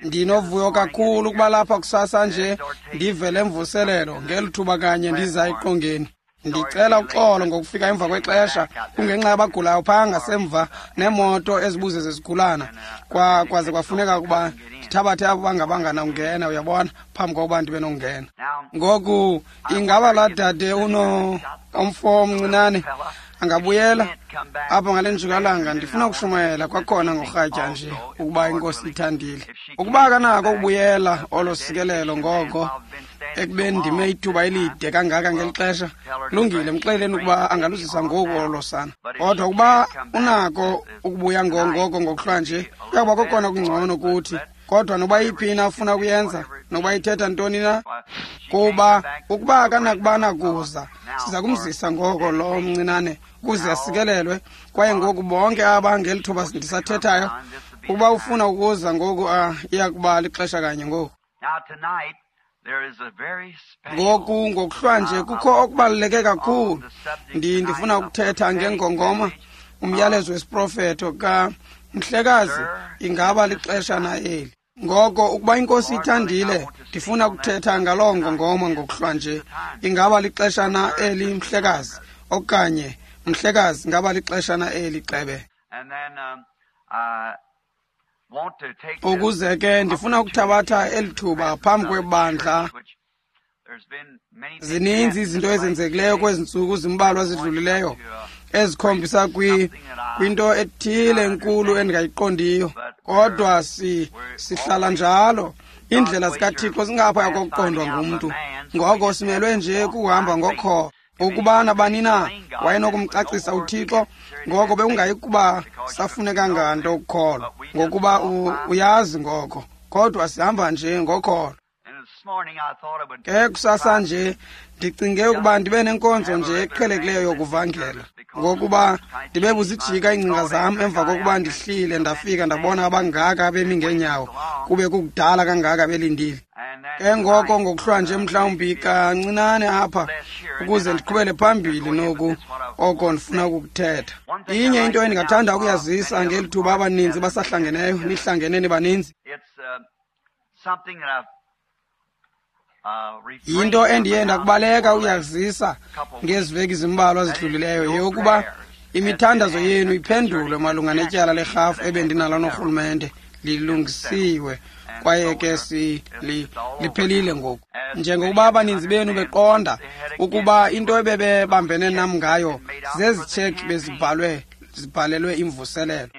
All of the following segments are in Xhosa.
Ndinovuyo kakhulu ukuba lapha kusasa nje ndive le mvuselelo ngeli thuba kanye ndiza eqongeni. Ndicela uxolo ngokufika emva kwexesha kungenxa yabagulayo phaa ngasemva neemoto ezibuze zezigulana. Kwaze kwafuneka ukuba ndithabathe abo bangabanganawungena, uyabona, phambi kokuba ndibe nokungena. Ngoku ingaba laa dade umfo omncinane angabuyela apha ngale njikalanga? Ndifuna ukushumayela kwakhona ngorhatya nje ukuba inkosi ithandile. Ukuba akanako ukubuyela olo sikelelo ngoko ekubeni ndime ithuba elide kangaka ngeli xesha, kulungile, mxeleleni ukuba angaluzisa ngoku olo sana. Kodwa ukuba unako ukubuya ngoko ngokuhlwa nje, kuyakuba kokona kungcono kuthi. Kodwa noba iphi na afuna ukuyenza, noba ithetha ntoni na, kuba ukuba akanakuba nakuza, siza kumzisa ngoko lo mncinane ukuze asikelelwe. Kwaye ngoku bonke aba ngeli thuba ndisathethayo, ukuba ufuna ukuza ngoku, iya kuba lixesha kanye ngoku. Ngoku ngokuhlwa nje kukho okubaluleke kakhulu. Ndifuna ukuthetha ngengongoma, umyalezo wesiprofeto ka Mhlekazi, ingaba lixesha na eli? Ngoko ukuba inkosi ithandile, ndifuna ukuthetha ngaloo ngongoma ngokuhlwa nje. Ingaba lixesha na eli, Mhlekazi? Okanye Mhlekazi, ingaba lixesha na eli, Xebe? Ukuze ke ndifuna ukuthabatha eli thuba phambi kwebandla. Zininzi izinto ezenzekileyo kwezi ntsuku zimbalwa zidlulileyo ezikhombisa kwinto ethile enkulu endingayiqondiyo. Kodwa sihlala njalo. Iindlela zikaThixo zingaphaya kokuqondwa ngumntu. Ngoko simelwe nje kuhamba ngokholo. Ukuba nabani na wayenokumcacisa uThixo, ngoko bekungayi kuba safuneka nganto ukukholwa, ngokuba uyazi ngoko. Kodwa sihamba nje ngokholo. Ke kusasa nje ndicinge ukuba ndibe nenkonzo nje eqhelekileyo yokuvangela, ngokuba ndibe buzijika iingcinga zam emva kokuba ndihlile ndafika ndabona abangaka bemi ngeenyawo, kube kukudala kangaka belindile. Ke ngoko ngokuhlwa nje mhlawumbi kancinane apha ukuze ndiqhubele phambili noku oko ndifuna ukukuthetha. Inye into endingathanda ukuyazisa ngeli thuba abaninzi basahlangeneyo, nihlangene nibaninzi. Yinto endiye ndakubaleka ukuyazisa ngezi veki zimbalwa zidlulileyo, yeyokuba imithandazo yenu iphendulwe malunga netyala lerhafu ebendinalo norhulumente. Lilungisiwe kwaye ke liphelile ngoku. Njengokuba abaninzi benu beqonda ukuba into ebebebambene nam ngayo zezi tsheki bezibhalelwe imvuselelo.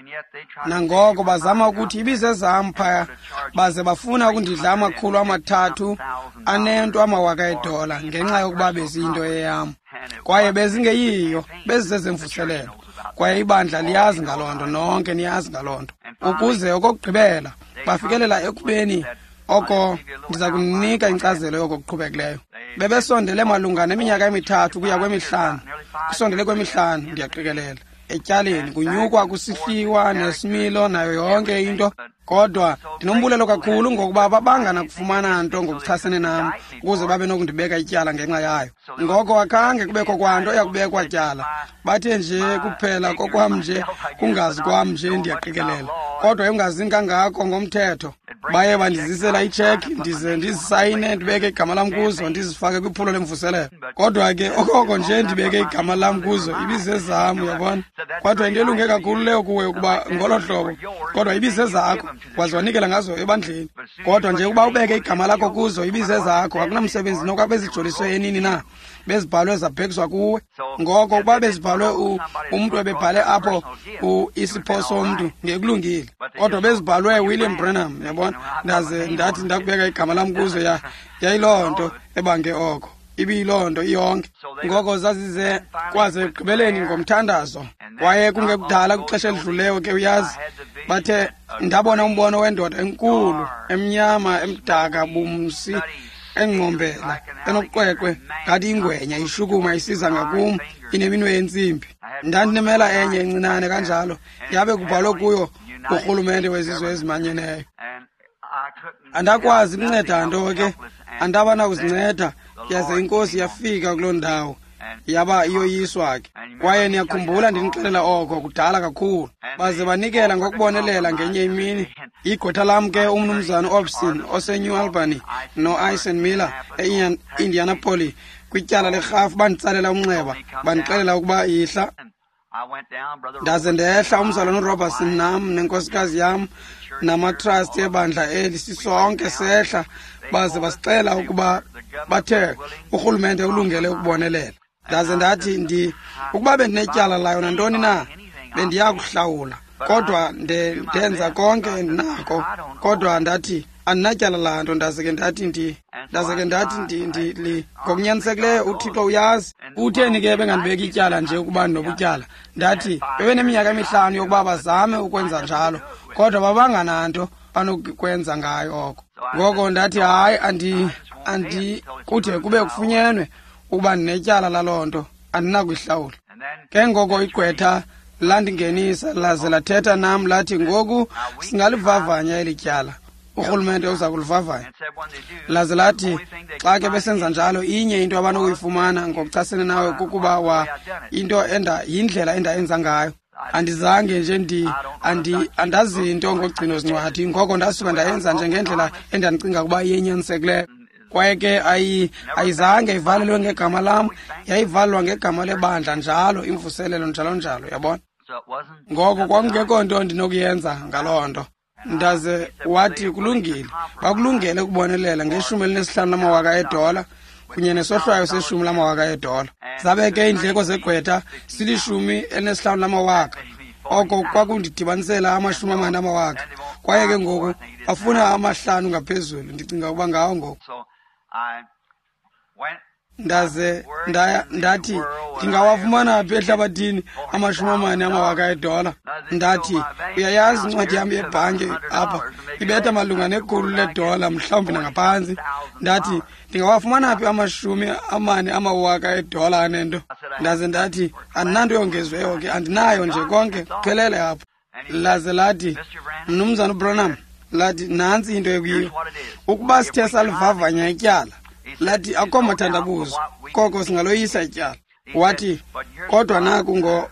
Nangoko bazama ukuthi ibizezam phaya, baze bafuna ukundidla 300 amawaka edola ngenxa yokuba beziyinto eyam. Kwaye bezingeyiyo, bezizezemvuselelo. Kwaye ibandla liyazi ngaloo nto, nonke niyazi ngaloo nto. Ukuze okokugqibela bafikelela ekubeni oko ndiza kunika inkcazelo yoko kuqhubekileyo. Bebesondele malunga neminyaka emithathu kuya kwemihlanu, kusondele kwemihlanu ndiyaqikelela, etyaleni kunyukwa kusihliwa nesimilo nayo yonke into. Kodwa ndinombulelo kakhulu ngokuba babangana kufumana nto ngokuchasene nam ukuze babe nokundibeka ityala ngenxa yayo. Ngoko akhange kubekho kwanto eyakubekwa tyala, bathe nje kuphela kokwam nje kungazi kwam nje ndiyaqikelela, kodwa engazini kangako ngomthetho. Baye bandizisela itsheki ndize ndizisayine ndibeke igama lam kuzo ndizifake kwiphulo lemvuselelo. Kodwa ke okoko nje ndibeke igama lam kuzo ibizezam, uyabona. Kodwa into elunge kakhulu leyo kuwe ukuba ngolo hlobo, kodwa ibizezakho waze wanikela ngazo ebandleni. Kodwa nje ukuba ubeke igama lakho kuzo ibizezakho, akunamsebenzi nokuba bezijoliswe enini na, bezibhalwe zabhekiswa kuwe. Ngoko ukuba bezibhalwe umntu ebebhale apho isipho somntu ngekulungile, kodwa bezibhalwe William Branham, uyabona. Ndaze ndathi ndakubeka igama lam kuzo, yayiloo nto ebange oko, ibiyiloo nto iyonke. Ngoko zazize kwaze ekugqibeleni ngomthandazo. Kwaye kungekudala kwixesha elidluleyo ke uyazi, bathe ndabona umbono wendoda enkulu emnyama emdaka bumsi engqombela enoqweqwe ngathi ingwenya ishukuma isiza ngakum ineminwe yentsimbi. Ndandinemela enye encinane kanjalo, yabe kubhalwe kuyo urhulumente wezizwe ezimanyeneyo. Andakwazi kunceda nto ke, andaba nakuzinceda, yaze inkosi yafika kuloo ndawo Yaba iyoyiswa ke. Kwaye niyakhumbula ndinixelela oko kudala kakhulu. Baze banikela ngokubonelela ngenye imini. Igqwetha lam ke umnumzana Obson oseNew Albany no-Ison Miller e-Indianapolis kwityala lerhafu banditsalela umnxeba, bandixelela ukuba yihla. Ndaze ndehla, umzalwana uRobertson nam nenkosikazi yam namatrasti ebandla eli, sisonke sehla, baze basixela ukuba bathe urhulumente ulungele ukubonelela. Ndaze ndathi ukuba bendinetyala layo nantoni na, bendiya kuhlawula, kodwa ndenza konke endinako, kodwa ndathi andinatyala laa nto. Ndaze ke ndathi ngokunyanisekileyo uThixo uyazi. Kutheni ke bengandibeki ityala nje ukuba ndinobutyala? Ndathi bebeneminyaka emihlanu yokuba bazame ukwenza njalo, kodwa babangananto banokwenza ngayo oko. Ngoko ndathi hayi, andi kude kube kufunyenwe ukuba ndinetyala laloo nto, andinakuyihlawula. Ke ngoko igqwetha landingenisa laze lathetha nam lathi ngoku singalivavanya eli tyala, urhulumente uza kulivavanya. Laze lathi xa ke besenza njalo, inye into abanokuyifumana ngokuchasene nawe kukuba into yindlela endayenza ngayo. Andizange nje andazinto ngogcino zincwadi, ngoko ndasuka ndayenza nje ngendlela endandicinga ukuba iyenyanisekileyo. Kwaye ke ayizange ivalelwe ngegama lam, yayivalelwa ngegama lebandla njalo, imvuselelo njalo njalo, yabona. Ngoko kwakungekho nto ndinokuyenza ngaloo nto. Ndaze wathi kulungile, bakulungele ukubonelela nge-15 lamawaka edola kunye nesohlwayo se10 lamawaka edola. Zabe ke iindleko zegqwetha sili-15 lamawaka. Oko kwakundidibanisela 40 amawaka. Kwaye ke ngoku bafuna 5 ngaphezulu, ndicinga ukuba ngawo ngoku. Ndaze ndathi ndingawafumana phi ehlabathini 40 amawaka edola? Ndathi uyayazi incwadi yam yebhanki apha ibetha malunga $100 mhlawumbi nangaphantsi. Ndathi ndingawafumana phi 40 amawaka edola anento? Ndaze ndathi andinanto yongeziweyo ke, andinayo nje konke, kuphelele apha. Laze lathi mnumzana uBranham, lathi nantsi into ekuyiyo, ukuba sithe salivavanya ityala, lathi akho mathandabuzo koko singaloyisa ityala. Wathi kodwa naku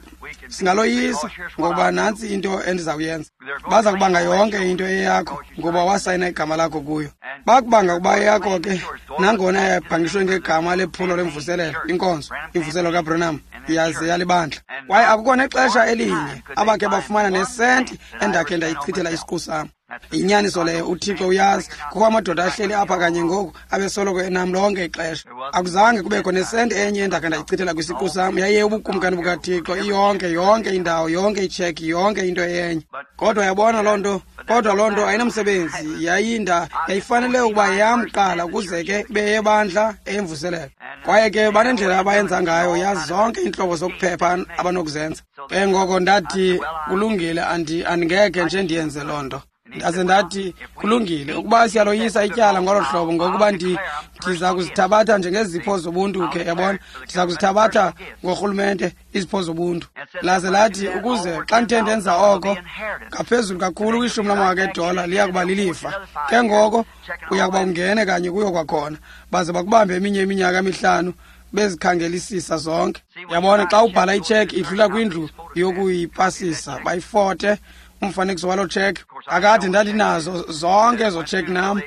singaloyisa ngoba nantsi into endizawuyenza. Baza kubanga yonke into eyakho ngoba wasayina igama lakho kuyo. Bakubanga ukuba eyakho ke, nangona yabhangishwe ngegama lephulo lemvuselelo, inkonzo, imvuselelo kaBranham, yaze yalibandla. Kwaye akukho nexesha elinye abakhe bafumana nesenti endakhe ndayichithela isiqu sam. Inyaniso leyo, uThixo uyazi. Kukho amadoda ahleli apha kanye ngoku abesoloko enam lonke ixesha. Akuzange kubekho nesenti enye endakhe ndayichithela kwisiqu sam. Yaye ubukumkani bukaThixo iyonke, yonke indawo, yonke itsheki, yonke into enye. Kodwa yabona loo nto, kodwa loo nto ayinamsebenzi. Yayifanele ukuba yam kuqala ukuze ke ibe yebandla eyemvuselelo. Kwaye ke banendlela abayenza ngayo, yazi zonke iintlobo zokuphepha abanokuzenza. Ke ngoko ndathi kulungile, andingekhe nje ndiyenze loo nto. Ndaze ndathi kulungile, ukuba siyaloyisa ityala ngolo hlobo, ngokuba ndiza kuzithabatha njengezipho zobuntu ke, yabona, ndiza kuzithabatha ngorhulumente izipho zobuntu. Laze lathi ukuze xa ndithe ndenza oko ngaphezulu kakhulu kwi-10 lamawaka edola liya kuba lilifa. Ke ngoko uya kuba ungene kanye kuyo kwakhona, baze bakubambe eminye iminyaka emihlanu bezikhangelisisa zonke. Yabona, xa ubhala itsheki idlula kwindlu yokuyipasisa, bayifote umfanekiso waloo tsheki. Akade ndandinazo zonke ezo tsheki nam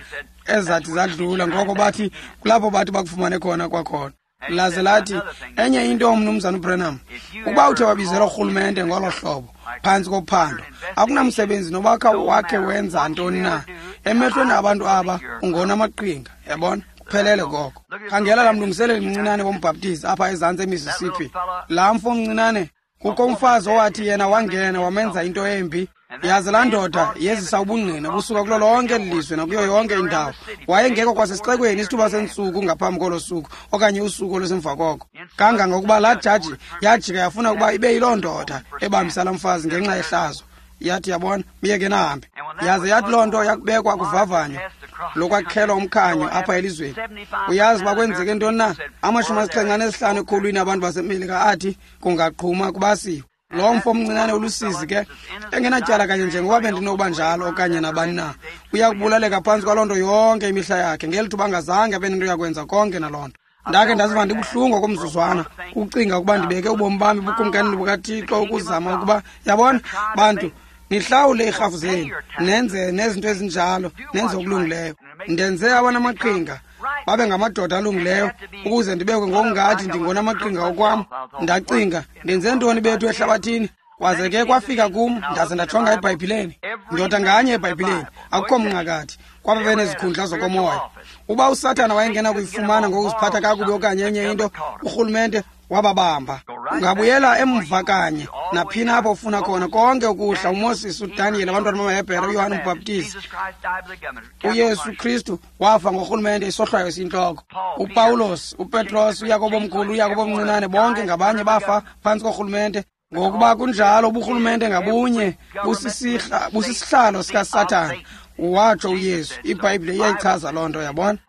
ezathi zadlula, ngoko bathi kulapho bathi bakufumane khona kwakhona. Laze lathi enye into, mnumzana uBranham, ukuba uthe wabizelwa urhulumente ngolo hlobo phantsi kophando, akunamsebenzi nobakha wakhe wenza ntoni na, emehlweni abantu aba ungona amaqhinga, yabona, kuphelele koko. Khangela laa mlungiseleli mncinane wombhaptizi apha ezantsi eMississippi, laa mfo mncinane. Kukho umfazi owathi yena wangena wamenza into embi. Yaze laa ndoda yezisa ubungqina busuka kulo lonke eli lizwe nakuyo yonke indawo. Wayengekho kwasesixekweni isithuba sentsuku ngaphambi kolo suku okanye usuku olusemva koko. Kangangokuba laa jaji yajika yafuna ukuba ibe yiloo ndoda ebambisa laa mfazi ngenxa yehlazo. Yathi yabona, myeke nahambe. Yaze yathi loo nto yakubekwa kuvavanyo lokwakhelwa umkhanyo apha elizweni. Uyazi uba kwenzeke ntoni na? 75 ekhulwini abantu baseMelika athi kungaqhuma kubasiwe. Lo mfo omncinane ulusizi ke, engenatyala kanye njengoba bendinokuba njalo okanye nabani na, uya kubulaleka phantsi kwaloo nto yonke imihla yakhe, ngeli thuba angazange abe nento yakwenza konke naloo nto. Ndakhe ndaziva ndibuhlungu okomzuzwana ukucinga ukuba ndibeke ubomi bami bukumkanini bukaThixo ukuzama ukuba, yabona, bantu, nihlawule iirhafu zenu, nenze nezinto ezinjalo, nenze okulungileyo. Ndenze abanamaqhinga babe ngamadoda alungileyo ukuze ndibekwe ngokungathi ndingonamaqhinga okwam. Ndacinga, ndenze ntoni bethu ehlabathini? Kwaze ke kwafika kum, ndaze ndajonga eBhayibhileni. Ndoda nganye eBhayibhileni, akukho mnqakathi, kwaba benezikhundla zokomoya. Uba uSathana wayengena kuyifumana ngokuziphatha kakubi okanye enye into, urhulumente wababamba. Ungabuyela emva kanye naphina apho ufuna khona, konke ukuhla, uMoses, uDaniel, abantwana bamaHebhere, uYohane uMbhaptizi, uYesu Kristu wafa ngorhulumente isohlwayo esiyintloko. uPawulos, uPetros, uYakobo omkhulu, uYakobo omncinane, bonke ngabanye bafa phantsi korhulumente. Ngokuba kunjalo, uburhulumente ngabunye busisihlalo sikaSathana, watsho uYesu. IBhayibhile iyayichaza loo nto, yabona.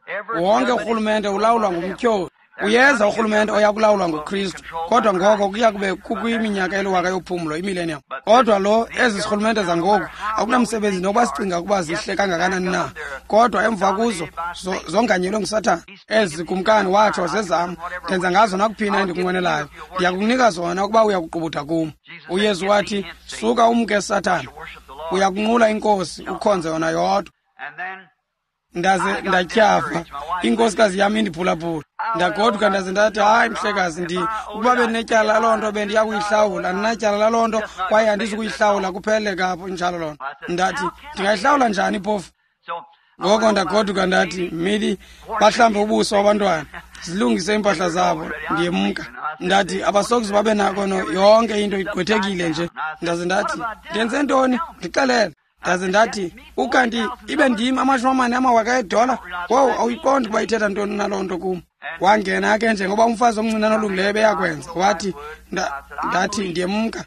Wonke urhulumente ulawulwa ngumtyholi. Uyeza urhulumente oya kulawulwa nguKristu, kodwa ngoko kuya kube kukwiminyaka eliwaka yophumlo, imillennium. Kodwa lo, ezi zirhulumente zangoku akunamsebenzi nokuba sicinga ukuba zihle kangakanani na, kodwa emva kuzo zonganyelwe nguSathana. Ezi kumkani watsho zezam, ndenza ngazo nakuphina endikunqwenelayo, ndiyakukunika zona ukuba uyakuqubuda kum. UYesu wathi, suka umke Sathana, uyakunqula iNkosi, ukhonze yona yodwa. Ndaze ndatyhafa, inkosikazi yam indiphulaphula. Ndagoduka ndaze ndathi, hayi mhlekazi, ukuba bendinetyala laloo nto bendiya kuyihlawula. Andinatyala laloo nto kwaye andizukuyihlawula, kuphele kapho injalo loo nto. Ndathi, ndingayihlawula njani phofu? Ngoko ndagoduka ndathi, Mili, bahlambe ubuso abantwana, zilungise iimpahla zabo, ndiyemka. Ndathi, abasokuze babe nako yonke into igqwethekile nje. Ndaze ndathi, ndenze ntoni? Ndixelele. Ndaze ndathi, ukanti ibe ndim 40,000 eedola? Wowu, awuyiqondi ukuba ithetha ntoni naloo nto kum. Wangena ke njengoba umfazi omncinane olungileyo beyakwenza. Wathi, ndathi ndiyemka.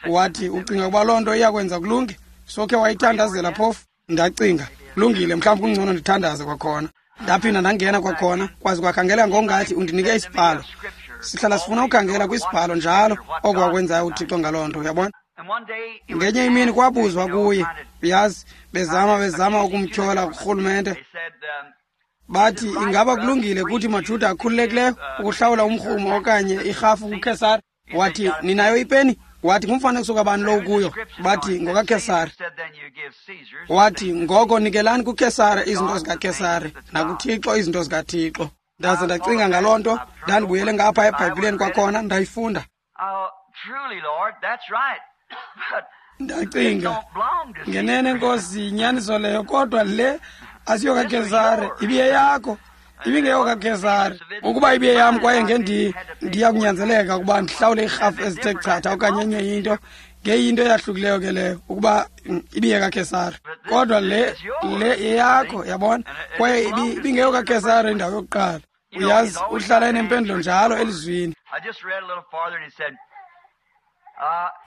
Wathi, ucinga ukuba loo nto iyakwenza kulunge? Sokhe wayithandazela phofu? Ndacinga, kulungile, mhlawumbi kungcono ndithandaze kwakhona. Ndaphinda ndangena kwakhona, kwaze kwakhangeleka ngokungathi undinike isibhalo. Sihlala sifuna ukhangela kwisibhalo njalo oko wakwenzayo uThixo ngaloo nto, uyabona. Ngenye imini kwabuzwa kuye, uyazi, bezama ukumtyhola kurhulumente. Bathi, ingaba kulungile kuthi maJuda akhululekileyo ukuhlawula umrhumo okanye irhafu kuKhesari? Wathi, ninayo ipeni? Wathi, ngumfanekiso kabani lo kuyo? Bathi, ngokaKhesari. Wathi, ngoko nikelani kuKhesari izinto zikaKhesari nakuThixo izinto zikaThixo. Ndaze ndacinga ngaloo nto, ndandibuyele ngapha eBhayibhileni kwakhona, ndayifunda. Ndacinga, ngenene Nkosi, yinyaniso leyo, kodwa le asiyokaKhesari, ibiyeyakho, ibingeyokaKhesari. Ukuba ibiyeyam kwaye ndiya kunyanzeleka ukuba ndihlawule iirhafu ezithe chatha okanye enye into, ngeyinto eyahlukileyo ke leyo, ukuba ibiyekaKhesari. Kodwa le yeyakho, yabona, kwaye ibingeyokaKhesari indawo yokuqala. Uyazi, uhlala enempendulo njalo elizwini.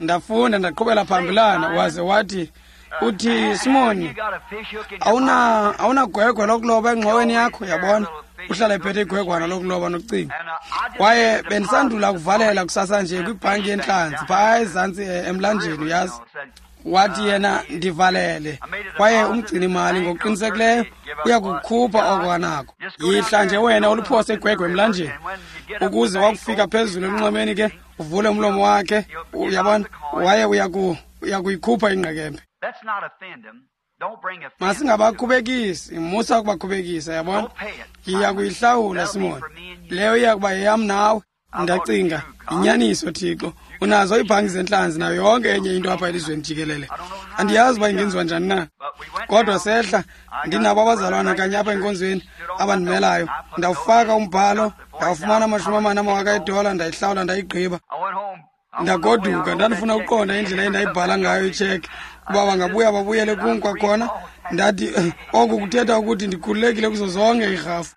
Ndafunda ndaqhubela phambilana, waze wathi, uthi, Simoni, awunagwegwe lokuloba engxoweni yakho, yabona. Uhlala ephethe igwegwana lokuloba nokucinga. Kwaye bendisandula kuvalela kusasa nje kwibhanki yentlanzi phaa ezantsi emlanjeni, uyazi. Wathi yena, ndivalele. Kwaye umgcini-mali ngokuqinisekileyo uyakukhupha oko anako. Yihla nje wena uliphose igwegwe emlanjeni, ukuze wakufika phezulu elunxwemeni ke uvule umlomo wakhe, uyabona, waye uyakuyikhupha ingqekembe. Masingabakhubekisi, musa ukubakhubekisa, yabona. Yiya kuyihlawula, Simoni, leyo iya kuba yeyam nawe. Ndacinga, yinyaniso Thixo, unazo iibhanki zentlanzi nayo yonke enye into apha elizweni jikelele. Andiyazi uba ingenziwa njani na. Kodwa sehla, ndinabo abazalwana kanye apha enkonzweni abandimelayo. Ndawufaka umbhalo, ndawufumana 40,000 eedola, ndayihlawula, ndayigqiba. Ndagoduka, ndandifuna ukuqonda indlela endayibhala ngayo itsheke, kuba bangabuya babuyele kum kwakhona. Ndathi, oku kuthetha ukuthi ndikhululekile kuzo zonke iirhafu.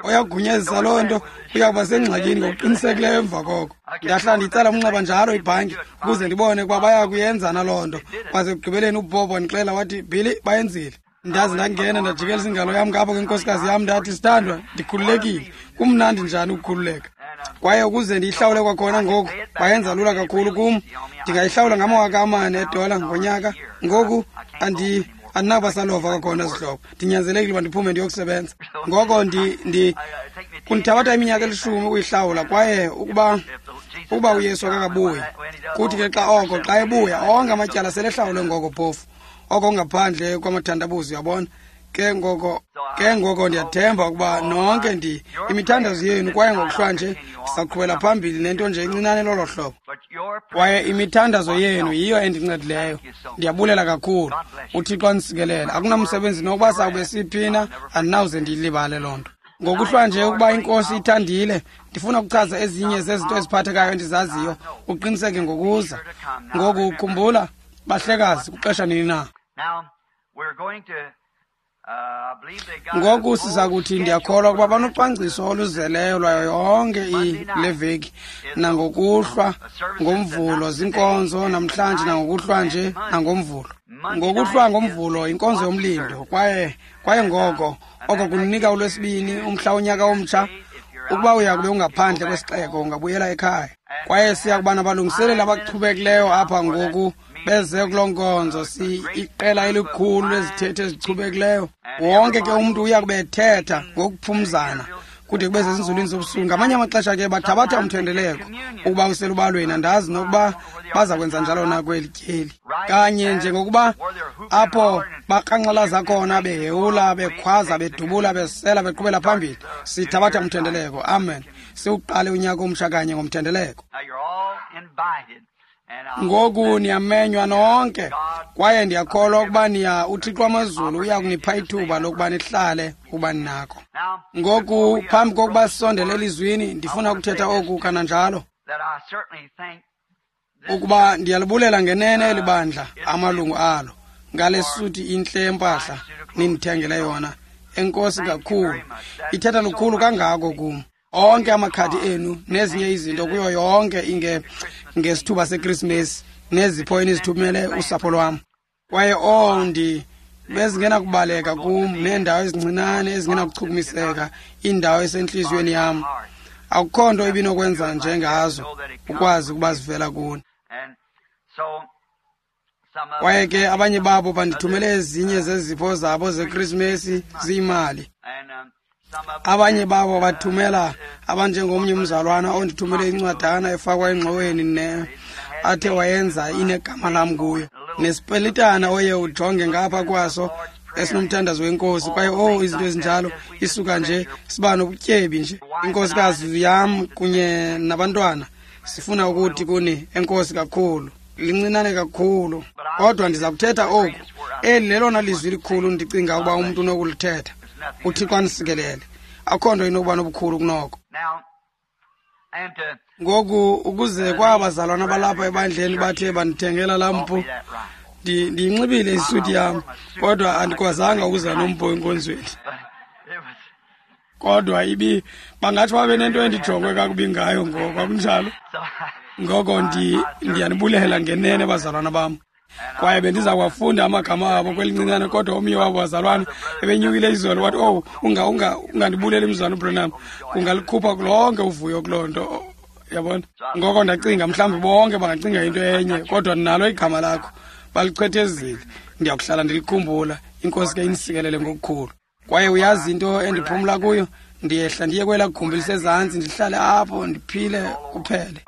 Oyagunyazisa loo nto uyakuba sengxakini ngokuqinisekileyo emva koko. Ndahlala ndiyitsala umnxeba njalo ibhanki ukuze ndibone ukuba baya kuyenza naloo nto. Kwaze ekugqibeleni uBob wandixela wathi, Billy, bayenzile. Ndaze ndangena ndajikelisa ingalo yam ngapha kwenkosikazi yam, ndathi, sithandwa, ndikhululekile. Kumnandi njani ukukhululeka. Kwaye ukuze ndiyihlawule kwakhona ngoku, bayenza lula kakhulu kum. Ndingayihlawula ngama-4,000 eedola ngonyaka. Ngoku andinakuba salova kwakhona zihlobo. Ndinyanzelekile uba ndiphume ndiyokusebenza. Ngoko Kundithabatha iminyaka 10 ukuyihlawula, kwaye ukuba uYesu akakabuyi. Kuthi ke xa oko, xa ebuya, onke amatyala selehlawulwe ngoko phofu. Oko ngaphandle kwamathandabuzo, uyabona. Ke ngoko ndiyathemba ukuba nonke imithandazo yenu, kwaye ngokuhlwa nje ndisaqhubela phambili nento nje encinane lolo hlobo. Kwaye imithandazo yenu yiyo endincedileyo. Ndiyabulela kakhulu. UThixo andisikelele. Akunamsebenzi nokuba sawube siphina, andinawuze ndiyilibale loo nto. Ngokuhlwa nje ukuba iNkosi ithandile, ndifuna ukuchaza ezinye zezinto eziphathekayo endizaziyo, uqiniseke ngokuza. Ngoku khumbula, bahlekazi, kuxesha nini na? Ngoku siza kuthi ndiyakholwa ukuba banocwangciso oluzeleyo lwayo yonke le veki, nangokuhlwa ngoMvulo zinkonzo namhlanje, nangokuhlwa nje nangoMvulo. Ngokuhlwa ngoMvulo inkonzo yomlindo, kwaye ngoko oko kunika uLwesibini, umhla wonyaka omtsha. Ukuba uya kube ungaphandle kwesixeko, ungabuyela ekhaya. Kwaye siya kuba nabalungiseleli abachubekileyo apha ngoku beze kuloo nkonzo, iqela elikhulu lezithethe ezichubekileyo. Wonke ke umntu uya kube ethetha ngokuphumzana kude kube sezinzulwini zobusuku. Ngamanye amaxesha ke bathabatha umthendeleko ukuba uselubalweni, andazi nokuba baza kwenza njalo na kweli tyeli. Kanye njengokuba apho bakranxalaza khona, behewula, bekhwaza, bedubula, besela, beqhubela phambili, sithabatha umthendeleko. Amen. Siwuqale unyaka omtsha kanye ngomthendeleko. Ngoku niyamenywa nonke, kwaye ndiyakholwa ukuba niya uThixo wamazulu uya kunipha ithuba lokuba nihlale ukuba ninako. Ngoku phambi kokuba sisondele elizwini, ndifuna ukuthetha oku kananjalo, ukuba ndiyalibulela ngenene eli bandla, amalungu alo, ngale suti intle yempahla nindithengele yona. Enkosi kakhulu, ithetha lukhulu kangako kum. Onke amakhadi enu nezinye izinto kuyo yonke ngesithuba seKrisimesi nezipho enizithumele usapho lwam. Kwaye bezingenakubaleka kum, neendawo ezincinane ezingenakuchukumiseka, indawo esentliziyweni yam. Akukho nto ibinokwenza njengazo ukwazi ukuba zivela kuni. Kwaye ke abanye babo bandithumele ezinye zezipho zabo zeKrisimesi ziyimali. Abanye babo bathumela abanjengomnye umzalwana ondithumele incwadana efakwa engxoweni ne athe wayenza inegama lam kuyo, nesipelitana oye ujonge ngapha kwaso esinomthandazo wenkosi. Kwaye izinto ezinjalo, isuka nje siba nobutyebi nje. Inkosikazi yam kunye nabantwana sifuna ukuthi kuni enkosi kakhulu, lincinane kakhulu, kodwa ndiza kuthetha oku. Eli lelona lizwi likhulu ndicinga ukuba umntu unokulithetha. UThixo anisikelele. Akho nto inokuba nobukhulu kunoko. Ngoku ukuze kwabazalwana balapha ebandleni bathe bandithengela laa mpu, ndiyinxibile isuti yam, kodwa andikwazanga ukuza nompu enkonzweni. Kodwa bangatsho babe nento endijongwe kakubi ngayo ngoko, akunjalo? Ngoko ndiyanibulela ngenene bazalwana bam. Kwaye bendiza kuwafunda amagama abo kwelincinane, kodwa omnye wabo bazalwana ebenyukile izolo wathi, ungandibuleli mzalwana uBranham, kungalikhupha lonke uvuyo kuloo nto, yabona. Ngoko ndacinga mhlawumbi bonke bangacinga into enye, kodwa nalo igama lakho balichwethezile, ndiyakuhlala ndilikhumbula. Inkosi ke inisikelele ngokukhulu. Kwaye uyazi into endiphumla kuyo, ndiyehla ndiye kwelaa gumbi lisezantsi, ndihlale apho ndiphile kuphele.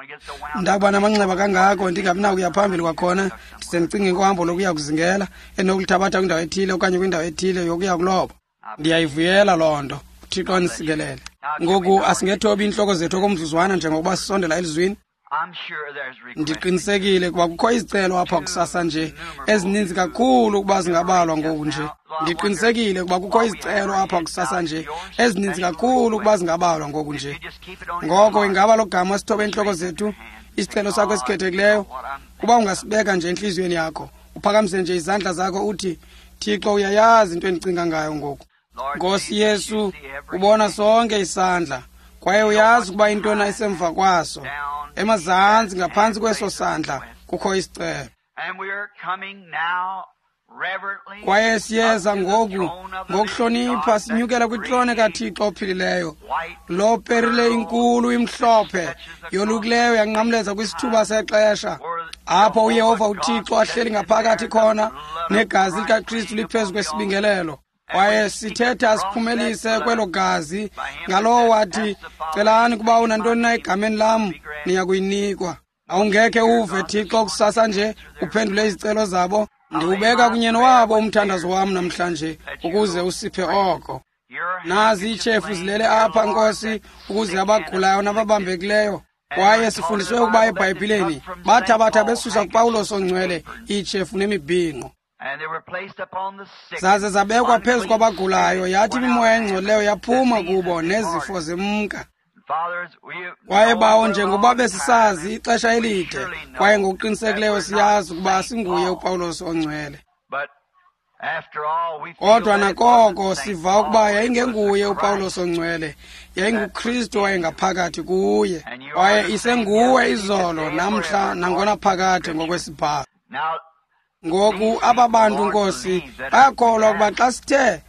Ndakuba namanxeba kangako ndingabi nakuya phambili kwakhona, ndise ndicinge ngohambo lokuya kuzingela enokulithabatha kwindawo ethile okanye kwindawo ethile yokuya kuloba. Ndiyayivuyela loo nto. uThixo anisikelele. Ngoku asingethobi iintloko zethu okomzuzwana njengokuba sisondela elizwini. Ndiqinisekile kuba kukho izicelo apha kusasa nje ezininzi kakhulu ukuba zingabalwa ngoku nje. Ndiqinisekile kuba kukho izicelo apha kusasa nje ezininzi kakhulu ukuba zingabalwa ngoku nje. Ngoko ingaba lo gama sithobe iintloko zethu, isicelo sakho esikhethekileyo, kuba ungasibeka nje entliziyweni yakho, uphakamise nje izandla zakho uthi, Thixo, uyayazi into endicinga ngayo ngoku. Nkosi Yesu, ubona sonke isandla, kwaye uyazi ukuba intona isemva kwaso. Emazantsi ngaphantsi kweso sandla kukho isicelo. Kwaye siyeza ngoku ngokuhlonipha sinyukela kwitrone kaThixo ophilileyo. Lo perile inkulu imhlophe yolukileyo yanqamleza kwisithuba sexesha apho uYehova uThixo ahleli ngaphakathi khona negazi likaKristu liphezu kwesibingelelo. Kwaye sithetha siphumelise kwelo gazi ngalowo wathi, celani kuba unantoni na egameni lam, niya kuyinikwa. Awungekhe uve, Thixo, kusasa nje uphendule izicelo zabo. Ndiwubeka kunye nowabo umthandazo wam namhlanje ukuze usiphe oko. Nazi iitshefu zilele apha, Nkosi, ukuze abagulayo nababambekileyo. Kwaye sifundiswe ukuba eBhayibhileni bathabatha besusa kuPawulos ongcwele iitshefu nemibhinqo, zaze zabekwa phezu kwabagulayo, yathi imimoya engcolileyo yaphuma kubo nezifo zemka. Kwaye Bawo, njengoba besisazi ixesha elide, kwaye ngokuqinisekileyo siyazi ukuba singuye uPawulos ongcwele, kodwa nakoko siva ukuba yayingenguye uPawulos ongcwele, yayinguKristu owayengaphakathi kuye. Kwaye isenguwe izolo, namhla, nangonaphakade ngokwesibhalo. Ngoku aba bantu, Nkosi, bayakholwa ukuba xa sithe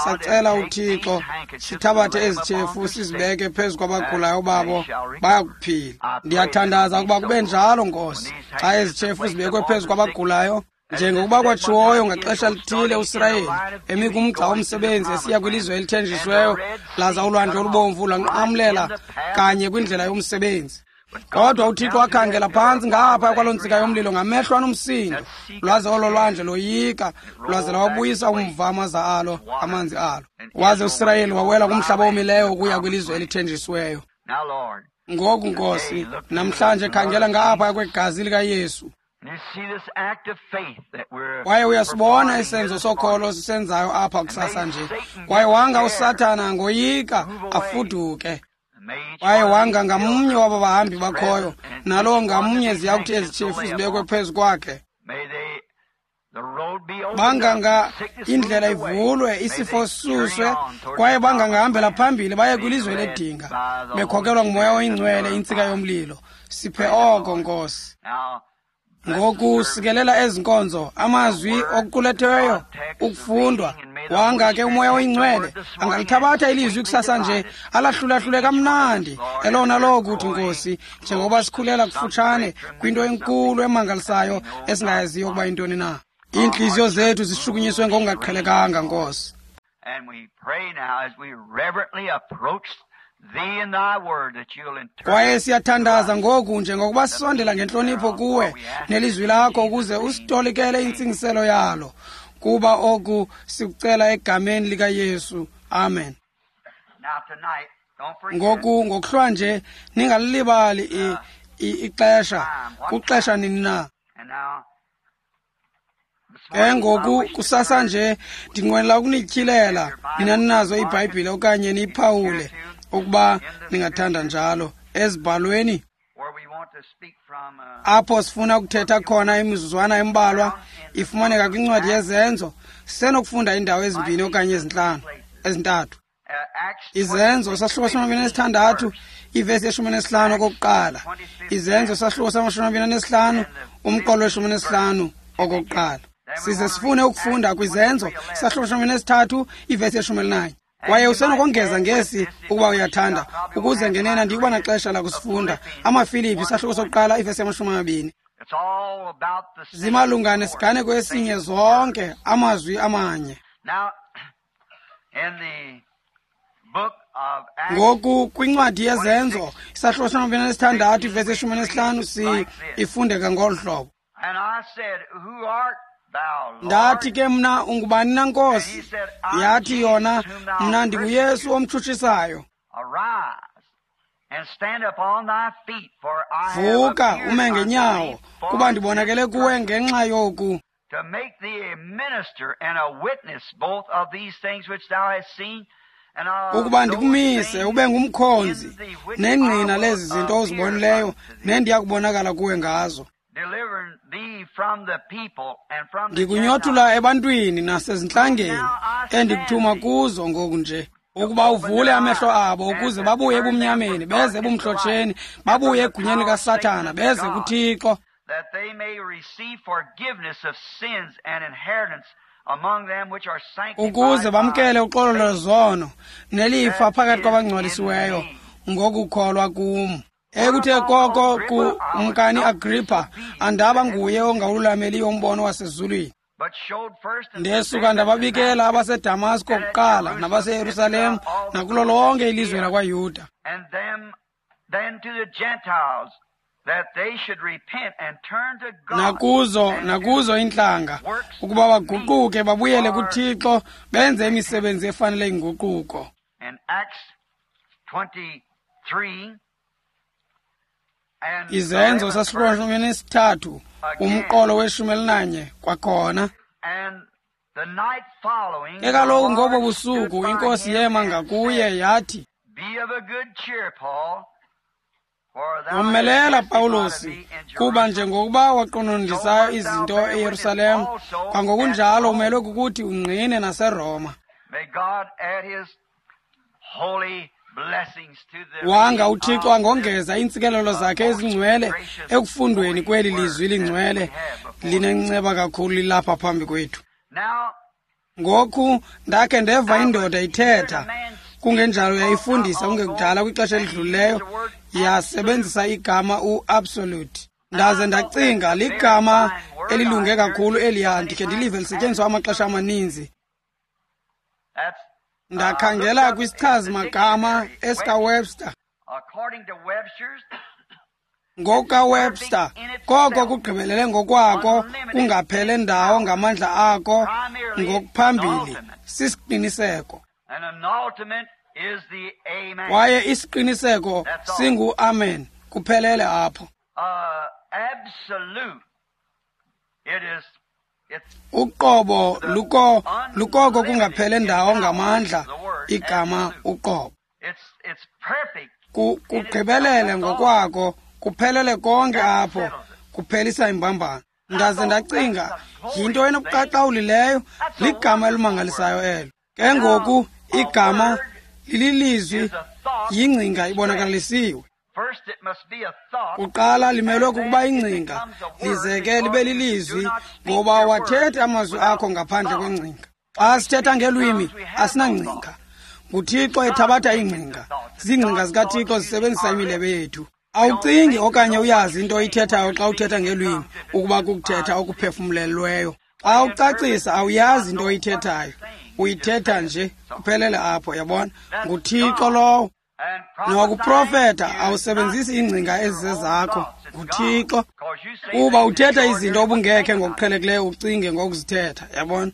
sacela uThixo sithabathe ezi tshefu sizibeke phezu kwabagulayo babo, bayakuphila. Ndiyathandaza ukuba kube njalo, Nkosi, xa ezi tshefu zibekwe phezu kwabagulayo, njengokuba kwatshiwoyo ngaxesha lithile uSirayeli emi kumgca womsebenzi esiya kwilizwe elithenjisiweyo, laza ulwandle olubomvu lwanqamlela kanye kwindlela yomsebenzi. Kodwa uThixo wakhangela phantsi ngapha kwaloo ntsika yomlilo ngamehlo anomsindo, lwaze olo lwandle loyika, lwaze lwawabuyisa umva amaza alo, amanzi alo. Waze uSirayeli wawela kumhlaba omileyo ukuya kwilizwe elithenjisiweyo. Ngoku, Nkosi, namhlanje khangela ngapha kwegazi likaYesu. Kwaye uyasibona isenzo sokholo sisenzayo apha kusasa nje. Kwaye wanga uSathana ngoyika afuduke. Kwaye wanga ngamnye waba bahambi bakhoyo, nalowo ngamnye ziya kuthi ezi tshefu zibekwe phezu kwakhe. Banganga indlela ivulwe, isifo sisuswe, kwaye bangangahambela phambili baye kwilizwe ledinga, bekhokelwa nguMoya oyiNgcwele, intsika yomlilo. Siphe oko, Nkosi. Ngoku sikelela ezi nkonzo, amazwi okuquletheyo, ukufundwa. Wanga ke uMoya oyiNgcwele angalithabatha ilizwi kusasa nje, alahlulahlule kamnandi elona lowo kuthi, Nkosi, njengoba sikhulela kufutshane kwinto enkulu emangalisayo esingayaziyo ukuba yintoni na. Iintliziyo zethu zishukunyiswe ngokungaqhelekanga, Nkosi. Kwaye siyathandaza ngoku njengokuba sisondela ngentlonipho kuwe nelizwi lakho, ukuze usitolikele intsingiselo yalo, kuba oku sikucela egameni likaYesu. Amen. Ngoku ngokuhlwa nje ningalilibali ixesha, kuxesha nini na. Ke ngoku kusasa nje ndinqwenela ukunityhilela nina ninazo iBhayibhile okanye niyiphawule ukuba ningathanda njalo ezibhalweni apho sifuna ukuthetha khona imizuzwana embalwa. Ifumaneka kwincwadi yeZenzo. Sisenokufunda iindawo ezimbini okanye ezintlanu, ezintathu. Izenzo sahluko sama-26, ivesi ye-15 okokuqala. Izenzo sahluko sama-25, umqolo we-15 okokuqala. Size sifune ukufunda kwiZenzo sahluko 13, ivesi ye-11. Kwaye usenokongeza ngesi ukuba uyathanda, ukuze ngenena ndikuba naxesha lakusifunda. AmaFilipi sahluko sokuqala, ivesi yama-20. Zimalunga nesiganeko esinye zonke, amazwi amanye. Ngoku kwincwadi yeZenzo isahluko sama-26, ivesi ye-15, si ifundeka ngolu hlobo. Ndathi ke mna, ungubani na, Nkosi? Yathi yona, mna ndinguYesu omtshutshisayo. Vuka ume ngenyawo, kuba ndibonakele kuwe ngenxa yoku, ukuba ndikumise ube ngumkhonzi nengqina lezi zinto uzibonileyo nendiya kubonakala kuwe ngazo. Ndikunyothula ebantwini nasezintlangeni endikuthuma kuzo ngoku nje, ukuba uvule amehlo abo ukuze babuye ebumnyameni beze ebumhlotsheni, babuye egunyeni likaSathana beze kuThixo, ukuze bamkele uxolo lwezono nelifa phakathi kwabangcwalisiweyo ngokukholwa kum. Ekuthe koko kumkani Agrippa, andaba nguye ongawululameliyo umbono wasezulwini. Ndesuka ndababikela abaseDamasko kuqala nabaseYerusalem nakulo lonke ilizwe lakwaYuda. Nakuzo iintlanga, ukuba baguquke babuyele kuThixo benze imisebenzi efanele inguquko. Izenzo sasihlomene umqolo we-11 kwakhona. Ke kaloku ngobo busuku iNkosi yema ngakuye yathi, Womelela Pawulosi, kuba njengokuba waqonondisayo izinto eYerusalem, kwangokunjalo umelwe kukuthi ungqine naseRoma. Wanga uThixo angongeza iintsikelelo zakhe ezingcwele ekufundweni kweli lizwi lingcwele linenceba kakhulu lilapha phambi kwethu. Ngoku ndakhe ndeva indoda ithetha, kungenjalo yayifundisa kungekudala kwixesha elidlulileyo, yasebenzisa igama u-absolute. Ndaze ndacinga ligama elilunge kakhulu eliya, ndikhe ndilive lisetyenziswa amaxesha amaninzi. Ndakhangela kwisichazi-magama esikaWebster. NgokukaWebster, koko kugqibelele ngokwako kungaphele ndawo ngamandla ako ngokuphambili sisiqiniseko. Kwaye isiqiniseko singu-amen, kuphelele apho. Uqobo lukoko kungaphele ndawo ngamandla igama uqobo. Kugqibelele ngokwako, kuphelele konke apho, kuphelisa imbambano. Ndaze ndacinga, yinto enobuqaqawuli leyo, ligama elimangalisayo elo. Ke ngoku igama lililizwi, yingcinga ibonakalisiwe. Kuqala limelwe kukuba ingcinga, lize ke libe lilizwi, ngoba wathetha amazwi akho ngaphandle kwengcinga. Xa sithetha ngelwimi asinangcinga. NguThixo ethabatha iingcinga. Ziingcinga zikaThixo zisebenzisa imilebe yethu. Awucingi okanye uyazi into oyithethayo xa uthetha ngelwimi ukuba kukuthetha okuphefumlelweyo. Xa ucacisa awuyazi into oyithethayo, uyithetha nje kuphelele apho, yabona? NguThixo lowo. Nokuprofeta awusebenzisi iingcinga ezizezakho, nguThixo, kuba uthetha izinto obungekhe ngokuqhelekileyo ucinge ngokuzithetha, yabona?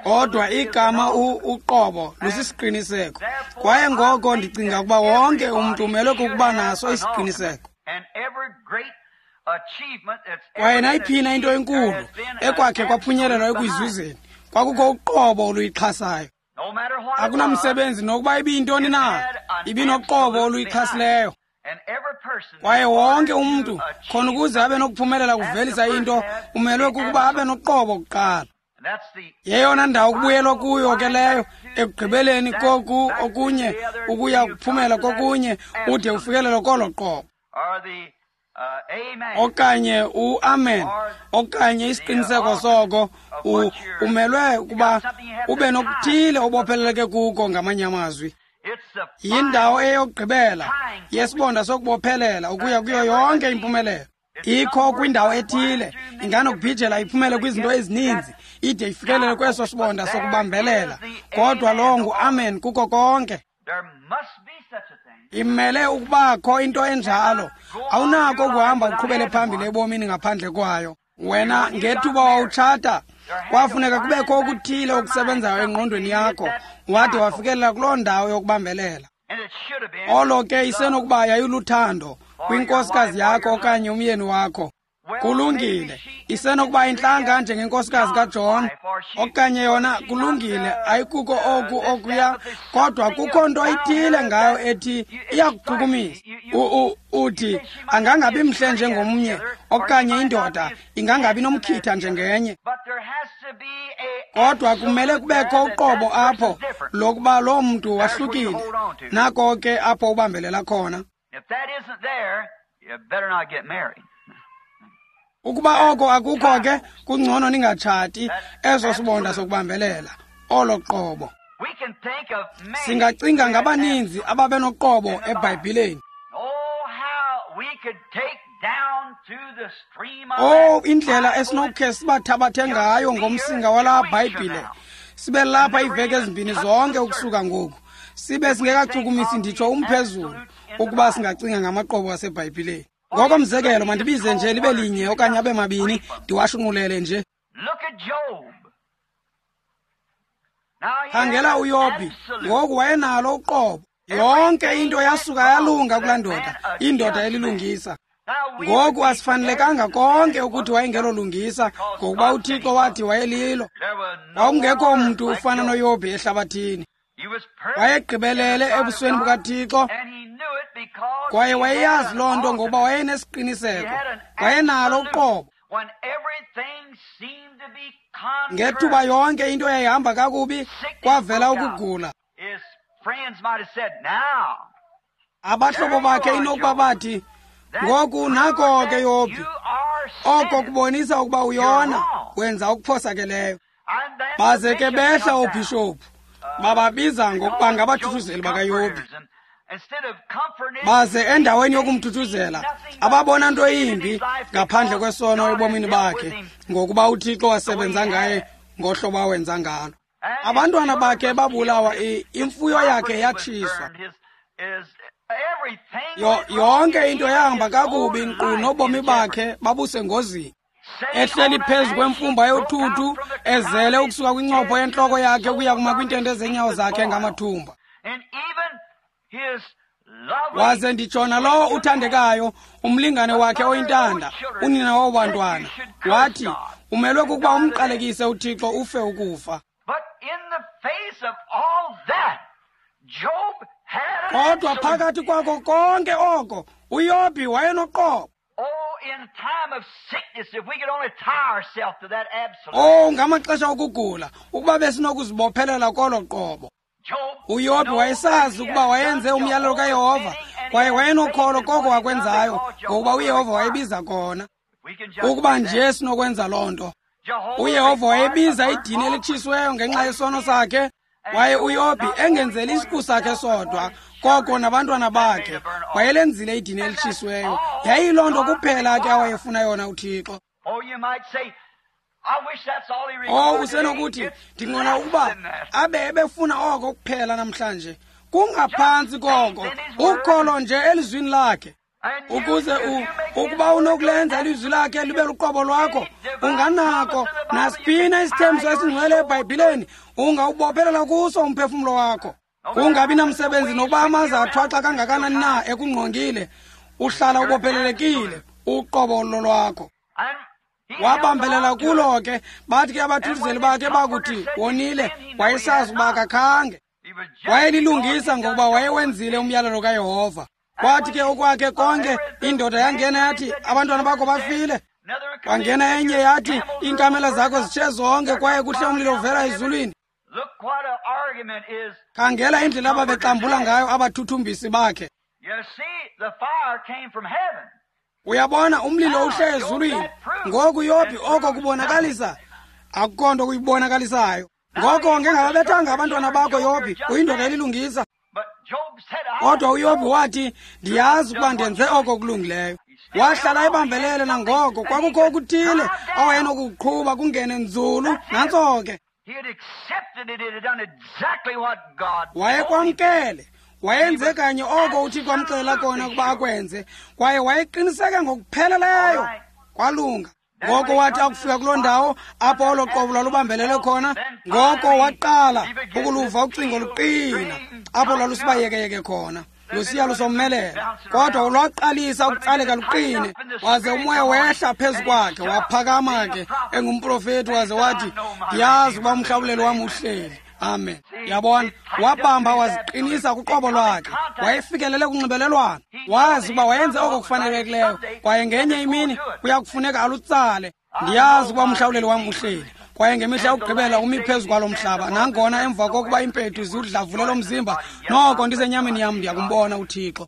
Kodwa igama uqobo lusisiqiniseko, kwaye ngoko ndicinga ukuba wonke umntu umelwe kukuba naso isiqiniseko. Kwaye nayiphina into enkulu ekwakhe kwaphunyelelwa ekuyizuzeni, kwakukho uqobo oluyixhasayo. Akunamsebenzi nokuba ibiyintoni na, ibinoqobo oluyixhasileyo. Kwaye wonke umntu, khona ukuze abe nokuphumelela kuvelisa into, umelwe kukuba abe noqobo kuqala. Yeyona ndawo kubuyelwa kuyo ke leyo, ekugqibeleni koku okunye ukuya kuphumela kokunye, ude ufikelele kolo qobo. Okanye u-amen, okanye isiqiniseko soko, umelwe ukuba ube nokuthile obopheleleke kuko ngamanye amazwi. Yindawo eyokugqibela yesibonda sokubophelela ukuya kuyo yonke impumelelo. Ikho kwindawo ethile, inganokubhijela iphumele kwizinto ezininzi, ide ifikelele kweso sibonda sokubambelela. Kodwa lowo ngu-amen kuko konke. Imele ukubakho into enjalo. Awunako ukuhamba uqhubele phambili ebomini ngaphandle kwayo. Wena ngethuba wawutshata, kwafuneka kubekho okuthile okusebenzayo engqondweni yakho, wade wafikelela kuloo ndawo yokubambelela. Olo ke isenokuba yayiluthando kwinkosikazi yakho okanye umyeni wakho. Kulungile, isenokuba intlanga njengenkosikazi kaJohn, okanye yona kulungile, ayikuko oku okuya, kodwa kukho nto ithile ngayo ethi iyakuchukumisa. Uthi angangabi mhle njengomnye, okanye indoda ingangabi nomkhitha njengenye. Kodwa kumele kubekho uqobo apho lokuba loo mntu wahlukile. Nako ke apho ubambelela khona. Ukuba oko akukho ke, kungcono ningatshati, eso sibonda sokubambelela, olo qobo. Singacinga ngabaninzi ababenoqobo eBhayibhileni. Oh, indlela esinokukhe sibathabathe ngayo ngomsinga walaa Bhayibhile. Sibe lapha iiveki ezimbini zonke ukusuka ngoku. Sibe singekachukumisi nditsho umphezulu ukuba singacinga ngamaqobo aseBhayibhileni. Ngokomzekelo, mandibize nje libe linye okanye abe mabini, ndiwashunqulele nje. Khangela uYobhi, ngoku wayenalo uqobo. Yonke into yasuka yalunga kulaa ndoda, indoda elilungisa. Ngoku asifanelekanga konke ukuthi wayengelolungisa, ngokuba uThixo wathi wayelilo. Kwakungekho mntu ufana noYobhi ehlabathini. Wayegqibelele ebusweni bukaThixo, kwaye wayeyazi loo nto ngokuba wayenesiqiniseko, wayenalo uqobo. Ngethuba yonke into yayihamba kakubi, kwavela ukugula. Abahlobo bakhe inokuba bathi, ngoku nako ke Yobhi, oko kubonisa ukuba uyona, wenza okuphosakeleyo. Baze ke behla oobhishophu, bababiza ngokuba ngabathuthuzeli bakaYobhi. Baze endaweni yokumthuthuzela, ababona nto yimbi ngaphandle kwesono ebomini bakhe, ngokuba uThixo wasebenza ngaye ngohlobo awenza ngalo. Abantwana bakhe babulawa, imfuyo yakhe yatshiswa. Yonke into yahamba kakubi, nkqu nobomi bakhe babusengozini. Ehleli phezu kwemfumba yothuthu, ezele ukusuka kwincopho yentloko yakhe ukuya kuma kwiintende zenyawo zakhe ngamathumba. Waze nditshona lowo uthandekayo, umlingane wakhe oyintanda, unina wobantwana, wathi, umelwe kukuba umqalekise uThixo ufe ukufa. Kodwa phakathi kwako konke oko, uYobhi wayenoqobo. Oh, ngamaxesha okugula, ukuba besinokuzibophelela kolo qobo. uYobhi wayesazi ukuba wayenze umyalelo kaYehova, kwaye wayenokholo koko wakwenzayo, ngokuba uYehova wayebiza kona. Ukuba nje sinokwenza loo nto. uYehova wayebiza idini elitshisweyo ngenxa yesono sakhe, kwaye uYobhi engenzeli isiqu sakhe sodwa, koko nabantwana bakhe, wayelenzile idini elitshisweyo. Yayiyiloo nto kuphela ke awayefuna yona uThixo. Oh, usenokuthi, ndingqona ukuba abe ebefuna oko kuphela namhlanje. Kungaphantsi koko, ukholo nje elizwini lakhe. Ukuze ukuba unokulenza ilizwi lakhe libe luqobo lwakho, unganako nasiphina isithembiso esingcwele eBhayibhileni, ungawubophelela kuso umphefumlo wakho. Kungabi namsebenzi nokuba amaza athwaxa kangakanani na ekungqongile, uhlala ubophelelekile uqobo lolwakho. Wabambelela kulo ke, bathi ke abathuthuzeli bakhe bakuthi wonile, wayesazi ukuba akakhange. Wayelilungisa ngokuba wayewenzile umyalelo kaYehova. Kwathi ke okwakhe konke, indoda yangena yathi, abantwana bakho bafile. Kwangena enye yathi, iinkamela zakho zitshe zonke kwaye kuhle umlilo uvela ezulwini. Khangela indlela ababexambula ngayo abathuthumbisi bakhe. Uyabona, umlilo uhle ezulwini. Ngoku Yobhi oko kubonakalisa, akukho nto kuyibonakalisayo. Ngoko ngengababethanga abantwana bakho Yobhi, uyindoda elilungisa. Kodwa uYobhi wathi, ndiyazi ukuba ndenze oko kulungileyo. Wahlala ebambelele nangoko, kwakukho okuthile awayenokuqhuba kungene nzulu, nantso ke. Wayekwamkele, wayenze kanye oko uThixo amxelela kona ukuba akwenze, kwaye wayeqiniseke ngokupheleleyo. Kwalunga. Ngoko wathi akufika kuloo ndawo apho olo qobo lwalubambelele khona, ngoko waqala ukuluva ucingo luqina apho lwalusiba yekeyeke khona, lusiya lusomelela. Kodwa lwaqalisa ukutsaleka luqine, waze umoya wehla phezu kwakhe, waphakama ke engumprofeti, waze wathi, ndiyazi ukuba umhlawuleli wam uhleli. Amen. Yabona, wabamba waziqinisa kuqobo lwakhe. Wayefikelele kunxibelelwano. Wazi ukuba wayenze oko kufanelekileyo, kwaye ngenye imini kuya kufuneka alutsale. Ndiyazi ukuba umhlawuleli wam uhleli, kwaye ngemihla yokugqibela umi phezu kwalo mhlaba. Nangona emva kokuba iimpethu ziwudlavule lo mzimba, noko ndisenyameni yam ndiyakumbona uThixo.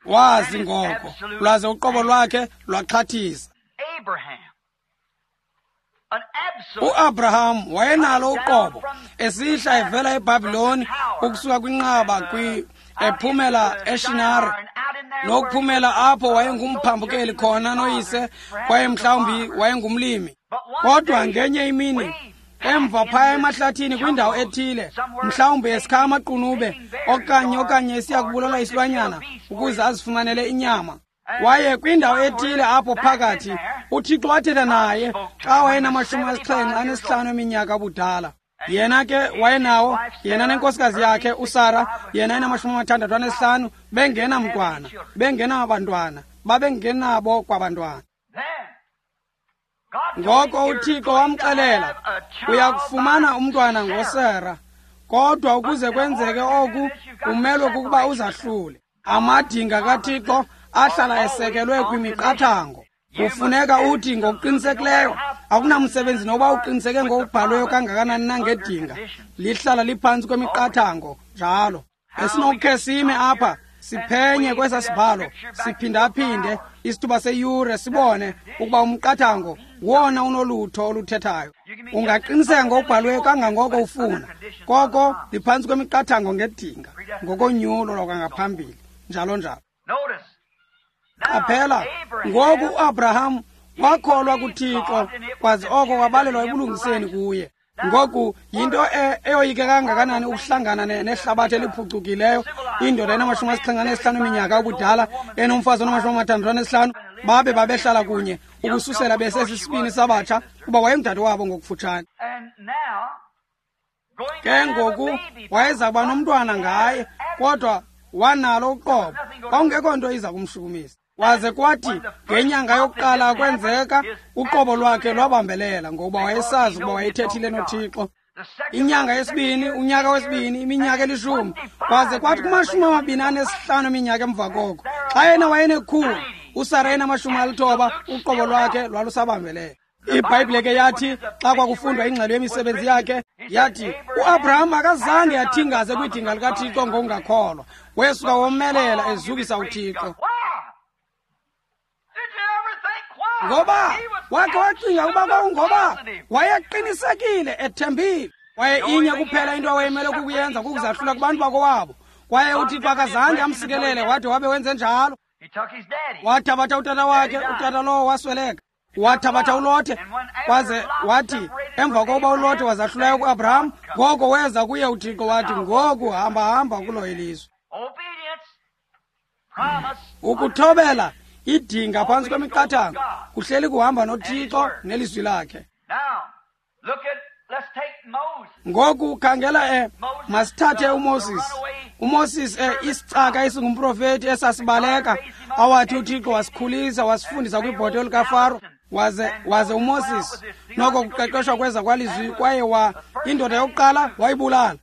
Wazi ngoko, lwaze uqobo lwakhe lwaxhathisa. uAbraham wayenalo uqobo, esihla evela eBhabhiloni ukusuka kwinqaba ephumela eShinare. Nokuphumela apho wayengumphambukeli khona noyise, kwaye mhlawumbi wayengumlimi. Kodwa ngenye imini, emva phaya emahlathini kwindawo ethile, mhlawumbi esikha amaqunube okanye esiya kubulala isilwanyana ukuze azifumanele inyama. Kwaye kwindawo ethile apho phakathi, uThixo wathetha naye xa wayenama-75 eminyaka ubudala. Yena ke wayenawo, yena nenkosikazi yakhe uSara, yena enama-65, bengenamntwana, bengenabantwana, babengenabo kwabantwana. Ngoko uThixo wamxelela, uya kufumana umntwana ngoSara, kodwa ukuze kwenzeke oku umelwe kukuba uzahlule. Amadinga kaThixo ahlala esekelwe kwimiqathango. Kufuneka uthi ngokuqinisekileyo, akunamsebenzi noba uqiniseke ngokubhalweyo kangakanani na ngedinga, lihlala liphantsi kwemiqathango njalo. Esinokukhe sime apha siphenye kwesa sibhalo, siphindaphinde isithuba seyure, sibone ukuba umqathango wona unolutho oluthethayo. Ungaqiniseka ngokubhalweyo kangangoko ufuna, koko liphantsi kwemiqathango ngedinga, ngokonyulo lwakangaphambili, njalo njalo. Qaphela, ngoku uAbraham wakholwa kuThixo, kwaze oko kwabalelwa ebulungiseni kuye. Ngoku yinto eyoyike kangakanani ukuhlangana nehlabathi eliphucukileyo, indoda enama-75 eminyaka ubudala enomfazi onama-65, babe babehlala kunye ukususela besesisibini sabatsha, kuba wayengudade wabo ngokufutshane. Ke ngoku wayeza kuba nomntwana ngaye, kodwa wanalo uqobo, kwakungekho nto iza kumshukumisa. Waze kwathi ngenyanga yokuqala kwenzeka, uqobo lwakhe lwabambelela, ngokuba wayesazi ukuba wayethethile noThixo. Inyanga yesibini, unyaka wesibini, iminyaka 10, kwaze kwathi kuma-25 eminyaka emva koko, xa yena wayenekhulu, uSara enama-90, uqobo lwakhe lwalusabambelela. IBhayibhile ke yathi xa kwakufundwa ingxelo yemisebenzi yakhe, yathi uAbraham akazange athingaze kwidinga likaThixo ngokungakholwa, wesuka womelela ezukisa uThixo. Ngoba wakhe wacinga ukuba kwakungoba wayeqinisekile, ethembile. Kwaye inye kuphela into awayemele kukuyenza kukuzahlula kubantu bakowabo. Kwaye uThixo akazange amsikelele wade wabe wenze njalo. Wathabatha utata wakhe, utata lowo wasweleka. Wathabatha uLothe, kwaze wathi emva kokuba uLothe wazahlulayo kuAbraham, ngoko weza kuye uThixo wathi, ngoku hamba hamba kulo ilizwe. Ukuthobela idinga phantsi kwemiqathango kuhleli kuhamba noThixo nelizwi lakhe. Ngoku khangela masithathe uMoses. uMoses isicaka esingumprofeti esasibaleka, awathi uThixo wasikhulisa wasifundisa kwibhoto likaFaro. Waze uMoses noko kuqeqeshwa kweza kwalizwi, kwaye indoda yokuqala wayibulala.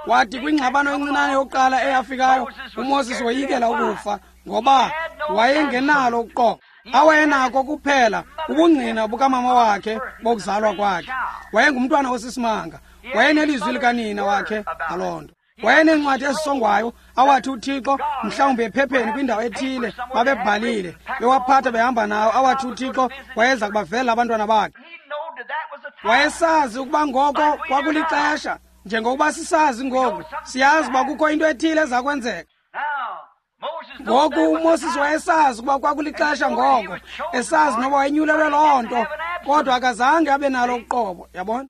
Wathi kwingxabano encinane yokuqala eyafikayo, uMoses woyikela ukufa, ngoba wayengenalo uqobo. Awayenako kuphela ubungqina bukamama wakhe bokuzalwa kwakhe. Wayengumntwana osisimanga, wayenelizwi likanina wakhe ngaloo nto. Wayeneencwadi ezisongwayo awathi uThixo mhlawumbi ephepheni kwindawo ethile babebhalile, bewaphatha behamba nawo, awathi uThixo wayeza kubavela abantwana bakhe. Wayesazi ukuba ngoko kwakulixesha, njengokuba sisazi ngoku, siyazi uba kukho into ethile eza kwenzeka. Ngoku uMoses wayesazi ukuba kwakulixesha ngoko, esazi noba wayenyulelwe loo nto, kodwa akazange abe nalo uqobo, yabona?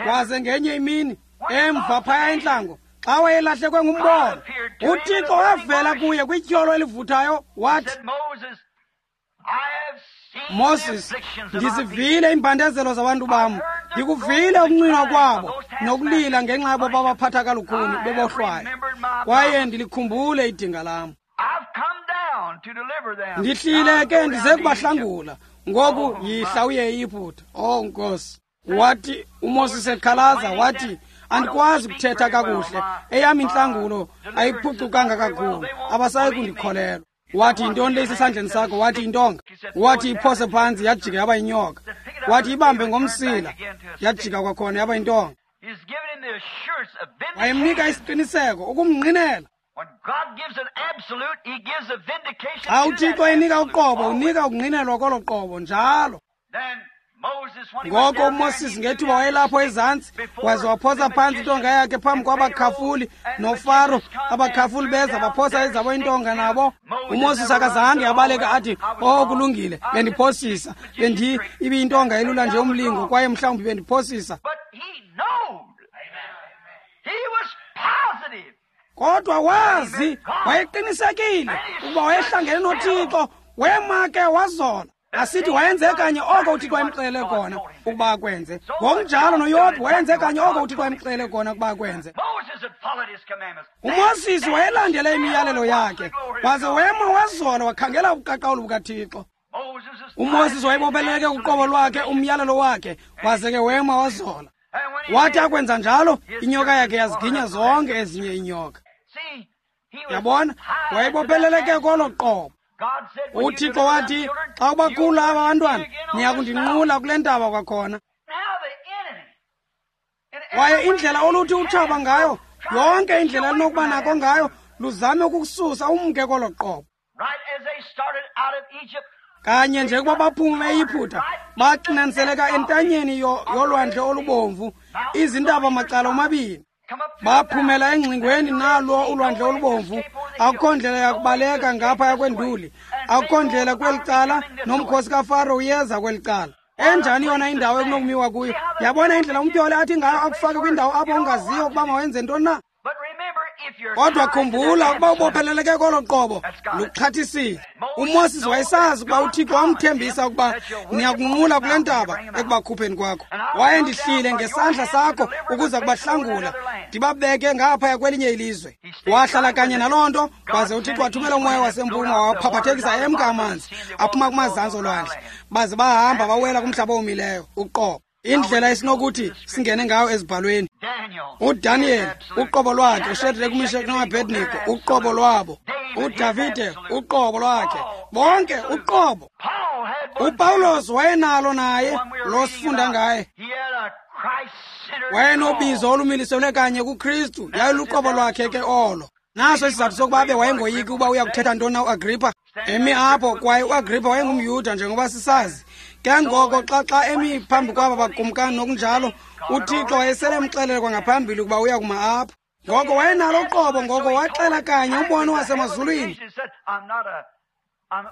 Waze ngenye imini, emva phaya entlango, xa wayelahlekwe ngumbono, uThixo wavela kuye kwityholo elivuthayo, wathi, Moses, ndizivile iimbandezelo zabantu bam, ndikuvile ukuncinwa kwabo nokulila ngenxa yabo babaphatha kalukhuni bebohlwayo, kwaye ndilikhumbule idinga lam. Ndihlile ke ndize kubahlangula, ngoku yihla uye eYiputa. Oh Nkosi! Wathi uMoses ekhalaza, wathi, andikwazi ukuthetha kakuhle, eyam intlangulo ayiphucukanga kakhulu, abasayi kundikholelwa. Wathi, yintoni le isesandleni sakho? Wathi, intonga. Wathi, iphose phantsi, yajika yaba yinyoka. Wathi, ibambe ngomsila, yajika kwakhona yaba yintonga. Wayemnika isiqiniseko, ukumngqinela. Xa uThixo enika uqobo, unika ukungqinelwa kolo qobo njalo. Ngoko uMoses ngethuba wayelapho ezantsi, waze waphosa phantsi intonga yakhe phambi kwabakhafuli noFaro. Abakhafuli beza baphosa ezabo intonga nabo. UMoses akazange abaleka athi, "Oh, kulungile, bendiphosisa, ibiyintonga elula nje umlingo, kwaye mhlawumbi bendiphosisa." Kodwa wazi, wayeqinisekile ukuba wayehlangene noThixo. Wema ke wazola. Asithi wayenze kanye oko uThixo wayemxelele kona ukuba akwenze. Ngokunjalo noYobhi wayenze kanye oko uThixo wayemxelele kona ukuba akwenze. UMoses wayelandele imiyalelo yakhe, waze wema wazola wakhangela ubuqaqawuli bukaThixo. UMoses wayebopheleleke kuqobo lwakhe, umyalelo wakhe, waze ke wema wazola. Wathi akwenza njalo, inyoka yakhe yaziginya zonke ezinye iinyoka. Yabona, wayebopheleleke kolo qobo. UThixo wathi, xa ubakhula aba bantwana, niya kundinqula kule ntaba kwakhona. Kwaye indlela oluthi utshaba ngayo, yonke indlela elinokuba nako ngayo, luzame ukukususa umke kolo qobo. Kanye nje kuba baphume eYiphutha, baxinaniseleka entanyeni yolwandle olubomvu, izintaba macala omabini. Baphumela engxingweni nalo ulwandle olubomvu. Akukho ndlela yakubaleka ngaphaya kwenduli, akukho ndlela kweli cala, nomkhosi kaFaro uyeza kweli cala. Enjani yona indawo ekunokumiwa kuyo? Yabona indlela umtyholi athi ngayo akufake kwindawo apho ungaziyo ukuba mawenze ntoni na? Kodwa khumbula ukuba ubopheleleke kolo qobo, luxhathisile. UMoses wayesazi ukuba uThixo wamthembisa ukuba niyakunqula kule ntaba ekubakhupheni kwakho. Waye ndihlile ngesandla sakho ukuza kubahlangula, ndibabeke ngaphaya kwelinye ilizwe. Wahlala kanye naloo nto, waze uThixo wathumela umoya wasempuma wawaphaphathekisa emka amanzi aphuma kumazantsi olwandle, baze bahamba bawela kumhlaba owomileyo uqobo. Indlela esinokuthi singene ngayo ezibhalweni. UDaniel uqobo lwakhe, uShadrach, uMeshach noAbednego uqobo lwabo, uDavide uqobo lwakhe, bonke uqobo. UPawulos wayenalo naye lo sifunda ngaye. Wayenobizo olumiliselwe kanye kuKristu, yayiluqobo lwakhe ke olo. Naso isizathu sokuba abe wayengoyiki uba uya kuthetha ntoni na uAgrippa. Emi apho, kwaye uAgrippa wayengumYuda njengoba sisazi. Ke ngoko xa emi phambi kwaba bakumkani nokunjalo, uThixo wayesele emxelele kwangaphambili ukuba uya kuma apho. Ngoko wayenalo uqobo, ngoko waxela kanye umbono wasemazulwini.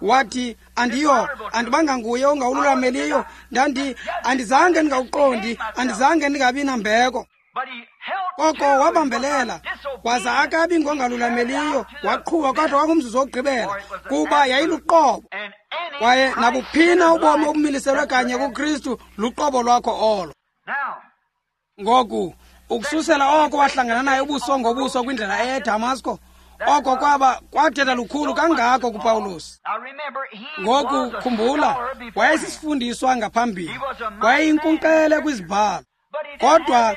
Wathi, andibanga nguye ongawululameliyo, andizange ndingawuqondi, andizange ndingabi nambeko. Koko wabambelela, waza akabi ngongalulameliyo, waqhuba kodwa kwangumzuzu wokugqibela, kuba yayiluqobo. Kwaye nabuphina ubomi obumiliselwe kanye kuKristu, luqobo lwakho olo. Ngoku, ukususela oko wahlangana naye ubuso ngobuso kwindlela eya eDamasko, oko kwaba kwathetha lukhulu kangako kuPawulos. Ngoku khumbula, wayesisifundiswa ngaphambili, wayeyinkunkqele kwizibhalo. Kodwa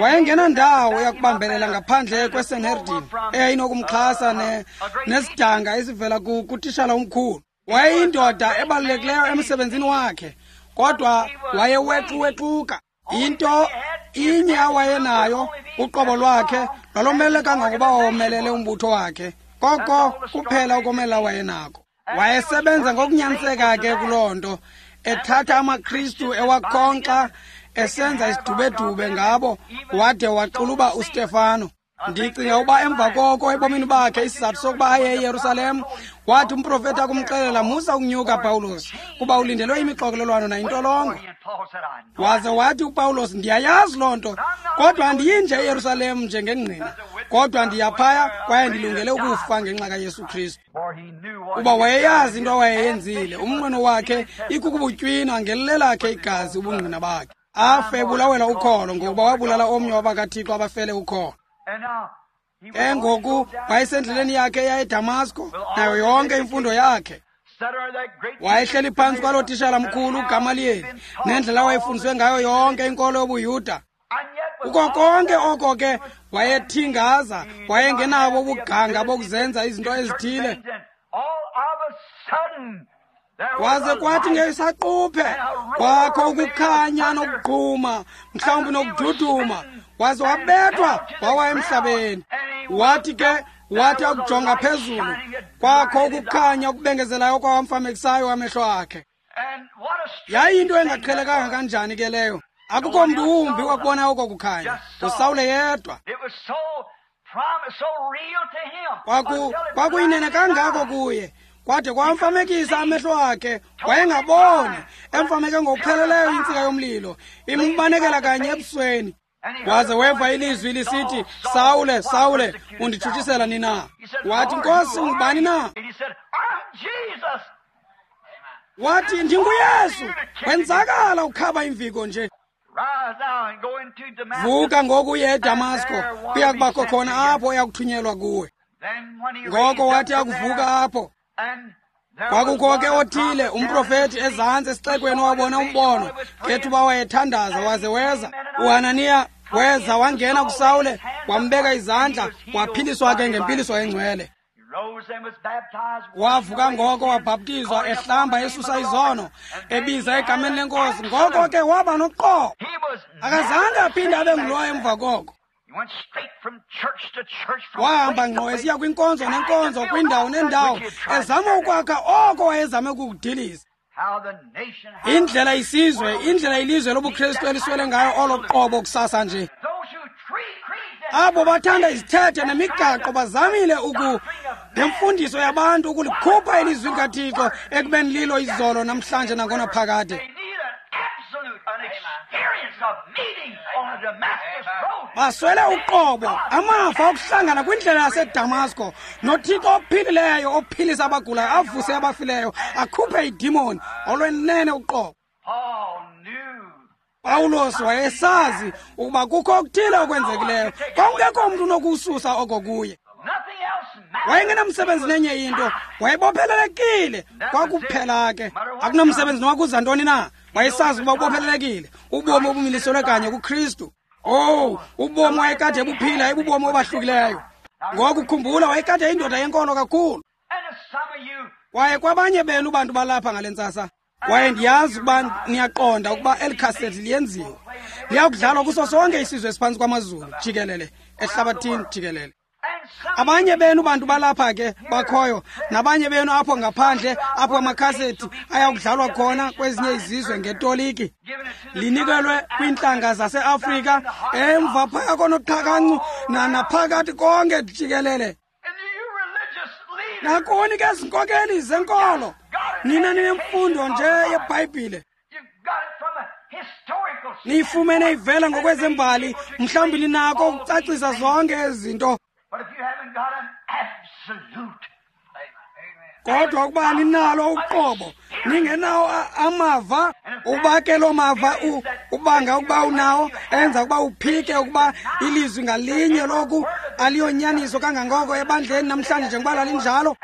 wayengenandawo yakubambelela ngaphandle kweSanhedrin eyayinokumxhasa nesidanga esivela kutishala omkhulu. Wayeyindoda ebalulekileyo emsebenzini wakhe, kodwa wayewexuwexuka. Into inye awayenayo, uqobo lwakhe lwalomele kangangokuba womelele umbutho wakhe. Koko kuphela ukomela wayenako. Wayesebenza ngokunyaniseka ke kuloo nto, ethatha amaKristu ewakhonkxa, esenza isidubedube ngabo, wade waxuluba uStefano. Ndicinga ukuba emva koko ebomini bakhe, isizathu sokuba aye eYerusalem, wathi umprofeti akumxelela, musa ukunyuka Pawulos, kuba ulindelwe imixokelelwano nayintolongo. Waze wathi uPawulos, ndiyayazi loo nto, kodwa andiyinje eYerusalem njengengqina, kodwa ndiyaphaya kwaye ndilungele ukufa ngenxa kaYesu Kristu. Kuba wayeyazi into awayeyenzile, umnqweno wakhe ikukubutywina ngelilelakhe igazi ubungqina bakhe. Afe ebulawela ukholo, ngokuba wabulala omnye wabakaThixo abafele ukholo. Ke ngoku wayesendleleni yakhe eya eDamasko, nayo yonke imfundo yakhe. Wayehleli phantsi kwaloo tishala mkhulu uGamaliyeli, nendlela awayefundiswe ngayo yonke inkolo yobuYuda. Kuko konke oko ke wayethingaza, wayengenabo ubuganga bokuzenza izinto ezithile. Waze kwathi ngesaquphe kwakho ukukhanya nokuqhuma, mhlawumbi nokududuma, waze wabethwa wawa emhlabeni. Wathi ke, wathi akujonga phezulu, kwakho ukukhanya okubengezelayo okwawamfamekisayo amehlo akhe. Yayinto engaqhelekanga kanjani ke leyo? Akukho mntu wumbi wakubona oko kukhanya, uSawule yedwa. Kwakuyinene kangako kuye, kwade kwamfamekisa amehlo akhe, wayengaboni, emfameke ngokupheleleyo intsika yomlilo, imbanekela kanye ebusweni. Waze weva ilizwi lisithi, Sawule, Sawule, unditshutshisela nina? Wathi, Nkosi, ungubani na? Wathi, ndinguYesu. Wenzakala ukhaba imviko nje. Vuka ngoku uye eDamasko, kuya kubakho khona apho oyakuthunyelwa kuwe. Ngoko wathi akuvuka apho, kwakukho ke othile umprofeti ezantsi esixekweni owabona umbono ngethuba wayethandaza, waze weza uHananiya, weza wangena kuSawule, wambeka izandla, waphiliswa ke ngempiliso engcwele. Wavuka ngoko wabhaptizwa, ehlamba esusa izono, ebiza egameni lenkosi. Ngoko ke waba noqobo. Akazange aphinde abe ngulowo emva koko. Wahamba ngqo esiya kwinkonzo nenkonzo, kwindawo nendawo, ezama ukwakha oko wayezame ukukudiliza. Indlela isizwe, indlela ilizwe lobuKristu eliswele ngayo olo qobo kusasa nje. Abo bathanda izithethe nemigaqo bazamile ngemfundiso yabantu ukulikhupha ilizwi likaThixo ekubeni lilo izolo namhlanje nangonaphakade. Baswele uqobo, amava okuhlangana kwindlela yaseDamasko noThixo ophilileyo, ophilisa abagulayo, avuse abafileyo, akhuphe idimoni, olwenene uqobo. Pawulos wayesazi ukuba kukho okuthile okwenzekileyo, kwakungekho mntu unokususa oko kuye. Wayengenamsebenzi nenye into, wayebophelelekile kwakuphela ke. Akunamsebenzi noba kuza ntoni na, wayesazi ukuba ubophelelekile, ubomi obumiliselwe kanye kuKristu. Oh, ubomi wayekade ebuphila ibubomi obahlukileyo. Ngoku khumbula, wayekade indoda yenkolo kakhulu. Kwaye kwabanye benu bantu balapha ngale ntsasa, kwaye ndiyazi ukuba niyaqonda ukuba eli khasethi liyenziwa, liyakudlalwa kuso sonke isizwe esiphantsi kwamazulu jikelele, ehlabathini jikelele. Abanye benu bantu balapha ke bakhoyo, nabanye benu apho ngaphandle apho amakhasethi ayakudlalwa khona kwezinye izizwe ngetoliki, linikelwe kwiintlanga zaseAfrika, emva phaya konoqhakancu naphakathi konke jikelele. Nakuni ke zinkokeli zenkolo, nina ninemfundo nje yeBhayibhile, niyifumene ivela ngokwezembali, mhlawumbi ninako ukucacisa zonke ezi zinto. Kodwa ukuba ninalo uqobo, ningenawo amava, ukuba ke loo mava ubanga ukuba unawo, enza ukuba uphike ukuba ilizwi ngalinye loku aliyonyaniso kangangoko ebandleni namhlanje njengoba lalinjalo,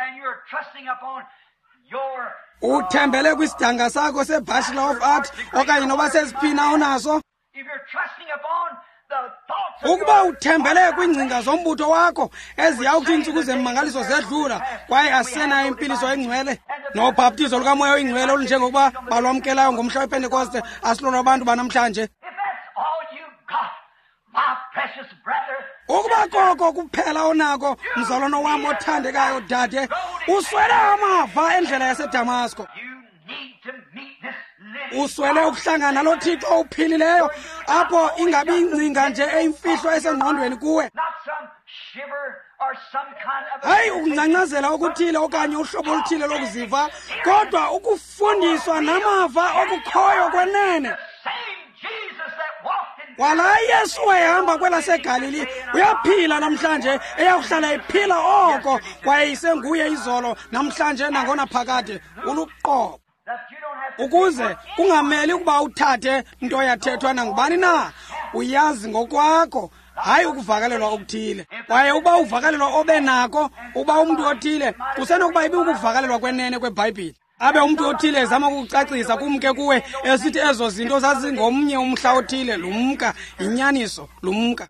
uthembele kwisidanga sakho seBachelor of Art okanye noba sesiphina onaso. Ukuba uthembele kwiingcinga zombutho wakho eziyawuthi iintsuku zemmangaliso zedlula kwaye asenayo impiliso engcwele nobhaptizo lukamoya oyingcwele olunjengokuba balwamkelayo ngomhla wePentekoste, asilolo abantu banamhlanje. Ukuba koko kuphela onako, mzalwana wam othandekayo dade, uswele amava endlela yaseDamasko. Uswele ukuhlangana nalo Thixo uphilileyo, apho ingabi ingcinga nje eyimfihlo esengqondweni kuwe. Hayi ukungcangcazela okuthile okanye uhlobo oluthile lokuziva, kodwa ukufundiswa namava okukhoyo kwenene. Kwala Yesu wayehamba kwelaseGalili, uyaphila namhlanje, eyakuhlala ephila oko, kwaye isenguye izolo namhlanje nangonaphakade. Uluqobo. Ukuze kungameli ukuba uthathe nto yathethwa nangubani na, uyazi ngokwakho, hayi ukuvakalelwa okuthile. Kwaye ukuba uvakalelwa obe nako, uba umntu othile, kusenokuba ibe ukuvakalelwa kwenene kweBhayibhile. Abe umntu othile ezama ukukucacisa kumke kuwe, esithi ezo zinto zazingomnye umhla othile, lumka, yinyaniso, lumka.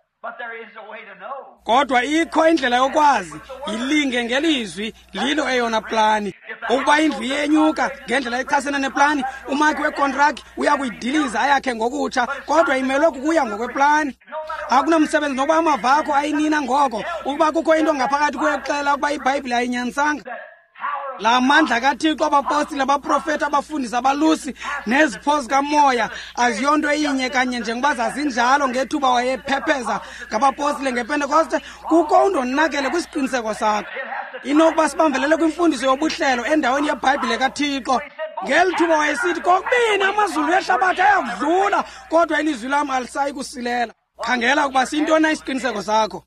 Kodwa ikho indlela yokwazi, yilinge ngelizwi, lilo eyona plani. Ukuba indlu iyenyuka ngendlela echasene neplani, umakhi wekontraki uya kuyidiliza ayakhe ngokutsha, kodwa imelwe kukuya ngokweplani. Akunamsebenzi nokuba amava akho ayinina ngoko, ukuba kukho into ngaphakathi kuwe ekuxelela ukuba iBhayibhile ayinyanisanga. La mandla kaThixo, abapostile, abaprofeti, abafundisi, abalusi nezipho zikamoya aziyonto eyinye kanye njengoba zazinjalo ngethuba wayephepheza ngabapostile ngePentekoste. Kukho undonakele kwisiqiniseko sakho. Inokuba sibambelele kwimfundiso yobuhlelo endaweni yeBhayibhile kaThixo. Ngeli thuba wayesithi kokubini amazulu nehlabathi ayakudlula, kodwa ilizwi lam alisayi kusilela. Khangela ukuba siyintoni na isiqiniseko sakho.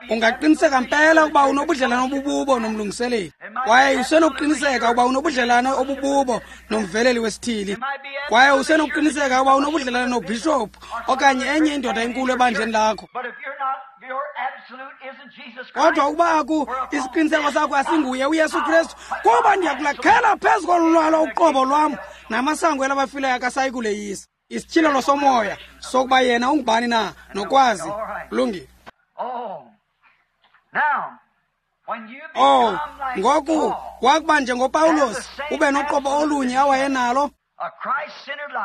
Ungaqiniseka mpela ukuba unobudlelane obububo nomlungiseleli, kwaye usenokuqiniseka ukuba unobudlelane obububo nomveleli wesithili, kwaye usenokuqiniseka ukuba unobudlelane nobhishophu okanye enye indoda enkulu ebandleni lakho. Kodwa ukuba aku isiqiniseko sakho asinguye uYesu Kristu, kuba ndiyakulakhela phezu kolu lwalo uqobo lwam, namasango elabafileyo akasayi kuleyisa. Isityhilelo somoya sokuba yena ungubani na nokwazi. Kulungile. Oh, ngoku wakuba njengoPawulos ube noqobo olunye awayenalo.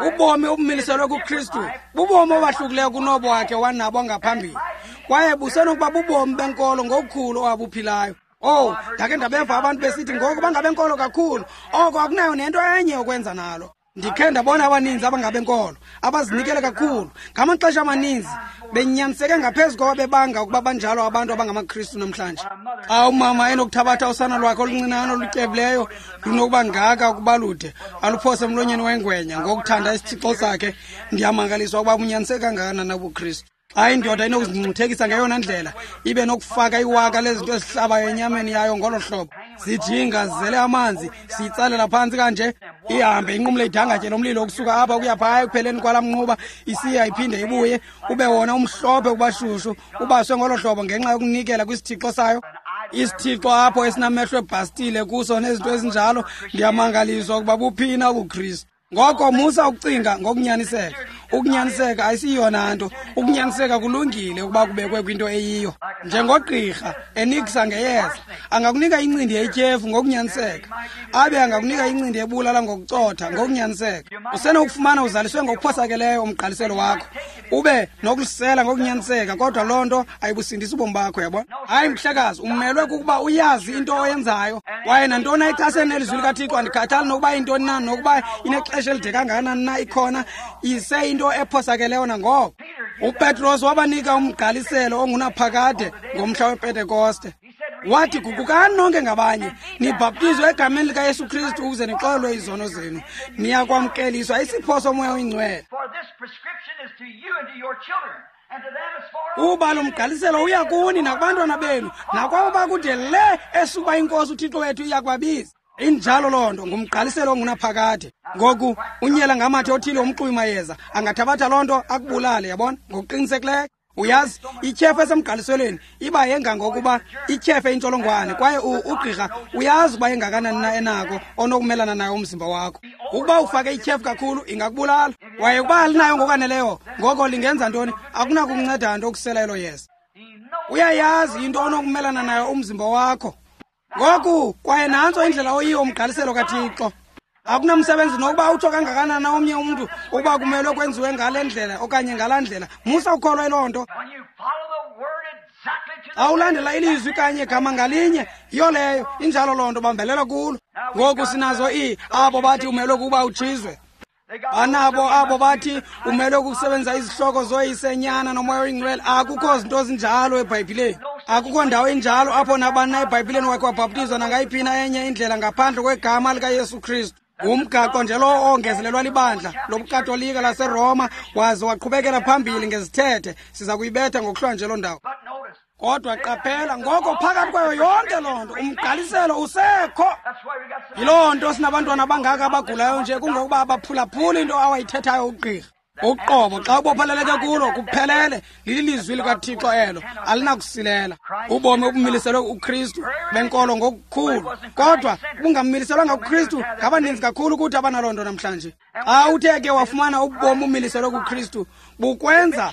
Ubomi obumiliselwe kuKristu bubomi obahlukileyo kunobo wakhe wanabo ngaphambili, kwaye busenokuba bubomi benkolo ngokukhulu owabuphilayo. Oh, ndake ndabeva abantu besithi ngoku bangabenkolo kakhulu, oko akunayo nento enye yokwenza nalo. Ndikhe ndabona abaninzi abangabenkolo abazinikele kakhulu, ngamaxesha amaninzi benyaniseke ngaphezu koba bebanga ukuba banjalo abantu abangamaKristu namhlanje. Xa umama enokuthabatha usana lwakhe oluncinane olutyebileyo lunokuba ngaka ukuba lude aluphose emlonyeni wengwenya ngokuthanda isithixo sakhe, ndiyamangaliswa ukuba bunyaniseke kangakanani ubuKristu. Xa indoda inokuzincuthekisa ngeyona ndlela, ibe nokufaka iwaka lezinto ezihlabayo enyameni yayo ngolo hlobo, zijinga zizele amanzi, siyitsalela phantsi kanje, ihambe inqumle idangatye lomlilo ukusuka apha ukuya phaya ekupheleni kwalaa mnquba, isiya iphinde ibuye, ube wona umhlophe kubashushu, ubaswe ngolo hlobo ngenxa yokunikela kwisithixo sayo. Isithixo apho esinamehlo ebhastile kuso nezinto ezinjalo, ndiyamangaliswa ukuba buphina ubuKristu. Ngoko musa ukucinga ngokunyaniseka. Ukunyaniseka ayisiyona nto. Ukunyaniseka kulungile ukuba kubekwe kwinto eyiyo. Njengogqirha enikisa ngeyeza, angakunika incindi yetyhefu ngokunyaniseka, abe angakunika incindi ebulala ngokucotha ngokunyaniseka. Usenokufumana uzaliswe ngokuphosakeleyo umgqaliselo wakho, ube nokulisela ngokunyaniseka, kodwa loo nto ayibusindisi ubomi bakho, yabona. Hayi mhlekazi, umelwe kukuba uyazi into oyenzayo. Kwaye nantoni ayichasene nelizwi likaThixo, andikhathali nokuba yintoni na, nokuba inexesha elide kangakanani na ikhona, ise into ephosakeleyo nangoko. UPetros wabanika umgqaliselo ongunaphakade ngomhla wePentekoste. Wathi, guqukani nonke ngabanye, nibhaptizwe egameni likaYesu Kristu ukuze nixolelwe izono zenu, niyakwamkeliswa isipho soMoya oyiNgcwele. Kuba lo mgqaliselo uya kuni nakubantwana benu nakwabo bakude le esukuba iNkosi uThixo wethu iya kubabiza. Injalo loo nto, ngumgqaliselo ongunaphakade. Ngoku unyela ngamathe othile umxuyi mayeza angathabatha loo nto akubulale, yabona, ngokuqinisekileyo. Uyazi, ityhefu esemgqaliselweni iba yengangokuba ityhefe intsholongwane, kwaye ugqirha uyazi ukuba engakanani na enako onokumelana nayo umzimba wakho. Ukuba ufake ityhefu kakhulu ingakubulala, kwaye ukuba alinayo ngokwaneleyo, ngoko lingenza ntoni? Akunakunceda nto ukusela elo yeza. Uyayazi into onokumelana nayo umzimba wakho. Ngoku kwaye nantso indlela oyiyo umgqaliselo kaThixo. Akunamsebenzi nokuba utsho kangakanani na omnye umntu ukuba kumelwe kwenziwe ngale ndlela okanye ngalaa ndlela, musa ukholwa yiloo nto. Xa ulandela ilizwi kanye gama ngalinye, yiyo leyo, injalo loo nto, bambelela kulo. Ngoku sinazo abo bathi umelwe kukuba utshizwe. Banabo abo bathi umelwe kukusebenzisa izihloko zoyisenyana noMoya oyiNgcwele. Akukho zinto zinjalo eBhayibhileni. Akukho ndawo injalo apho nabani na eBhayibhileni wakhe wabhaptizwa nangayiphi na enye indlela ngaphandle kwegama likaYesu Kristu. Ngumgaqo nje lowo ongezelelwa libandla lobuKatolika laseRoma waze waqhubekela phambili ngezithethe. Siza kuyibetha ngokuhlwa nje loo ndawo. Kodwa qaphela, ngoko phakathi kwayo yonke loo nto umgqaliselo usekho. Yiloo nto sinabantwana abangaka abagulayo nje, kungokuba abaphulaphuli into awayithethayo ugqirha. Uqobo xa ubopheleleke kulo kuphelele, lilizwi likaThixo elo, alinakusilela. Ubomi obumiliselwe uKristu benkolo ngokukhulu, kodwa bungamiliselwanga kuKristu ngabaninzi kakhulu kuthi abanaloo nto namhlanje. Xa uthe ke wafumana ubomi obumiliselwe kuKristu, bukwenza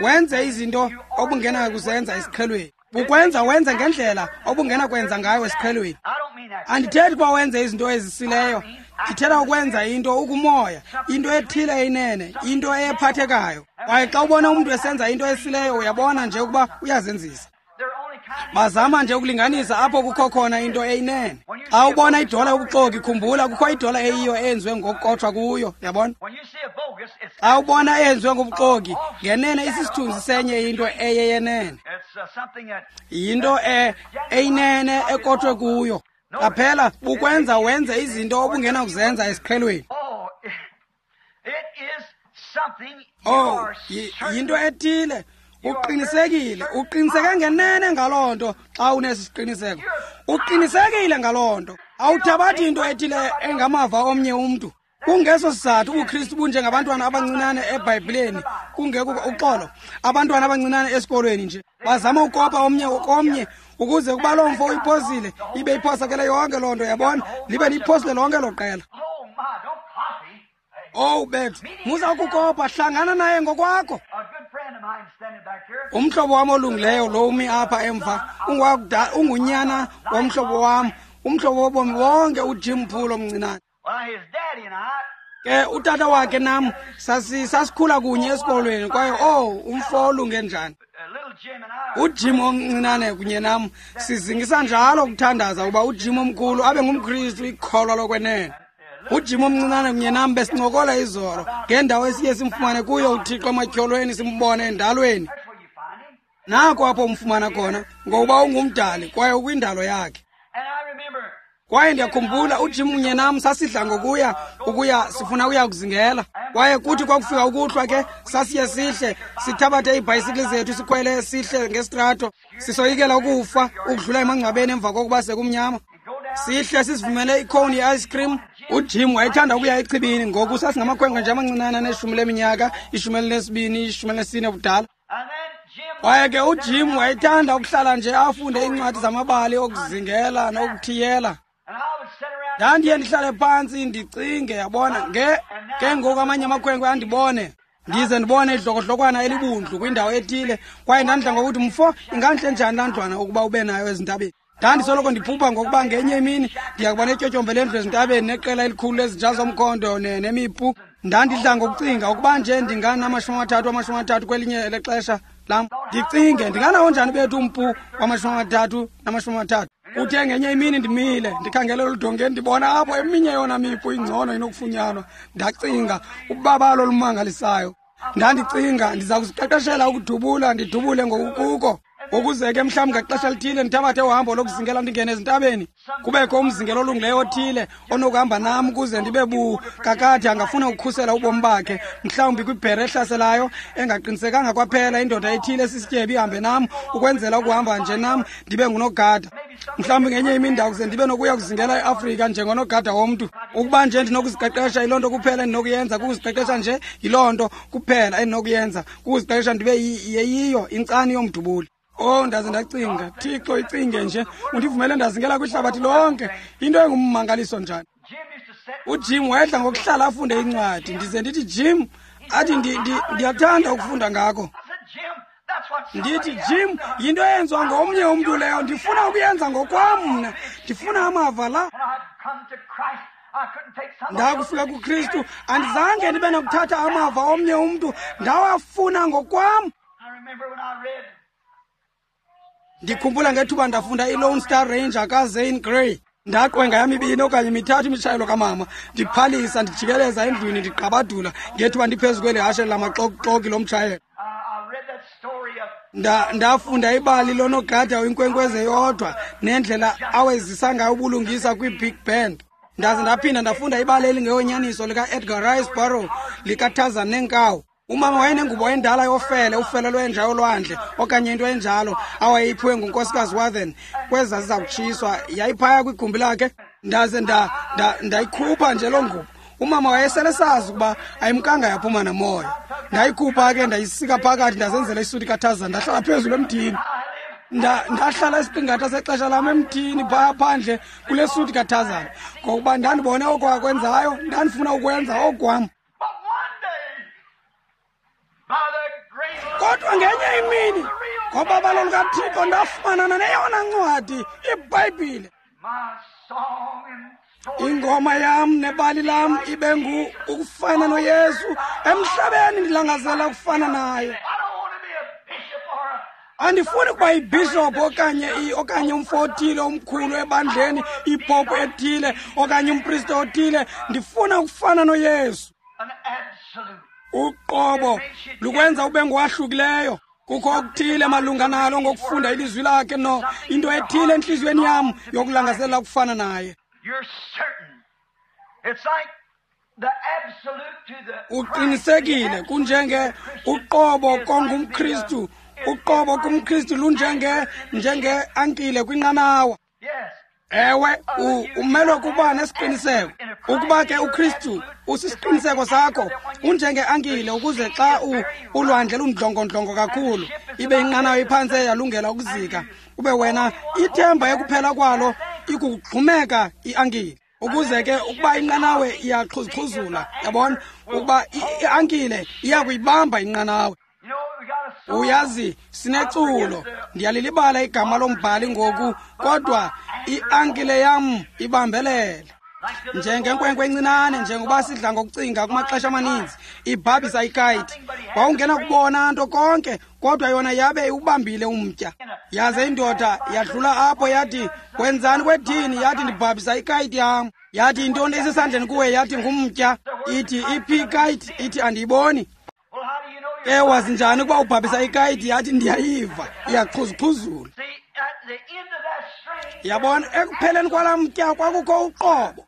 wenze izinto obungenakuzenza esiqhelweni, bukwenza wenze ngendlela obungenakwenza ngayo esiqhelweni. Andithethi ukuba wenze izinto ezisileyo, ndithetha ukwenza into ukumoya, into ethile eyinene, into ephathekayo. Kwaye xa ubona umntu esenza into esileyo, uyabona nje ukuba uyazenzisa. Bazama nje ukulinganisa apho kukho khona into eyinene. Xa ubona idola yobuxoki, khumbula kukho idola eyiyo eyenziwe ngokukotshwa kuyo, yabona? Xa ubona eyenziwe ngobuxoki, ngenene isisithunzi senye into eyeyenene. Yinto eyinene ekotshwe kuyo. Qaphela, bukwenza wenze izinto obungenakuzenza esiqhelweni. Oh, yinto ethile. Uqinisekile, uqiniseke ngenene ngaloo nto xa unesi siqiniseko. Uqinisekile ngaloo nto. Awuthabathi into ethile engamava omnye umntu. Kungeso sizathu ubuKristu bunjengabantwana abancinane eBhayibhileni, kungekho uxolo, abantwana abancinane esikolweni nje. Bazama ukopa omnye komnye ukuze kuba loo mfo uyiphosile, ibe iphosakele yonke loo nto, yabona, libe liyiphosile lonke lo qela. Oh bethu, musa ukukopa, hlangana naye ngokwakho. Umhlobo wam olungileyo lo umi apha emva, ungunyana womhlobo wam, umhlobo wobomi bonke, uJim Poole omncinane. Ke utata wakhe nam sasikhula kunye esikolweni, kwaye oh, umfo olunge njani. UJim omncinane kunye nam sizingisa njalo ukuthandaza ukuba uJim omkhulu abe ngumKristu, ikholwa lokwenene. UJim omncinane kunye nam besincokola izolo ngendawo esiye simfumane kuyo uThixo ematyholweni, simbone endalweni. Nako apho umfumana khona, ngokuba ungumdali kwaye ukwindalo yakhe. Kwaye ndiyakhumbula uJim kunye nam sasidla ngokuya ukuya sifuna ukuya kuzingela. Kwaye kuthi kwakufika ukuhlwa ke sasiye sihle sithabathe iibhayisikili zethu sikhwele sihle ngesitrato, sisoyikela ukufa ukudlula emangcwabeni emva kokuba sekumnyama. Sihle sizivumele ikhowuni ye-ice cream. UJim wayethanda ukuya echibini, ngoku sasingamakhwenkwe nje amancinane aneshumi leminyaka, 12, 14 ubudala. Kwaye ke uJim wayethanda ukuhlala nje afunde iincwadi zamabali okuzingela nokuthiyela. Ndandiye ndihlale phantsi ndicinge, yabona, ke ngoku amanye amakhwenkwe andibone, ndize ndibone idlokodlokwana elibundlu kwindawo ethile. Kwaye ndandidla ngokuthi, mfo, ingantle njani laa ndlwana ukuba ube nayo ezintabeni. Ndandisoloko ndiphupha ngokuba ngenye imini ndiya kuba netyotyombe lendlu ezintabeni neqela elikhulu lezinja zomkhondo nemipu. Ndandidla ngokucinga ukuba nje ndingana-30 30 kwelinye lexesha lam, ndicinge ndinganawo njani bethu umpu wama-30 na-30. Kuthe ngenye imini ndimile ndikhangele oludongeni, ndibona apho eminye yona mipu ingcono inokufunyanwa. Ndacinga ubabalo olumangalisayo. Ndandicinga ndiza kuziqeqeshela ukudubula, ndidubule ngokukuko, ukuze ke mhlawumbi ngaxesha lithile ndithabathe uhambo lokuzingela ndingene ezintabeni, kubekho umzingelo olungileyo othile onokuhamba nam ukuze ndibe bukakade angafuna ukukhusela ubomi bakhe, mhlawumbi kwibhere ehlaselayo engaqinisekanga kwaphela, indoda ethile esisityebi ihambe nam ukwenzela ukuhamba nje nam ndibe ngunogada. Mhlawumbi ngenye imini ndakuze ndibe nokuya kuzingela eAfrika njengonogada womntu. Ukuba nje ndinokuziqeqesha, yiloo nto kuphela endinokuyenza, kukuziqeqesha nje, yiloo nto kuphela endinokuyenza, kukuziqeqesha ndibe yeyiyo intsani yomdubuli. Oh, ndaze ndacinga, Thixo, icinge nje, undivumele ndazingela kwihlabathi lonke, into engummangaliso njani. UJim wayedla ngokuhlala afunde incwadi, ndize ndithi, Jim, athi ndiyathanda ukufunda ngako. Ndithi, Jim, yinto eyenziwa ngomnye umntu leyo, ndifuna ukuyenza ngokwam mna, ndifuna amava la. Ndakufika kuKristu, andizange ndibe nokuthatha amava omnye umntu, ndawafuna ngokwam. Ndikhumbula ngethuba ndafunda iLone Star Ranger kaZane Grey. Ndaqwenga yam 2 okanye 3 imitshayelo kamama, ndiphalisa, ndijikeleza endlwini, ndiqabadula ngethuba ndiphezu kweli hashe lamaxokuxoki lomtshayelo. Ndafunda ibali lonogada wenkwenkwezi eyodwa nendlela awezisa ngayo ubulungisa kwi-Big Band. Ndaze ndaphinda ndafunda ibali elingeyonyaniso lika-Edgar Rice Burroughs likaTarzan neenkawu. Umama wayenengubo endala yofele, ufele lwenja yolwandle okanye into enjalo awayeyiphiwe ngunkosikazi Wathen kweza ziza kutshiswa, yayiphaya kwigumbi lakhe. Ndaze ndayikhupha nje loo ngubo. Umama wayesele sazi ukuba ayimkanga yaphuma namoya. Ndayikhupha ke ndayisika phakathi, ndazenzela isuti kaTarzan, ndahlala phezulu emthini. Ndahlala isiqingatha sexesha lam emthini phaya phandle kule suti kaTarzan, ngokuba ndandibone oko akwenzayo, ndandifuna ukwenza okwam. Kodwa ngenye imini ngobabalo lukaThixo ndafumanana neyona ncwadi, iBhayibhile. Ingoma yam nebali lam ibe ngu ukufana noYesu emhlabeni, ndilangazela ukufana naye. Andifuni ukuba yibhishophu okanye umfo othile omkhulu ebandleni, ipopu ethile okanye umpriste othile. Ndifuna ukufana noYesu. Uqobo lukwenza ube ngowahlukileyo. Kukho okuthile malunga nalo ngokufunda ilizwi lakhe, no into ethile entliziyweni yam yokulangazelela ukufana naye. Uqinisekile, kunjenge uqobo kongumKristu. Uqobo kumKristu lunjenge njengeankile kwinqanawa. Ewe, umelwe kuba nesiqiniseko. Ukuba ke uKristu usisiqiniseko sakho, unjengeankile, ukuze xa ulwandle lundlongondlongo kakhulu, ibe inqanawa iphantse yalungela ukuzika, ube wena ithemba ekuphela kwalo ikugxumeka iankile. Ukuze ke ukuba inqanawe iyaxhuzuxhuzula, yabona, ukuba iankile iyakuyibamba inqanawe. Uyazi, sineculo, ndiyalilibala igama lombhali ngoku, kodwa iankile yam ibambelele. Njengenkwenkwe encinane, njengoba sidla ngokucinga kumaxesha amaninzi, ibhabhisa ikayiti. Wawungena kubona nto konke, kodwa yona yabe iwubambile umtya. Yaze indoda yadlula apho yathi, wenzani kwethini? Yathi, ndibhabhisa ikayiti yam. Yathi, intoni esesandleni kuwe? Yathi, ngumtya. Ithi, iphi ikayiti? Ithi, andiyiboni. Ke wazi njani ukuba ubhabhisa ikayiti? Yathi, ndiyayiva, iyaqhuzuqhuzula. Yabona, ekupheleni kwalaa mtya kwakukho uqobo.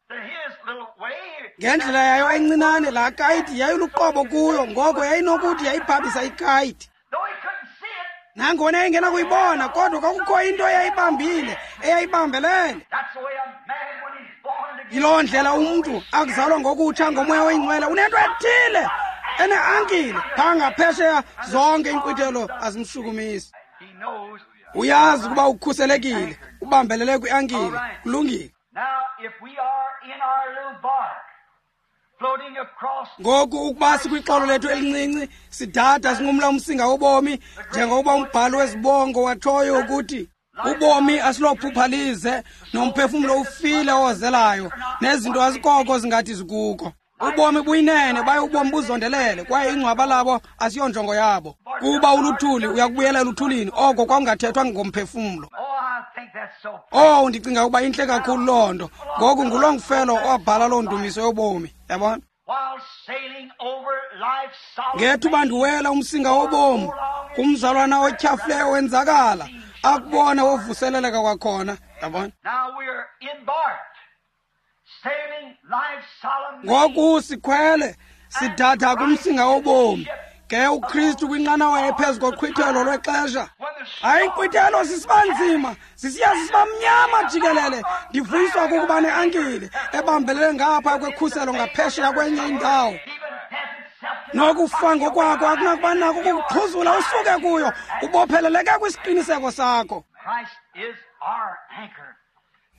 Ngendlela yayo encinane, laa kayiti yayiluqobo kuyo, ngoko yayinokuthi yayibhabhisa ikayiti. Nangona yayingenakuyibona, kodwa kwakukho into eyayibambile, eyayibambelele. Yiloo ndlela umntu akuzalwa ngokutsha ngoMoya oyiNgcwele, unento ethile eneankile phaa ngaphesheya, zonke iinkqwithelo azimshukumisi. Uyazi ukuba ukhuselekile, ubambelele kwiankile. Kulungile. Ngoku ukuba sikwixolo lethu elincinci, sidada sinqumla umsinga wobomi, njengokuba umbhali wezibongo watshoyo ukuthi ubomi asilophupha lize, nomphefumlo ufile owozelayo, nezinto azikoko zingathi zikuko. Ubomi buyinene, baye ubomi buzondelele, kwaye ingcwaba labo asiyonjongo yabo. Kuba uluthuli uyakubuyela eluthulini, oko kwakungathethwa ngomphefumlo. Oh, ndicinga ukuba intle kakhulu loo nto. Ngoku nguLongfellow owabhala loo ndumiso yobomi, yabona? Ngethuba ndiwela umsinga wobomi, kumzalwana otyhafileyo wenzakala, akubona wovuseleleka kwakhona, yabona? Ngoku sikhwele sidatha kumsinga wobomi, ke uKristu kwinqanawa ephezu koqhwithelo lwexesha. Hayi, inkqwithelo sisiba nzima, sisiya sisiba mnyama jikelele. Ndivuyiswa kukuba neankile ebambelele ngapha kwekhuselo ngaphesheya kwenye indawo. Nokufa ngokwakho akunakuba nako ukukuxhuzula usuke kuyo, ubopheleleke kwisiqiniseko sakho.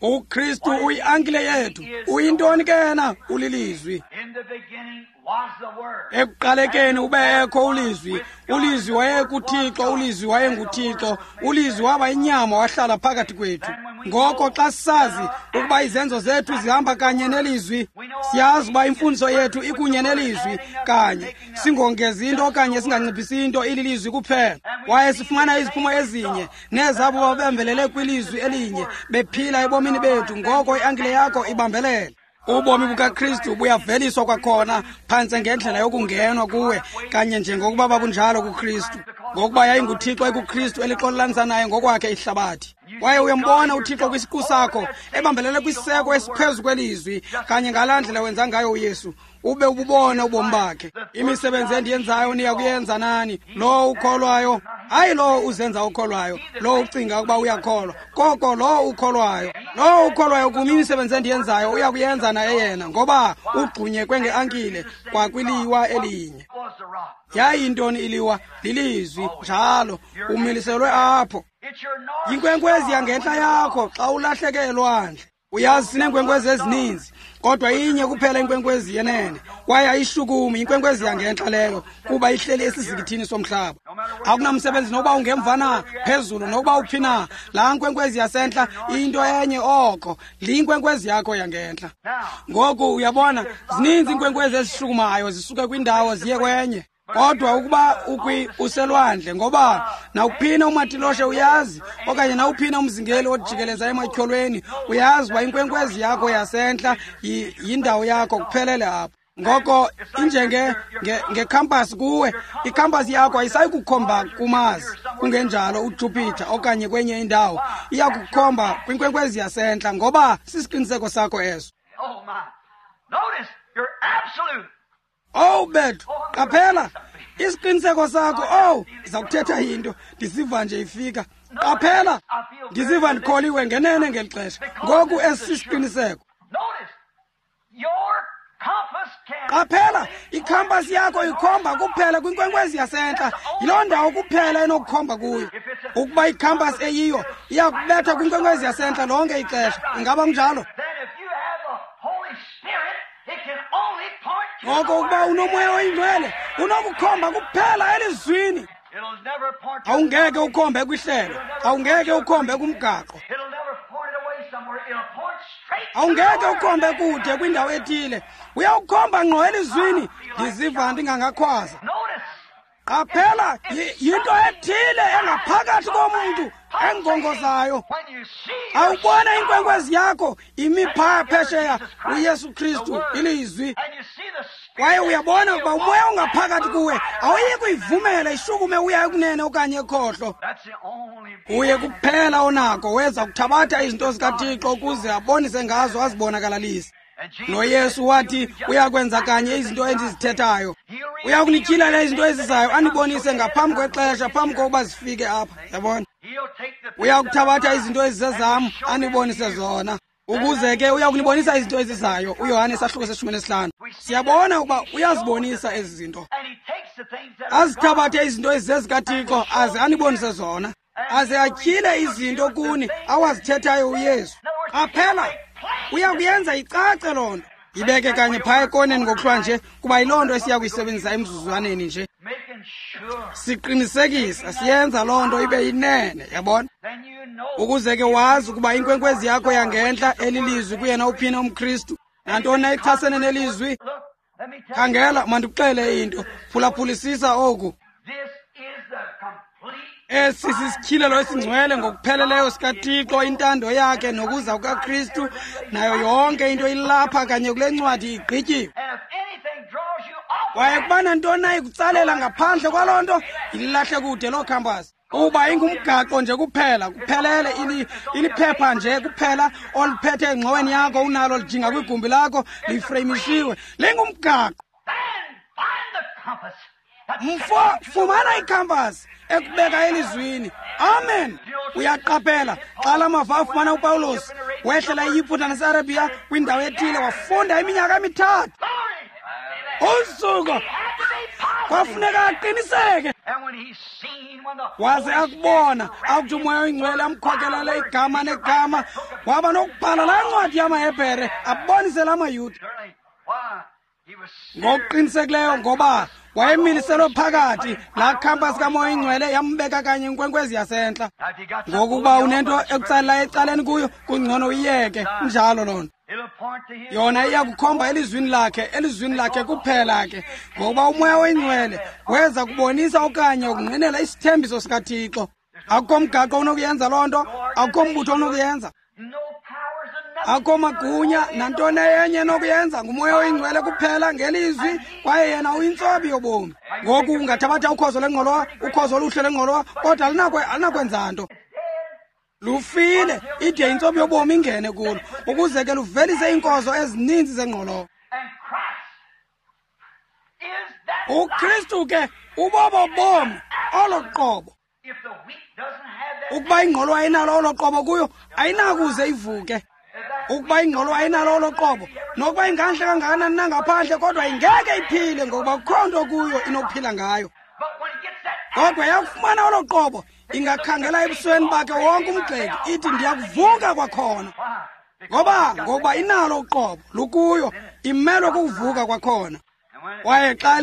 uKristu uyiankile yethu. Uyintoni ke yena? Ulilizwi. Ekuqalekeni ubekho ulizwi. Ulizwi wayekuThixo, ulizwi wayenguThixo. Ulizwi waba inyama wahlala phakathi kwethu. Ngoko xa sisazi ukuba izenzo zethu zihamba kanye nelizwi, siyazi uba imfundiso yethu ikunye nelizwi kanye, singongezi into okanye singanciphisi into, ililizwi kuphela. Kwaye sifumana iziphumo ezinye nezabo babembelele kwilizwi elinye bephila ebomini bethu. Ngoko iankile yakho ibambelele. Ubomi bukaKristu buyaveliswa kwakhona phantse ngendlela yokungenwa kuwe, kanye njengokuba babunjalo kuKristu. Ngokuba yayinguThixo ekuKristu elixolelanisa naye ngokwakhe ihlabathi. Kwaye uyambona uThixo kwisiqu sakho ebambelele kwisiseko esiphezu kwelizwi, kanye ngalaa ndlela wenza ngayo uYesu. Ube ububona ubomi bakhe. Imisebenzi endiyenzayo niya kuyenza nani. Lowo ukholwayo, hayi lowo uzenza ukholwayo, lowo ucinga ukuba uyakholwa, koko lowo ukholwayo. Lowo ukholwayo kum, imisebenzi endiyenzayo uya kuyenza naye yena, ngoba ugxunyekwe ngeankile kwakwiliwa elinye. Yayintoni iliwa? Lilizwi, njalo umiliselwe apho. Yinkwenkwezi yangentla yakho xa ulahleke elwandle. Uyazi sineenkwenkwezi ezininzi, kodwa inye kuphela inkwenkwezi yenene, kwaye ayishukumi. Inkwenkwezi yangentla leyo, kuba ihleli esizikithini somhlaba. Akunamsebenzi nokuba ungemva na, phezulu nokuba uphi na, laa nkwenkwezi yasentla into enye oko, liyinkwenkwezi yakho yangentla. Ngoku uyabona, zininzi iinkwenkwezi ezishukumayo zisuke kwindawo ziye kwenye. Kodwa ukuba uselwandle, ngoba nawuphina umatiloshe uyazi, okanye nawuphina umzingeli ojikeleza ematyholweni uyazi uba inkwenkwezi yakho yasentla yindawo yakho kuphelele apho. Ngoko injenge ngekhampasi kuwe, ikhampasi yakho ayisayi kukhomba kuMars, kungenjalo uJupiter okanye kwenye indawo. Iya kukhomba kwinkwenkwezi yasentla, ngoba sisiqiniseko sakho eso. Owu bethu, qaphela isiqiniseko sakho. Owu, ndiza kuthetha into, ndisiva nje ifika. Qaphela, ndiziva ndikholiwe ngenene ngeli xesha. Ngoku esi sisiqiniseko. Qaphela, ikhampasi yakho ikhomba kuphela kwinkwenkwezi yasentla. Yiloo ndawo kuphela enokukhomba kuyo. Ukuba ikhampasi eyiyo iyakubetha kwinkwenkwezi yasentla lonke ixesha. Ingaba kunjalo? Ngoko ukuba unoMoya oyiNgcwele, unokukhomba kuphela elizwini. Awungeke ukhombe kwihlelo, awungeke ukhombe kumgaqo, awungeke ukhombe kude kwindawo ethile. Uyawukhomba ngqo elizwini. Ndiziva ndingangakhwaza. Qaphela, yinto ethile engaphakathi komntu engongozayo. Awubona inkwenkwezi yakho imi phaa phesheya, uYesu Kristu, ilizwi. Kwaye uyabona ukuba umoya ongaphakathi kuwe awuyi kuyivumela ishukume uya ekunene okanye ekhohlo. Uye kuphela onako weza kuthabatha izinto zikaThixo ukuze abonise ngazo, azibonakalalise. NoYesu wathi uyakwenza kanye izinto endizithethayo. Uyakunityhilela izinto ezizayo, anibonise ngaphambi kwexesha, phambi kokuba zifike apha. Yabona? Uyakuthabatha izinto ezizezam, anibonise zona. Ukuze ke uyakunibonisa izinto ezizayo. UYohane isahluko se-15. Siyabona ukuba uyazibonisa ezi zinto. Azithabathe izinto ezizezikaThixo aze anibonise zona. Aze atyhile izinto kuni awazithethayo uYesu. Qaphela, uyakuyenza icace loo nto. Ibeke kanye phaya ekoneni ngokuhlwa nje, kuba yiloo nto esiya kuyisebenzisa emzuzwaneni nje. Siqinisekisa, siyenza loo nto ibe yinene, yabona? Ukuze ke wazi ukuba inkwenkwezi yakho yangentla elilizwi kuyena uphina umKristu. Nantoni na ichasene nelizwi? Khangela, mandikuxele into. Phulaphulisisa oku. Esi sisityhilelo esingcwele ngokupheleleyo sikaThixo, intando yakhe nokuza kukaKristu, nayo yonke into ilapha kanye kule ncwadi igqityiwe. Kwaye kuba nantoni na ikutsalela ngaphandle kwaloo nto, ilahle kude loo khampasi. Uba ingumgaqo nje kuphela, kuphelele, iliphepha nje kuphela oliphethe engxoweni yakho, unalo lijinga kwigumbi lakho, lifreyimishiwe, lingumgaqo. Mfo, fumana ikhampasi ekubeka elizwini. Amen. Uyaqaphela, xa la mava afumana uPawulos, wehlela iYiputa naseArabia kwindawo ethile, wafunda iminyaka emithathu. Usuku kwafuneka aqiniseke. Waze akubona, akuthi uMoya oyiNgcwele amkhokelele igama negama, waba nokubhala laa ncwadi yamaHebhere abonise la maYuda. Ngokuqinisekileyo, ngoba wayemiliselwe phakathi, laa khampasi kaMoya oyiNgcwele yambeka kanye inkwenkwezi yasentla. Ngokuba unento ekutsalela ecaleni kuyo, kungcono uyiyeke. Injalo loo nto. Yona iyakukhomba elizwini lakhe, elizwini lakhe kuphela ke, ngokuba uMoya oyiNgcwele weza kubonisa okanye ukungqinela isithembiso sikaThixo. Akukho mgaqo unokuyenza loo nto, akukho mbutho unokuyenza, akukho magunya nantoni enye enokuyenza. NguMoya oyiNgcwele kuphela ngelizwi, kwaye yena uyintsobi yobomi. Ngoku ungathabatha ukhozo lengqolowa, ukhozo oluhle lengqolowa, kodwa alinakwenza nto. Lufile, ide intsobi yobomi ingene kulo, ukuze ke luvelise iinkozo ezininzi zengqolowa. UKristu ke ubobo bomi olo qobo. Ukuba ingqolowa ayinalo olo qobo kuyo, ayinakuze ivuke. Ukuba ingqolowa ayinalo olo qobo, nokuba ingantle kangakanani nangaphandle, kodwa ingeke iphile, ngokuba kukho nto kuyo inokuphila ngayo. Kodwa yakufumana olo qobo, ingakhangela ebusweni bakhe wonke umgxeki, ithi ndiyakuvuka kwakhona. Ngoba inalo uqobo lukuyo, imelwe kukuvuka kwakhona. Kwaye xa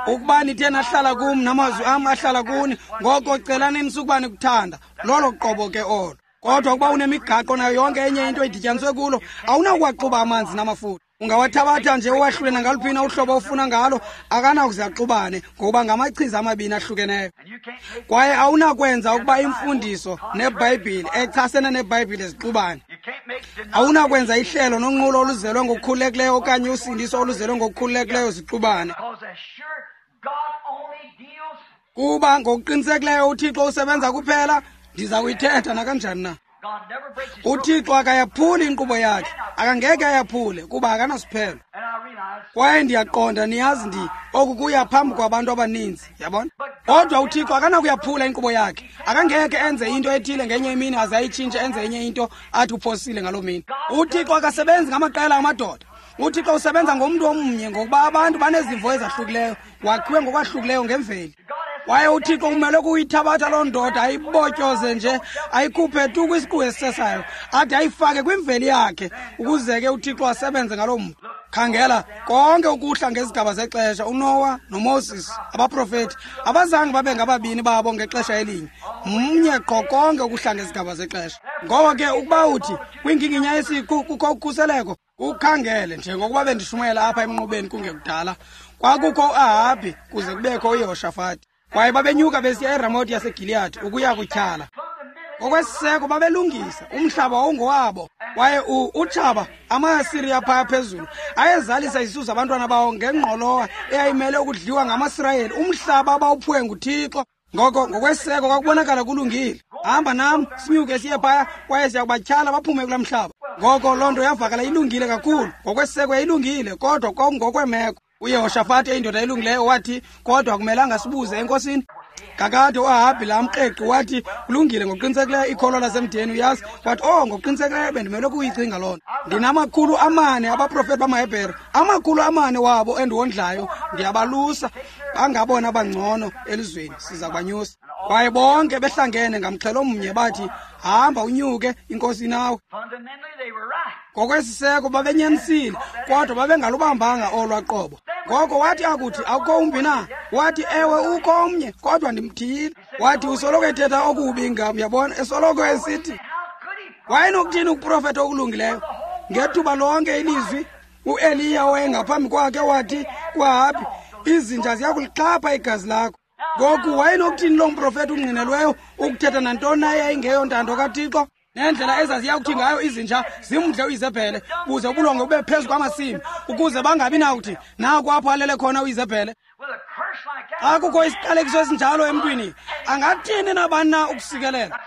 ukuba nithe nahlala kum namazwi am ahlala kuni, ngoko celani nisukuba nikuthanda. Lolo qobo ke olo. Kodwa ukuba unemigaqo nayo yonke enye into idityaniswe kulo, awunakuwaxuba amanzi namafutha. Ungawathabatha nje uwahlule nangaluphi na uhlobo ofuna ngalo, akanakuze axubane ngokuba ngamachiza amabini ahlukeneyo. Kwaye awunakwenza ukuba imfundiso neBhayibhile echasene neBhayibhile zixubane. Awunakwenza ihlelo nonqulo oluzelwe ngokukhululekileyo okanye usindiso oluzelwe ngokukhululekileyo zixubane. Kuba ngokuqinisekileyo uThixo usebenza kuphela, ndiza kuyithetha nakanjani na. UThixo akayaphuli inkqubo yakhe, akangeke ayaphule kuba akanasiphelo. Kwaye ndiyaqonda, niyazi, oku kuya phambi kwabantu abaninzi, yabona. Kodwa uThixo akanakuyaphula inkqubo yakhe, akangeke enze into ethile ngenye imini aze ayitshintshe enze enye into athi uphosile ngaloo mini. UThixo akasebenzi ngamaqela amadoda. UThixo usebenza ngomntu omnye, ngokuba abantu banezimvo ezahlukileyo, wakhiwe ngokwahlukileyo ngemveli. Kwaye uThixo umele kuyithabatha loo ndoda ayibotyoze nje, ayikhuphe tu kwisiqu esisesayo, ade ayifake kwimveli yakhe, ukuze ke uThixo asebenze ngaloo mntu. Khangela, konke ukuhla ngezigaba zexesha, uNowa noMoses, abaprofeti, abazange babe ngababini babo ngexesha elinye, mnye qho konke ukuhla ngezigaba zexesha. Ngoko ke ukuba uthi kwinginginya yesiqu kukho ukhuseleko, ukhangele njengokuba bendishumayela apha emnqubeni kungekudala, kwakukho uAhabhi kuze kubekho uYehoshafati. Kwaye babenyuka besiya eRamoti yaseGiliyadi ukuya kutyhala. Ngokwesiseko babelungisa, umhlaba wawungowabo. Kwaye utshaba, amaAsiriya phaya phezulu, ayezalisa isisu zabantwana bawo ngengqolowa eyayimele ukudliwa ngamaSirayeli, umhlaba abawuphiwe nguThixo. Ngoko ngokwesiseko kwakubonakala kulungile. Hamba nam, sinyuke siye phaya, kwaye siya kubatyhala baphume kulaa mhlaba. Ngoko loo nto yavakala ilungile kakhulu. Ngokwesiseko yayilungile, kodwa kwakungokweemeko. UYehoshafati, eyindoda elungileyo, wathi, kodwa akumelanga sibuze enkosini. Kakade uAhabhi laa mkreqi wathi, kulungile, ngokuqinisekileyo ikholwa lasemdeni, uyazi. Wathi, oh, ngokuqinisekileyo bendimele ukuyicinga loo nto. Ndinama400 abaprofeti bamaHebhere, 400 wabo endiwondlayo, ndiyabalusa, bangabona bangcono elizweni, siza kubanyusa. Kwaye bonke behlangene ngamxhelo mnye bathi, hamba unyuke, inkosi nawe. Ngokwesiseko babenyanisile, kodwa babengalubambanga olwa qobo. Ngoko wathi akuthi, akukho umbi na? Wathi, ewe, ukho omnye, kodwa ndimthiyile. Wathi, usoloko ethetha okubi ngam, yabona, esoloko esithi. Wayenokuthini ukuprofetha okulungileyo? Ngethuba lonke ilizwi, uEliya owayengaphambi kwakhe wathi kuAhabhi, izinja ziyakulixhapha igazi lakho. Ngoku wayenokuthini loo mprofethi ungqinelweyo ukuthetha nantoni na eyayingeyontando kaThixo? Nendlela ezaziya kuthi ngayo izinja zimdle uIzebhele, buze ubulongwe bube phezu kwamasimi, ukuze bangabi nakuthi naku apho alele khona uIzebhele. Xa kukho isiqalekiso esinjalo emntwini, angathini nabani na ukusikelela?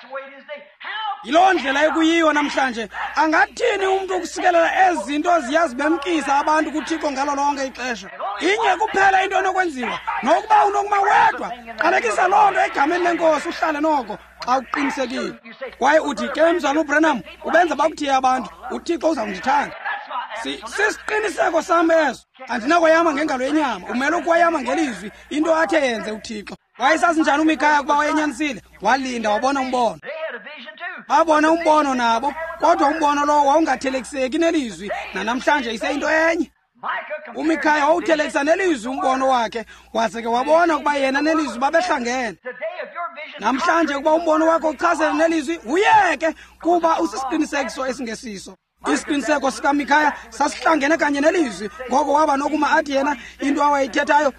Yiloo ndlela ekuyiyo namhlanje. Angathini umntu ukusikelela ezi zinto ziyazibemkisa abantu kuThixo ngalo lonke ixesha? Inye kuphela into enokwenziwa, nokuba unokuma wedwa, qalekisa loo nto egameni lenkosi, uhlale noko xa uqinisekile. Kwaye uthi, ke mzalwana uBranham, ubenza bakuthiye abantu, uThixo uzawundithanda. Sisiqiniseko sam eso. Andinakwayama ngengalo yenyama, umele ukwayama ngelizwi, into athe yenze uThixo. Wayesazi njani uMikhaya ukuba wayenyanisile? Walinda wabona umbono. Babona umbono nabo, kodwa umbono lowo wawungathelekiseki nelizwi, nanamhlanje iseyinto enye. uMikhaya wawuthelekisa nelizwi umbono wakhe, waze ke wabona ukuba yena nelizwi babehlangene. Namhlanje ukuba umbono wakho uchasene nelizwi, uyeke, kuba usisiqinisekiso esingesiso. Isiqiniseko sikaMikhaya sasihlangene kanye nelizwi, ngoko waba nokuma athi yena into awayithethayo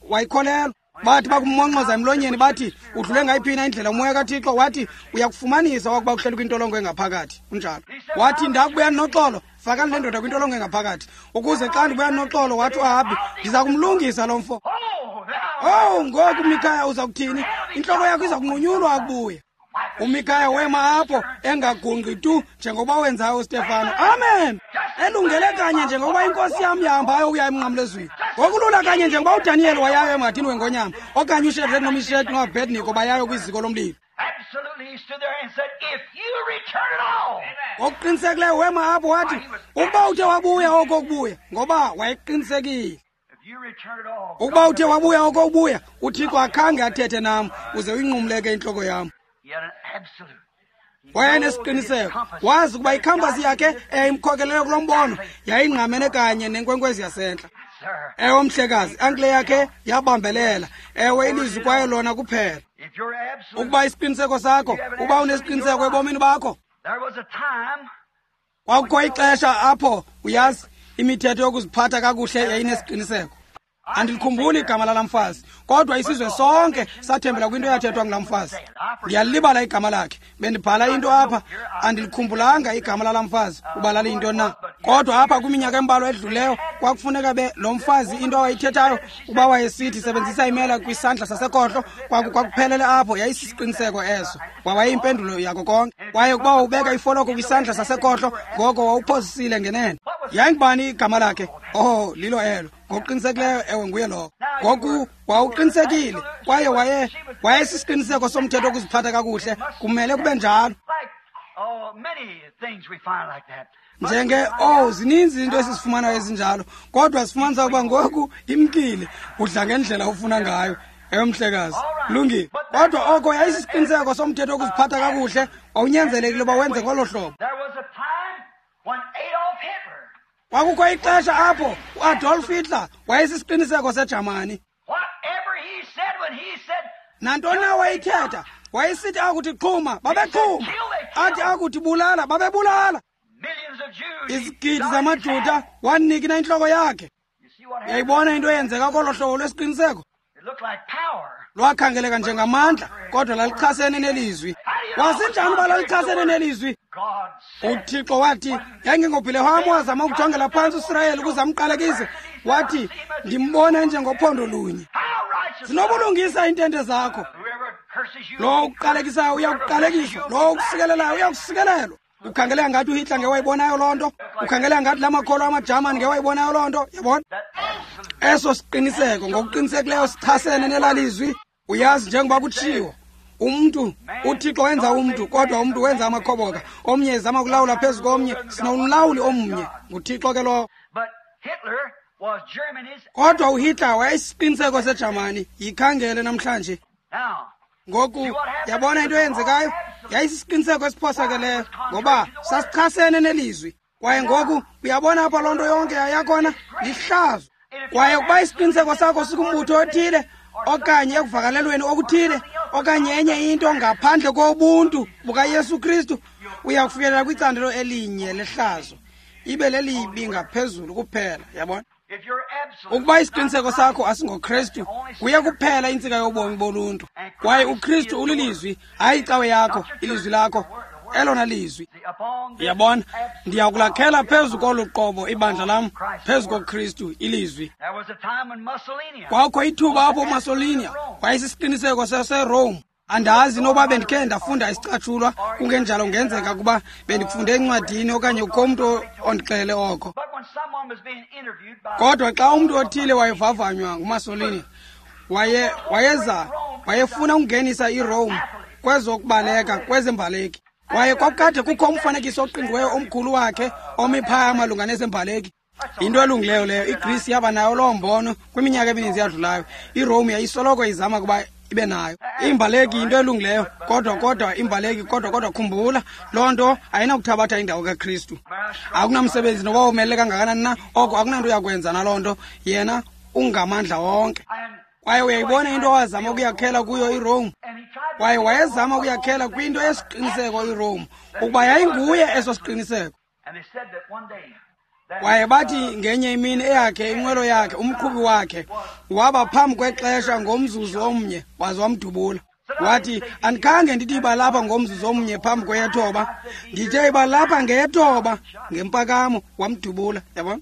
wayikholelwa. Bathi bakummonxoza emlonyeni bathi, udlule ngayiphina indlela umoya kaThixo? Wathi, uyakufumanisa wakuba uhleli kwintolongo engaphakathi. Kunjalo. Wathi, ndakubuya noxolo, fakani le ndoda kwintolongo engaphakathi, ukuze xa ndibuya noxolo, wathi uAhabhi, ndiza kumlungisa lo mfo. Oh, ngoku Mikhaya uza kuthini? Intloko yakho iza kunqunyulwa akubuya. uMikhaya wema apho engagungqi tu njengokuba wenzayo uStefano. Amen. Elungele kanye njengokuba inkosi yam yahambayo ukuya emnqamlezweni. Ngokulula kanye njengokuba uDaniyeli wayayo emhadini wengonyama, okanye uShadrach noMeshach noAbednego bayayo kwiziko lomlilo. Ngokuqinisekileyo wema apho wathi, ukuba uthe wabuya oko kubuya, ngoba wayeqinisekile. Ukuba uthe wabuya oko ubuya, uThixo akhange athethe nam, uze uyinqumleke intloko yam. Wayenesiqiniseko, wazi ukuba ikhampasi yakhe eyayimkhokelele kulo mbono yayingqamene kanye nenkwenkwezi yasentla. Ewe, mhlekazi, ankle yakhe yabambelela. Ewe, ilizwi kwaye lona kuphela. Ukuba isiqiniseko sakho, ukuba unesiqiniseko ebomini bakho. Kwakukho ixesha apho, uyazi, Imithetho yokuziphatha kakuhle yayinesiqiniseko. Andilikhumbuli igama lala mfazi, kodwa isizwe sonke sathembela kwinto eyathethwa ngulaa mfazi. Ndiyalibala igama lakhe. Bendibhala into apha, andilikhumbulanga igama lala mfazi uba laliyinto na. Kodwa apha kwiminyaka embalwa edluleyo kwakufuneka be lo mfazi into awayithethayo uba wayesithi sebenzisa imela kwisandla sasekhohlo, kwakuphelele apho. Yayisisiqiniseko eso, wawayimpendulo yako konke. Kwaye ukuba wawubeka ifoloko kwisandla sasekhohlo, ngoko wawuphosisile ngenene. Yayingubani igama lakhe? Oh, lilo elo. Ngokuqinisekileyo, ewe, nguye lowo. Ngoku wawuqinisekile, kwaye wayesisiqiniseko somthetho wokuziphatha kakuhle. Kumele kube njalo. Njenge zininzi into esizifumanayo ezinjalo, kodwa sifumanisa ukuba ngoku imkile, udla ngendlela ofuna ngayo. Ewe, mhlekazi, lungile. Kodwa oko yayisisiqiniseko somthetho wokuziphatha kakuhle, wawunyanzelekile uba wenze ngolo hlobo. Kwakukho ixesha apho uAdolf Hitler wayesisiqiniseko seJamani. Nantoni na wayithetha, wayesithi akuthi xhuma, babexhuma. Athi akuthi bulala, babebulala. Izigidi zamaJuda wanikina intloko yakhe. Uyayibona into eyenzeka kolo hlobo lwesiqiniseko? Lwakhangeleka njengamandla, kodwa lalichasene nelizwi. Wasinjani uba lalichasene nelizwi? UThixo wathi, yayingengobhileham wazama ukujongela phantsi uSirayeli ukuze amqalekise. Wathi, ndimbona njengophondo lunye. Zinobulungisa iintente zakho. Lowo ukuqalekisayo uyakuqalekiswa, lowo ukusikelelayo uyakusikelelwa. Ukhangeleka ngathi uHitler ngewayibonayo loo nto. Ukhangeleka ngathi la makholo amaJamani ngewayibonayo loo nto. Yabona? Eso siqiniseko ngokuqinisekileyo sichasene nelalizwi. Uyazi, njengoba kutshiwo, umntu, uThixo wenza umntu, kodwa umntu wenza amakhoboka. Omnye ezama ukulawula phezu komnye. Sinomlawuli omnye, nguThixo ke lowo. Kodwa uHitler wayesisiqiniseko seJamani. Yikhangele namhlanje. Ngoku yabona into eyenzekayo? Yayisisiqiniseko esiphosakeleyo, ngoba sasichasene nelizwi. Kwaye ngoku uyabona apha loo nto yonke yayakhona lihlazo. Kwaye ukuba isiqiniseko sakho sikumbutho othile okanye ekuvakalelweni okuthile okanye enye into ngaphandle kobuntu bukaYesu Kristu, uya kufikelela kwicandelo elinye lehlazo, ibe lelibi ngaphezulu kuphela. Yabona? Ukuba isiqiniseko sakho asingoKristu, kuye kuphela intsika yobomi boluntu. Kwaye uKristu ulilizwi, hayi icawe yakho, ilizwi lakho, elona lizwi. Yabona, ndiyakulakhela phezu kolu qobo ibandla lam, phezu koKristu, ilizwi. Kwakho ithuba apho uMussolini wayesisiqiniseko saseRome. Andazi noba bendikhe ndafunda isicatshulwa, kungenjalo kungenzeka ukuba bendikufunde encwadini okanye kukho umntu ondixelele oko. Kodwa xa umntu othile wayevavanywa nguMussolini, wayefuna ukungenisa iRome kwezokubaleka, kwezembaleki. Kwaye kwakukade kukho umfanekiso oqingqiweyo omkhulu wakhe omi phaya malunga nezembaleki. Yinto elungileyo leyo. IGreece yaba nayo loo mbono kwiminyaka emininzi yadlulayo. IRome yayisoloko izama ukuba ibe nayo. Imbaleki yinto elungileyo, kodwa imbaleki, kodwa khumbula, loo nto ayinakuthabatha indawo kaKristu. Akunamsebenzi noba womelele kangakanani na, oko akunanto yakwenza naloo nto. Yena ungamandla wonke. Kwaye uyayibona into owazama ukuyakhela kuyo iRome? Kwaye wayezama ukuyakhela kwinto yesiqiniseko iRome, ukuba yayinguye eso siqiniseko. Kwaye bathi ngenye imini eyakhe inqwelo yakhe, umqhubi wakhe, waba phambi kwexesha ngomzuzu omnye, waze wamdubula. Wathi, andikhange ndithi iba lapha ngomzuzu omnye phambi kweyethoba, ndithe iba lapha ngeyethoba ngempakamo, wamdubula. Yabona?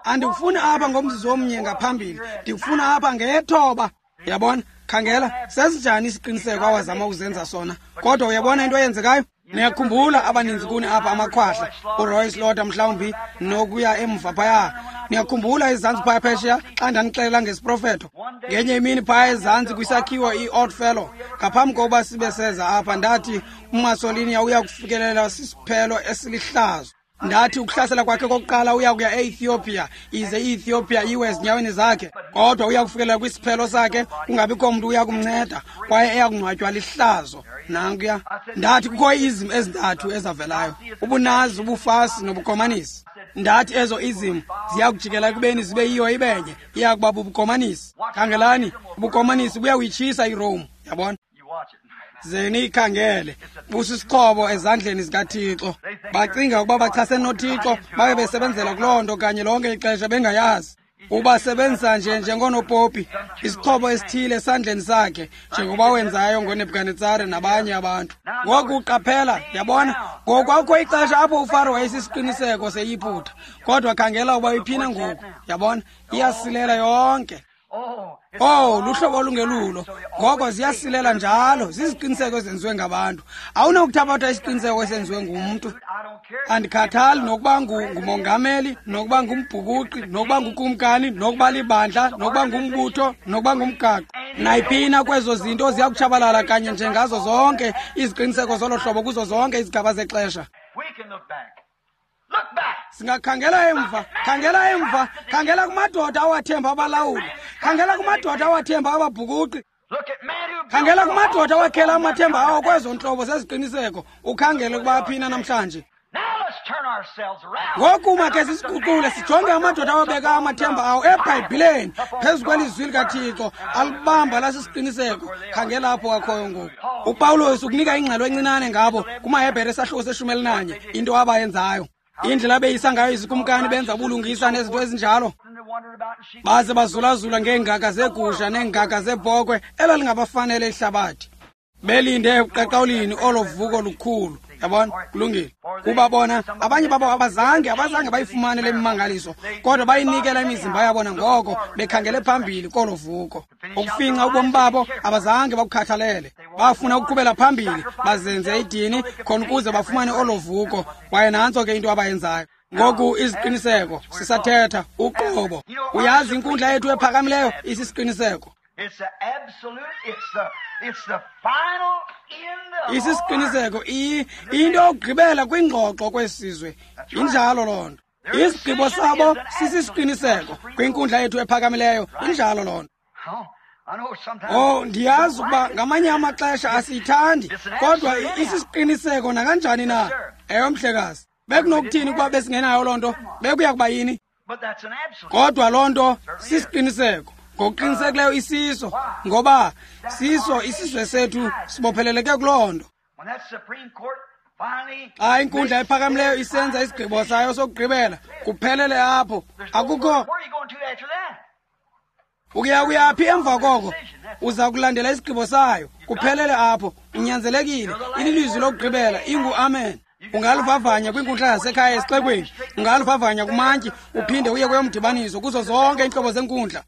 Andikufuni apha ngomzuzu omnye ngaphambili, ndikufuna apha ngeyethoba. Yabona? Khangela, sesinjani isiqiniseko awazama ukuzenza sona. Kodwa uyabona into eyenzekayo? Niyakhumbula abaninzi kuni apha amakhwahla, uRoy Slaughter mhlawumbi nokuya emva phaya. Niyakhumbula ezantsi phaya phesheya xa ndandixelela ngesiprofeto. Ngenye imini phaya ezantsi kwisakhiwo i-Odd Fellow, ngaphambi kokuba sibe seza apha, ndathi uMussolini uya kufikelela sisiphelo esilihlazo. Ndathi ukuhlasela kwakhe kokuqala uya kuya e-Ethiopia, ize i-Ethiopia iwe ezinyaweni zakhe, kodwa uya kufikelela kwisiphelo sakhe, kungabikho mntu uya kumnceda, kwaye eya kungcwatywa lihlazo. Nankuya. Ndathi kukho iizim ezintathu ezavelayo, ubuNazi, ubuFasi nobuKomanisi. Ndathi ezo izim ziya kujikela ekubeni zibe yiyo ibenye, iya kuba bubuKomanisi. Khangelani, ubuKomanisi buyawuyitshisa iRome. Yabona? Ze niyikhangele. Busisixhobo ezandleni zikaThixo. Bacinga ukuba bachasene noThixo, babe besebenzela kuloo nto kanye lonke ixesha bengayazi. Ubasebenzisa nje njengonopopi, isixhobo esithile esandleni sakhe, njengoba wenzayo ngoNebukadnetsare nabanye abantu. Ngoku qaphela, yabona, ngoku akukho ixesha apho uFaro wayesisiqiniseko seYiputa, kodwa khangela uba iphina ngoku, yabona, iyasilela yonke. Oh, luhlobo olungelulo. Ngoko ziyasilela njalo, ziziqiniseko ezenziwe ngabantu. Awunakuthabatha isiqiniseko esenziwe ngumntu. Andikhathali nokuba ngumongameli, nokuba ngumbhukuqi, nokuba ngukumkani, nokuba libandla, nokuba ngumbutho, nokuba ngumgaqo. Nayiphina kwezo zinto ziyakutshabalala kanye njengazo zonke iziqiniseko zolo hlobo kuzo zonke izigaba zexesha. Singakhangela emva, khangela emva, khangela kumadoda awathemba abalawuli, khangela kumadoda awathemba ababhukuqi, khangela kumadoda awakhela amathemba awo kwezo ntlobo zeziqiniseko, ukhangele ukuba aphina namhlanje. Ngoku makhe sisiguqule sijonge amadoda awabeka amathemba awo eBhayibhileni phezu kwelizwi likaThixo, alibamba lasisiqiniseko. Khangela apho akhoyo ngoku. UPawulos ukunika ingxelo encinane ngabo kumaHebhere esahluko se-11, into abayenzayo. Indlela abeyisa ngayo izikumkani, benza ubulungisa nezinto ezinjalo, baze bazulazula ngeengaga zeegusha neengaga zeebhokhwe elalingabafanele ihlabathi, belinde ekuqaqawulini olo vuko lukhulu. Yabona, kulungile. Kuba bona abanye babo abazange bayifumane le mimangaliso, kodwa bayinikela imizimba yabona ngoko bekhangele phambili kolo vuko. Ukufinca ubomi babo abazange bakukhathalele, bafuna ukuqhubela phambili bazenze idini khona ukuze bafumane olo vuko. Kwaye nantso ke into abayenzayo. Ngoku iziqiniseko sisathetha uqobo. Uyazi inkundla yethu ephakamileyo isisiqiniseko. Isisiqiniseko into yokugqibela kwingxoxo kwesizwe. Injalo loo nto. Isigqibo sabo sisisiqiniseko kwinkundla yethu ephakamileyo. Injalo loo nto. Oh, ndiyazi ukuba ngamanye amaxesha asiyithandi, kodwa isisiqiniseko nakanjani na. Ewe, mhlekazi. Bekunokuthini ukuba besingenayo loo nto? Bekuya kuba yini? Kodwa loo nto sisiqiniseko. Ngokuqinisekileyo isiso, ngoba siso isizwe sethu sibopheleleke kuloo nto. Xa inkundla ephakamileyo isenza isigqibo sayo sokugqibela, kuphelele apho. Akukho ukuya kuyaphi emva koko, uza kulandela isigqibo sayo, kuphelele apho. Unyanzelekile, ililizwi lokugqibela ingu-amen. Ungaluvavanya kwinkundla yasekhaya esixekweni, ungaluvavanya kumantyi, uphinde uye kweyomdibaniso, kuzo zonke iintlobo zenkundla.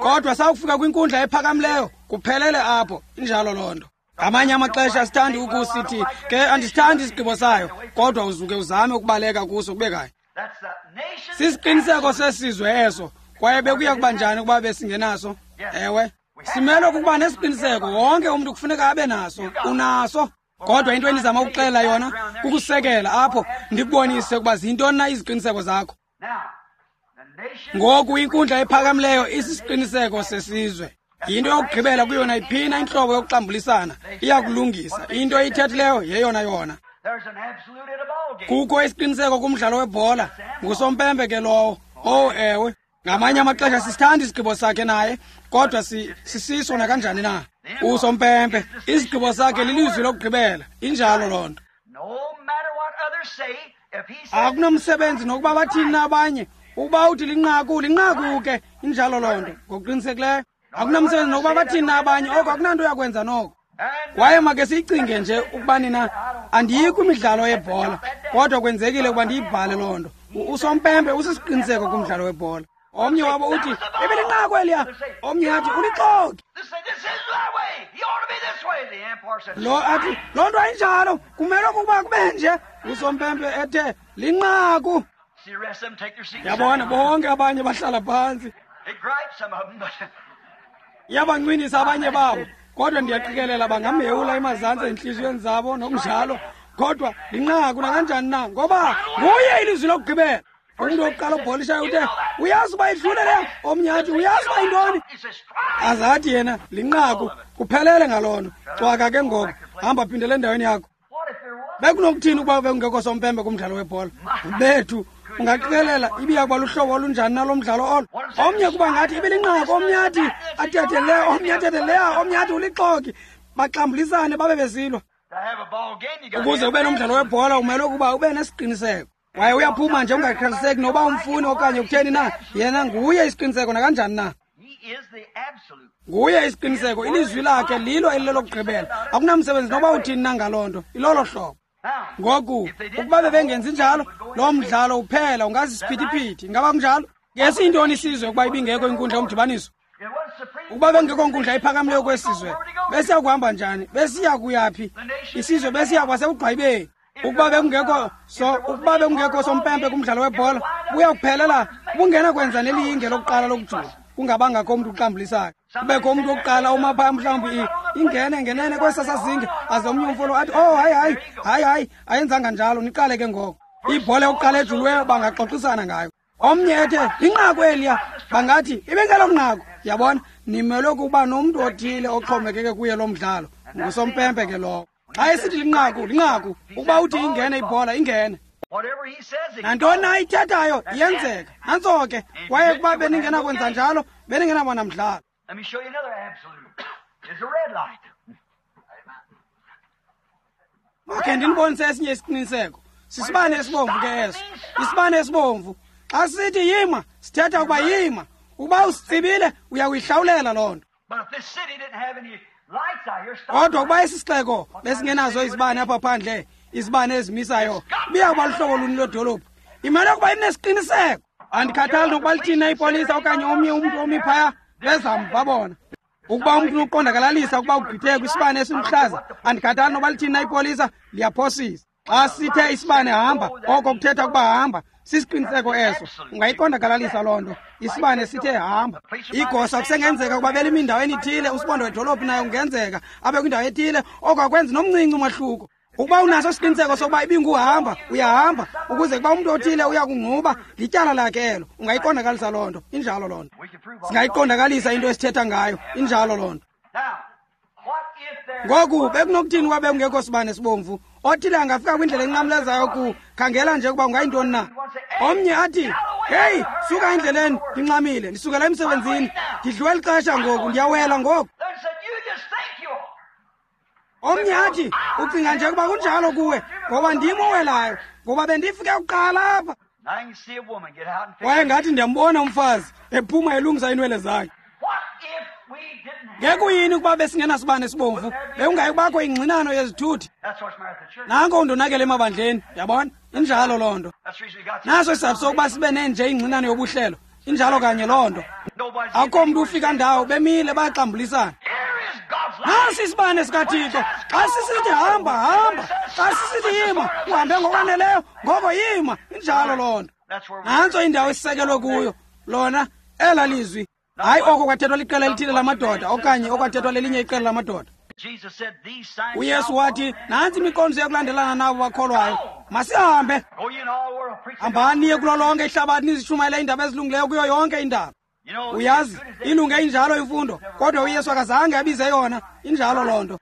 Kodwa sawufika kwinkundla ephakamileyo, kuphelele apho. Injalo loo nto. Ngamanye amaxesha sithandi ukusithi ke andisithandi isigqibo sayo, kodwa uzuke uzame ukubaleka kuso kube kanye. Sisiqiniseko sesizwe eso, kwaye bekuya kuba njani ukuba besingenaso? Ewe, simelwe kukuba nesiqiniseko. Wonke umntu kufuneka abe naso. Unaso. Kodwa into endizama ukuxelela yona kukusekela apho ndikubonise ukuba zintoni na iziqiniseko zakho. Ngoku inkundla ephakamileyo isisiqiniseko sesizwe. Yinto yokugqibela kuyo nayiphina intlobo yokuxambulisana, iyakulungisa. Into eyithethileyo yeyona yona. Kukho isiqiniseko kumdlalo webhola, ngusompempe ke lowo. Oh ewe, ngamanye amaxesha sisithanda isigqibo sakhe naye, kodwa sisiso nakanjani na. Usompempe, isigqibo sakhe lilizwi lokugqibela. Injalo loo nto. Akunamsebenzi nokuba bathini na abanye, ukuba uthi linqaku, linqaku ke. Injalo loo nto, ngokuqinisekileyo. Akunamsebenzi nokuba bathini na abanye, oko akunanto yakwenza noko. Kwaye make siyicinge nje ukuba nina, andiyi kwimidlalo yebhola, kodwa kwenzekile ukuba ndiyibhale loo nto. Usompempe usisiqiniseko kumdlalo webhola. Omnye wabo uthi, ibilinqaku eliya. Omnye athi, ulixoki. Lo athi, loo nto ayinjalo, kumele ukuba kube nje. Usompempe ethe, linqaku. Yabona, bonke abanye bahlala phantsi. Iyabancwinisa abanye babo, kodwa ndiyaqikelela bangamhewula emazantsi entliziyweni zabo nokunjalo. Kodwa linqaku nakanjani na, ngoba nguye ilizwi lokugqibela. Umntu wokuqala obholishayo uthe, uyazi uba idlule leyo. Omnye athi, uyazi uba yintoni? Azathi yena, linqaku, kuphelele ngaloo nto. Cwaka ke ngoku, hamba phindele endaweni yakho. Bekunokuthini ukuba bekungekho sompempe kumdlalo webhola? Bethu, Ungaqikelela ibiya kuba luhlobo olunjani nalo mdlalo olo? Omnye kuba ngathi ibilinqaku, omnye athi athethe le, omnye athethe leya, omnye athi ulixoki. Baxambulisane babe besilwa. Ukuze ube nomdlalo webhola umele ukuba ube nesiqiniseko. Kwaye uyaphuma nje ungakhathaliseki noba umfuni okanye kutheni na, yena nguye isiqiniseko nakanjani na. Nguye isiqiniseko, ilizwi lakhe lilo elilelokugqibela. Akunamsebenzi noba uthini na ngaloo nto, ilolo hlobo. Ngoku, ukuba bebengenzi njalo, loo mdlalo uphela ungazisiphithiphithi. Ingaba kunjalo? Ngesiyintoni isizwe ukuba ibingekho inkundla yomdibaniso? Ukuba bengekho nkundla iphakamileyo kwesizwe, besiya kuhamba njani? Besiya kuyaphi? Isizwe besiya kwasekugqwayibeni. Ukuba bekungekho so, ukuba bekungekho sompempe kumdlalo webhola, buya kuphelela bungena kwenza nelinge lokuqala lokujula. Kungabangakho umntu uxambulisayo. Kubekho umntu wokuqala uma phaya mhlawumbi ingene ngenene kwesasazinge, aze omnye umfolo athi, "Oh, hayi hayi, hayi hayi, ayenzanga njalo, niqale ke ngoko." Ibhola yokuqala ejuliweyo bangaxoxisana ngayo. Omnye ethe inqaku eliya, bangathi ibingelo nqaku. Yabona, nimelwe kuba nomntu othile oxhomekeke kuye lo mdlalo. Ngusompempe ke lowo. Xa esithi linqaku, linqaku. Ukuba uthi ingene ibhola, ingene. Nantoni na ayithethayo iyenzeka. Nantso ke. Kwaye ukuba beningenakwenza njalo, beningenabona mdlalo. Makhe ndinibonise esinye isiqiniseko. Sisibane esibomvu ke eso. Isibane esibomvu. Xa sithi yima, sithetha ukuba yima. Ukuba usitsibile, uyakuyihlawulela loo nto. Kodwa ukuba esi sixeko besingenazo izibane apha phandle, izibane ezimisayo, ibiya kuba luhlobo luni lwedolophu? Imele ukuba inesiqiniseko. Andikhathali nokuba lithini ipolisa okanye omnye umntu omi phaya, bezamva bona. Ukuba umntu uqondakalalisa ukuba ugqithe kwisibane esiluhlaza, andikhathali nokuba lithini ipolisa, liyaphosisa. Xa sithe isibane hamba, oko kuthetha ukuba hamba. Sisiqiniseko eso. Ungayiqondakalalisa loo nto. Isibane sithe hamba. Igosa kusengenzeka ukuba belimi indaweni ithile, usibondo wedolophu naye kungenzeka abe kwindawo ethile, oko akwenzi nomncinci umahluko. Ukuba unaso isiqiniseko sokuba ibinguhamba, uyahamba, ukuze kuba umntu othile uyakungquba, lityala lakhe elo. Ungayiqondakalisa loo nto. Injalo loo nto. Singayiqondakalisa into esithetha ngayo. Injalo loo nto. Ngoku bekunokuthini ukuba bekungekho sibane sibomvu? Othile angafika kwindlela enqamlezayo ku khangela nje ukuba ungayintoni na. Omnye athi, "Hey, suka endleleni, ndinxamile, ndisukela emsebenzini, ndidliwe lixesha ngoku, ndiyawela ngoku." Omnye athi, "Ucinga nje ukuba kunjalo kuwe, ngoba ndim owelayo, ngoba bendifike kuqala apha." Kwaye ngathi ndiyambona umfazi ephuma elungisa iinwele zakhe. Ngekuyini ukuba besingenasibane sibomvu, bekungayi kubakho ingxinano yezithuthi. Nanko undonakele emabandleni, yabona? Injalo loo nto. Naso isizathu sokuba sibe nenje ingxinano yobuhlelo. Injalo kanye loo nto. Akukho mntu ufika ndawo, bemile bayaxambulisana. Nasi isibane sikaThixo. Xa sisithi hamba, hamba. Xa sisithi yima, uhambe ngokwaneleyo, ngoko yima. Injalo loo nto. Nantso indawo esisekelwe kuyo. Lona ela lizwi. Hayi oko kwathethwa liqela elithile lamadoda okanye okwathethwa lelinye iqela lamadoda. uYesu wathi, nantsi imiqondiso yokulandelana nabo bakholwayo. Masihambe. Hambani niye kulo lonke ihlabathi nizishumayele iindaba ezilungileyo kuyo yonke indalo. Uyazi, ilunge injalo imfundo, kodwa uYesu akazange abize yona. Injalo loo nto.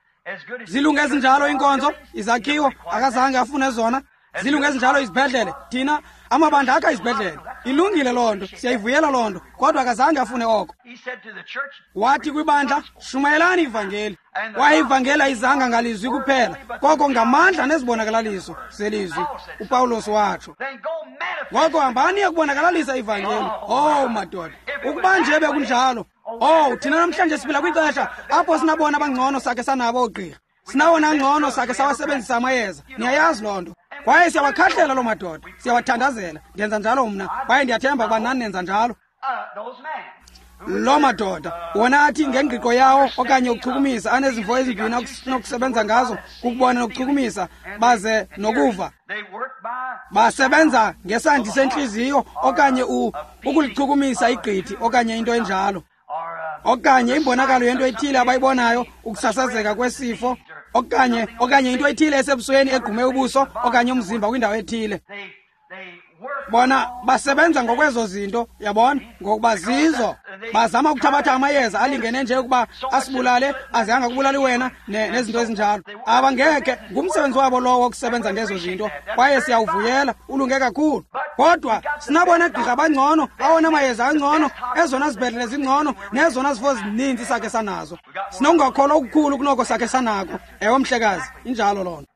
Zilunge ezinjalo iinkonzo, izakhiwo, akazange afune zona. Zilunge ezinjalo izibhedlele, thina amabandla akha izibhedlele. Ilungile loo nto, siyayivuyela loo nto, kodwa akazange afune oko. Wathi kwibandla, shumayelani ivangeli. Kwaye ivangeli ayizanga ngalizwi kuphela, koko ngamandla nezibonakalaliso zelizwi, uPawulos watsho. Ngoko hambani yokubonakalalisa ivangeli. Oh madoda, ukuba nje bekunjalo. Oh, thina namhlanje siphila kwixesha apho sinabona abangcono sakhe sanabo oogqirha. Sinawona ngcono sakhe sawasebenzisa amayeza. Niyayazi loo nto. Kwaye siyawakhahlela loo madoda, siyawathandazela. Ndenza njalo mna, kwaye ndiyathemba ukuba nani nenza njalo. Loo madoda wona athi ngengqiqo yawo okanye ukuchukumisa, anezimvo ezimbini anokusebenza ngazo, kukubona nokuchukumisa, baze nokuva. Basebenza ngesandi sentliziyo okanye ukulichukumisa igqithi okanye into enjalo, okanye imbonakalo yento ethile abayibonayo, ukusasazeka kwesifo, okanye into ethile esebusweni egqume ubuso okanye umzimba kwindawo ethile. Bona basebenza ngokwezo zinto, yabona, ngokuba zizo. Bazama ukuthabatha amayeza alingene nje ukuba asibulale, aze angakubulali wena nezinto ezinjalo. Abangekhe, ngumsebenzi wabo lowo wokusebenza ngezo zinto, kwaye siyawuvuyela, ulunge kakhulu. Kodwa sinabona gqirha bangcono, awona mayeza angcono, ezona zibhedlele zingcono, nezona zifo zininzi sakhe sanazo. Sinokungakholwa okukhulu kunoko sakhe sanako. Ewe mhlekazi, injalo loo nto.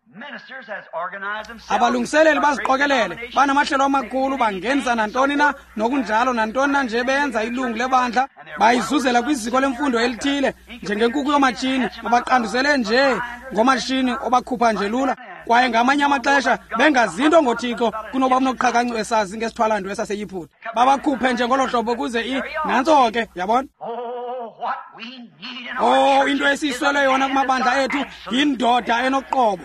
Abalungiseleli baziqokelele, banamahlelo amakhulu, bangenisa nantoni na, nokunjalo nantoni na nje benza ilungu lebandla, bayizuzela kwiziko lemfundo elithile, njengenkuku yomatshini, babaqandusele nje ngomashini obakhupha nje lula. Kwaye ngamanye amaxesha bengazinto ngoThixo kunoba unoqhakancu esazi ngesithwalandwe esaseYiphutha. Babakhuphe nje ngolo hlobo kuze nantso ke, yabona? Oh, into esiyiswele yona kumabandla ethu yindoda enoqobo.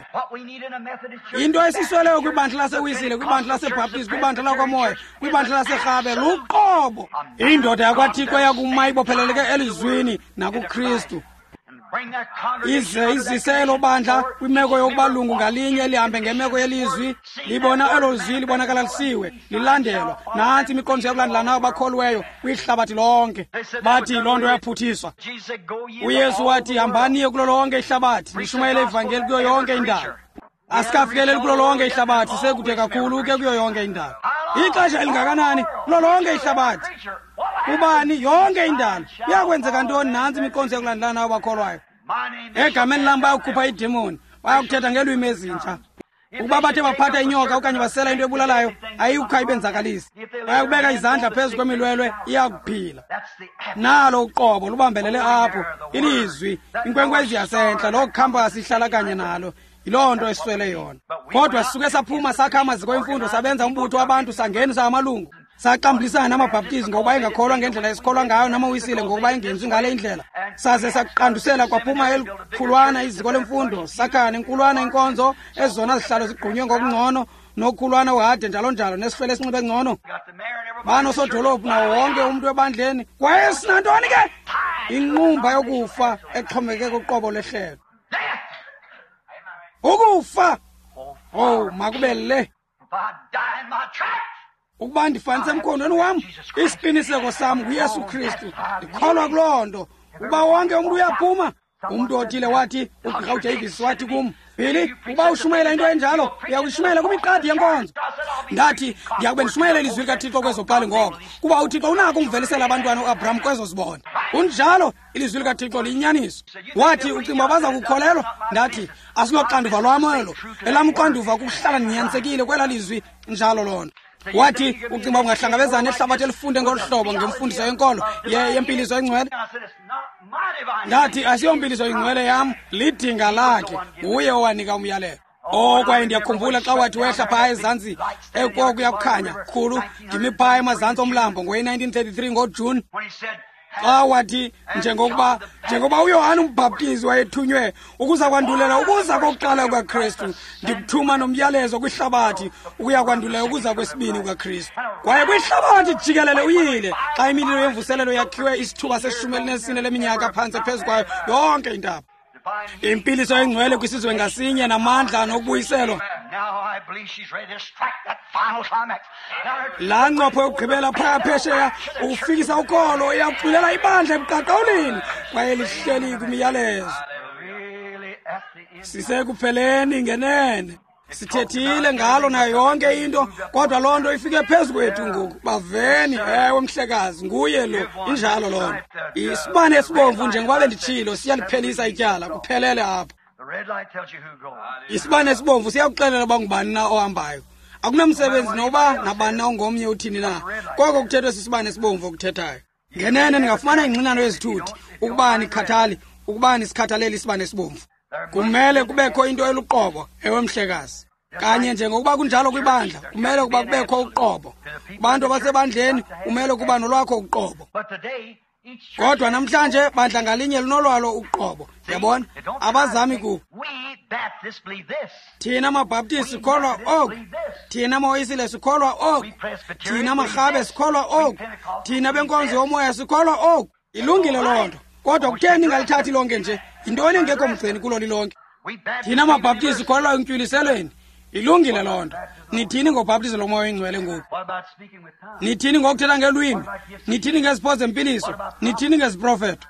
Into esisweleyo kwibandla laseWisile, kwibandla laseBaptist, kwibandla lakwaMoya, kwibandla laseRhabe, luqobo. Indoda yakwaThixo yakuma ibopheleleke elizwini nakuKristu. Ize izise elo bandla kwimeko yokuba lungu ngalinye lihambe ngemeko yelizwi, libona elo zwi libonakalalisiwe, lilandelwa. Nantsi imiqondiso yokulandela nawo bakholweyo kwihlabathi lonke. Bathi loo nto yaphuthiswa. UYesu wathi, hambani kulo lonke ihlabathi, nishumayele ivangeli kuyo yonke indalo. Asikafikeleli kulo lonke ihlabathi, sekude kakhulu ke kuyo yonke indalo. Ixesha elingakanani kulo lonke ihlabathi? Ubani yonke indalo. Iyakwenzeka ntoni? Nantsi imiqondiso yokulandela nawo bakholwayo. Egameni lam bayakukhupha iidemoni, bayakuthetha ngeelwimi ezintsha. Ukuba bathe baphatha inyoka okanye basela into ebulalayo, ayikho ayibenzakalisi. Bayakubeka izandla phezu kwemilwelwe, iyakuphila. Nalo uqobo lubambelele apho, ilizwi, inkwenkwezi yasentla, loo khampasi ihlala kanye nalo. Yiloo nto eswele yona. Kodwa sisuke saphuma sakha amaziko emfundo, sabenza umbutho wabantu, sangenisa amalungu, saxambulisana namabhaptizi ngokuba engakholwa ngendlela esikholwa ngayo, namawisile ngokuba engenzi ngale indlela. Saze saqandusela kwaphuma elikhulwana iziko lemfundo, sakha nenkulwana inkonzo, ezona zihlalo zigqunywe ngokungcono, nokhulwana uhade njalo njalo, nesihlwele esinxibe ngcono. Banosodolophu nawo wonke umntu ebandleni. Kwaye sinantoni ke? Inqumba yokufa exhomekeke kuqobo lehlelo. Ukufa! Oh, makube le. Ukuba ndifanise emkhondweni wam, isiqiniseko sam nguYesu Kristu. Ndikholwa kuloo nto. Ukuba wonke umntu uyaphuma, umntu othile wathi, uGqirha uDavis wathi kum, Billy, ukuba ushumayela into enjalo, uyakuyishumayela kwimiqadi yenkonzo. Ndathi, ndiyakube ndishumayela ilizwi likaThixo kwezoqali ngoko, kuba uThixo unako umvelisela abantwana uAbraham kwezo zibona. Kunjalo, ilizwi likaThixo liyinyaniso. Wathi, ucinga baza kukholelwa? Ndathi, asiloxanduva lwam elo. Elam uxanduva kukuhlala ndinyanisekile kwela lizwi, njalo loo nto. Wathi, ucinga ungahlangabezana nehlabathi elifunde ngolu hlobo ngemfundiso yenkolo yempiliso engcwele? Ndathi, asiyompiliso ingcwele yam, lidinga lakhe, nguye owanika umyalelo. Oh, kwaye ndiyakhumbula xa wathi wehla phaya ezantsi ekokuya kukhanya khulu, ndimi phaya emazantsi omlambo ngowe-1933 ngoJuni. Xa wathi, njengokuba uYohane umbhaptizi wayethunywe ukuza kwandulela ukuza kokuqala kukaKristu, ndikuthuma nomyalezo kwihlabathi ukuya kwandulela ukuza kwesibini kukaKristu. Kwaye kwihlabathi jikelele uyile xa imililo yemvuselelo yakhiwe isithuba seshumi elinesine leminyaka phantse phezu kwayo yonke intaba. Impiliso engcwele kwisizwe ngasinye namandla nokubuyiselwa. Laa ncopho yokugqibela phaya phesheya ukufikisa ukholo iyakuculela ibandla ebuqaqawulini kwaye lihleli kwimiyalezo. Sisekupheleni ngenene. Sithethile ngalo nayo yonke into, kodwa loo nto ifike phezu kwethu ngoku. Baveni, ewe mhlekazi, nguye lo, injalo loo nto. Isibane esibomvu, njengoba benditshilo, siyaliphelisa ityala, kuphelele apho. Isibane esibomvu siyakuxelela uba ngubani na ohambayo. Akunamsebenzi noba nabani na ongomnye uthini na, koko kuthethwe sisibane esibomvu okuthethayo. Ngenene ningafumana ingxinano yezithuthi ukuba nikhathali, ukuba nisikhathalele isibane esibomvu. Kumele kubekho into eluqobo, ewe mhlekazi. Kanye njengokuba kunjalo kwibandla, kumele ukuba kubekho uqobo. Kubantu abasebandleni kumele kuba nolwakho uqobo. Kodwa namhlanje bandla ngalinye linolwalo uqobo. Yabona? Abazami ku. Thina maBaptist sikholwa oku. Thina maWisile sikholwa oku. Thina maRhabe sikholwa oku. Thina benkonzo yomoya sikholwa oku. Ilungile loo nto. Kodwa kutheni ningalithathi lonke nje? Yintoni engekho mgceni kulo lilonke? Thina maBaptist sikholwa entyuliselweni. Ilungile loo nto. Nithini ngobhaptizo lomoya oyingcwele ngoku? Nithini ngokuthetha ngelwimi? Nithini ngezipho zempiliso? Nithini ngeziprofeto?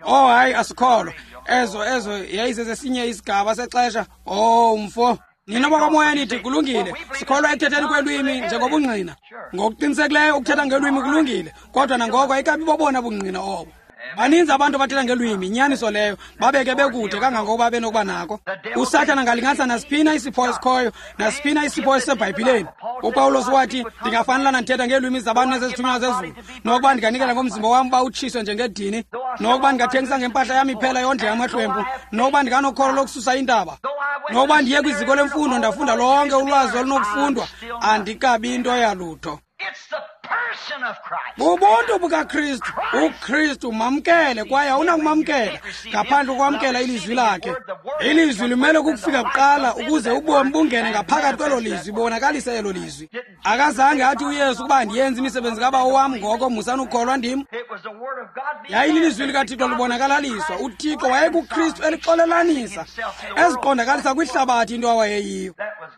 Oh hayi, asikholwa. Ezo yayisesesinye isigaba sexesha. Oh mfo. Nina bakwamoya nithi kulungile, sikholwa ekuthetheni kwelwimi njengobungqina. Ngokuqinisekileyo ukuthetha ngelwimi kulungile, kodwa nangoko ayikabi bobona bungqina obo. Baninzi abantu abathetha ngelwimi, inyaniso leyo, babeke bekude kangangokuba benokuba nako. USathana angalinganisa nasiphina isipho esikhoyo, nasiphina isipho esiseBhayibhileni. UPawulos wathi, ndingafanelana ndithetha ngeelwimi zabantu nezezithunywa zezulu, nokuba ndinganikela ngomzimba wam uba utshiswe njengedini, nokuba ndingathengisa ngempahla yam iphela yondle yamahlwempu, nokuba ndinganokholo lokususa intaba, nokuba ndiye kwiziko lemfundo ndafunda lonke ulwazi olunokufundwa, andikabi into yalutho. Bubuntu bukaKristu. UKristu mamkele, kwaye awunakumamkela ngaphandle kokwamkela ilizwi lakhe. Ilizwi limele ukufika kuqala ukuze ubomi bungene ngaphakathi kwelo lizwi, bonakalise elo lizwi. Akazange athi uYesu ukuba ndiyenze imisebenzi kaBawo wam, ngoko musani ukukholwa ndim. Yayililizwi likaThixo libonakalaliswa. UThixo wayekuKristu elixolelanisa, eziqondakalisa kwihlabathi into awayeyiyo.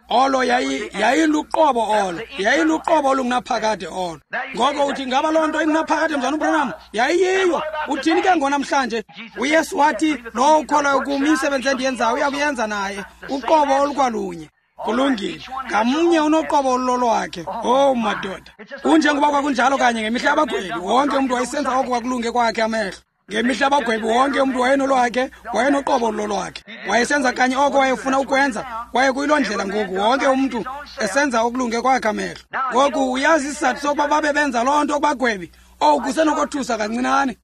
Olo yayiluqobo olo, yayiluqobo olungunaphakade olo. Ngoko uthi ngaba loo nto ingunaphakade mzana uBranham? Yayiyiyo. Uthini ke ngonamhlanje? UYesu wathi lowo ukholwayo kum, imisebenzi endiyenzayo uyakuyenza naye, uqobo olukwalunye. Kulungile, ngamnye unoqobo olulolwakhe. Oh madoda, kunjengoba kwakunjalo kanye ngemihla yabagwebi, wonke umntu wayesenza oko kwakulunge kwakhe amehlo. Ngemihla yabagwebi wonke umntu wayenolwakhe, wayenoqobo olulolwakhe, wayesenza kanye oko wayefuna ukwenza. Kwaye kuyiloo ndlela ngoku, wonke umntu esenza okulunge kwakhe amehlo. Ngoku uyazi isizathu sokuba babe benza loo nto kubagwebi? Owu, kusenokothusa kancinane,